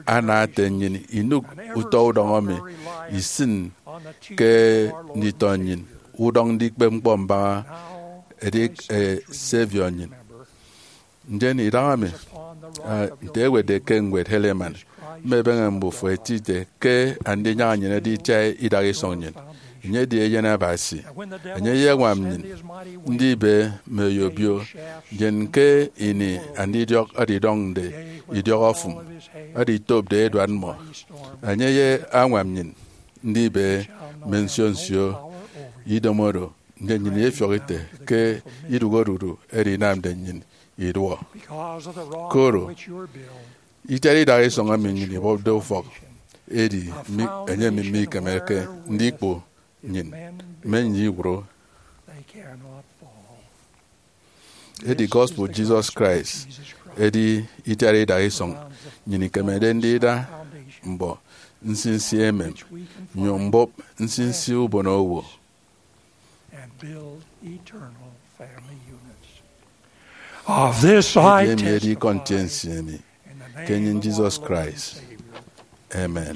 Ana ete nnyịn inụk utọ udọñ emi isịn ke nditọ nnyịn udọñ ndikpep ñkpọ mbaña edieke Savior nnyịn. Ndien idahaemi, ah, nte ewetde ke ñwed Helaman, mme ebeñe mbufo ẹtide ke Andinyaña nnyịn edi itiat idaha isọñ nnyịn. Enye edi Eyen Abasi. Enye eyeñwam nnyịn ndibe mme obio, ndien ke ini andidiọk ẹdidọñde idiọk ofụm, ẹditopde eduat mmọ, enye eyeñwam nnyịn ndibe mme nsio nsio idomo oro, ndien nnyịn ifiọk ite ke idụhe odudu oro inamde nnyịn iduọ. Koro, itiat idaha isọñ emi nnyịn ibọpde ufọk edi mi-, enye emi mikemeke ndikpu nnyịn, mme nnyịn iwụro. Edi gospel Jesus Christ edi itiat idaha isọñ nnyịn ikemede ndida mbọ nsinsi emem, nyụñ mbụp nsinsi ubonowo. Of this I testify edi ikọ ntiense emi ke enye Jesus Christ. Amen.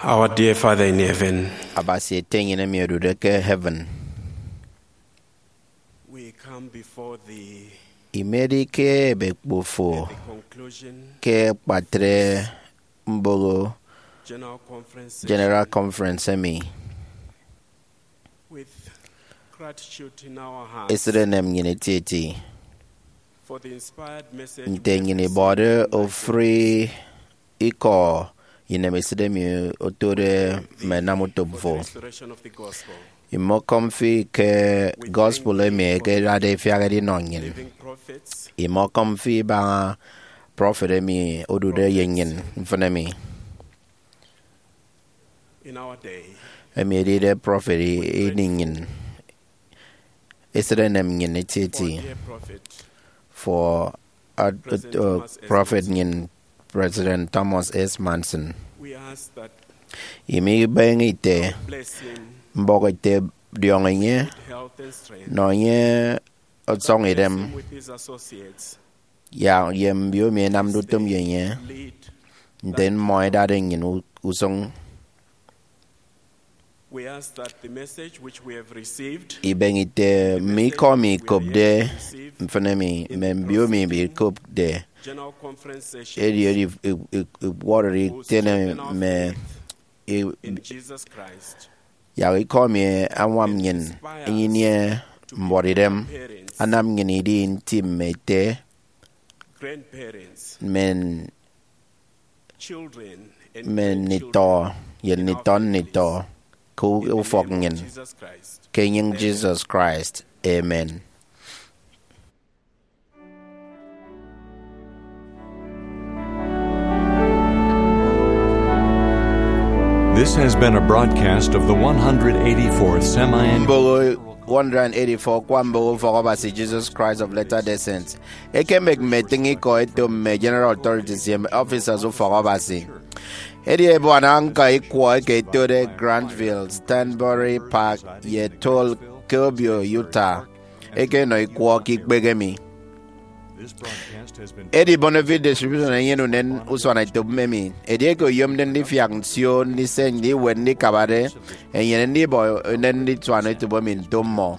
Our dear Father in heaven, Abasi ete nnyịn emi odude ke heaven, we come before thee imedi ke ebekpo fo at the conclusion ke akpatre mboho General Conference General session Conference emi. With gratitude in our hearts Esịt enem nnyịn etieti for the inspired message nte we have nnyịn received ibọde from thy ofụri ikọ inemesịt emi otode mme nam utop for the fo. Restoration of the gospel. Imọkọm fi ke gospel emi ekedade ifiak edinọ nnyịn. Living prophets, Imọkọm fi ibaña prọfet emi odude ye nnyịn mfịn emi. In our day, emi edide prọfet ini nnyịn. Esịt enem nnyịn etieti for dear prophet, for uh, President uh, Thomas S. Prọfet nnyịn, President Thomas S. Monson. We ask that Imi ibeñe ite, bless him mbọk ete, diọñ enye, health and strength. Nọ enye ọsọñ idem, Bless him with his associates. Ya ye mbio emi ẹnamde utom ye enye, nte mmọ ẹdade nnyịn u- usụñ. We ask that the message which we have received Ibeñe ite mme ikọ mi ikopde mfịn emi mme mbio mi ikopde, General Conference session edi edi iwọrọri itiene mme i- in Jesus Christ. Yak ikọ mi añwam nnyịn, inyinie mbuọtidem, anam nnyịn idi nti mme ete, Grandparents, men children, and men grandchildren nitọ ye in our nitọ families. Nitọ ke In the ufọk name of nnyịn, Jesus Christ. Ke enyịñ Amen. Jesus Christ. Amen. This has been a broadcast of the one hundred eighty-fourth Semi-Annual Mboho one hundred eighty-four Kwa Mboho Ufọk Abasi Jesus Christ of Latter-day Saints. Ekemek mme etịñ ikọ eto mme General Authorities ye Officers Ufọk Abasi. Edi ebuana ñka ikwọ eke etode Grantville, Stanbury Park, ye Toll ke Obio, Utah, eke enọ ikwọ ke ikpehe mi. Edi Bonafide Distribution enyene unen usuanetop emi. Edieke oyomde ndifiak nsio, ndise, ndiwet, ndikabade, enyene ndibọ unen ndisuan etop emi nto mmọ.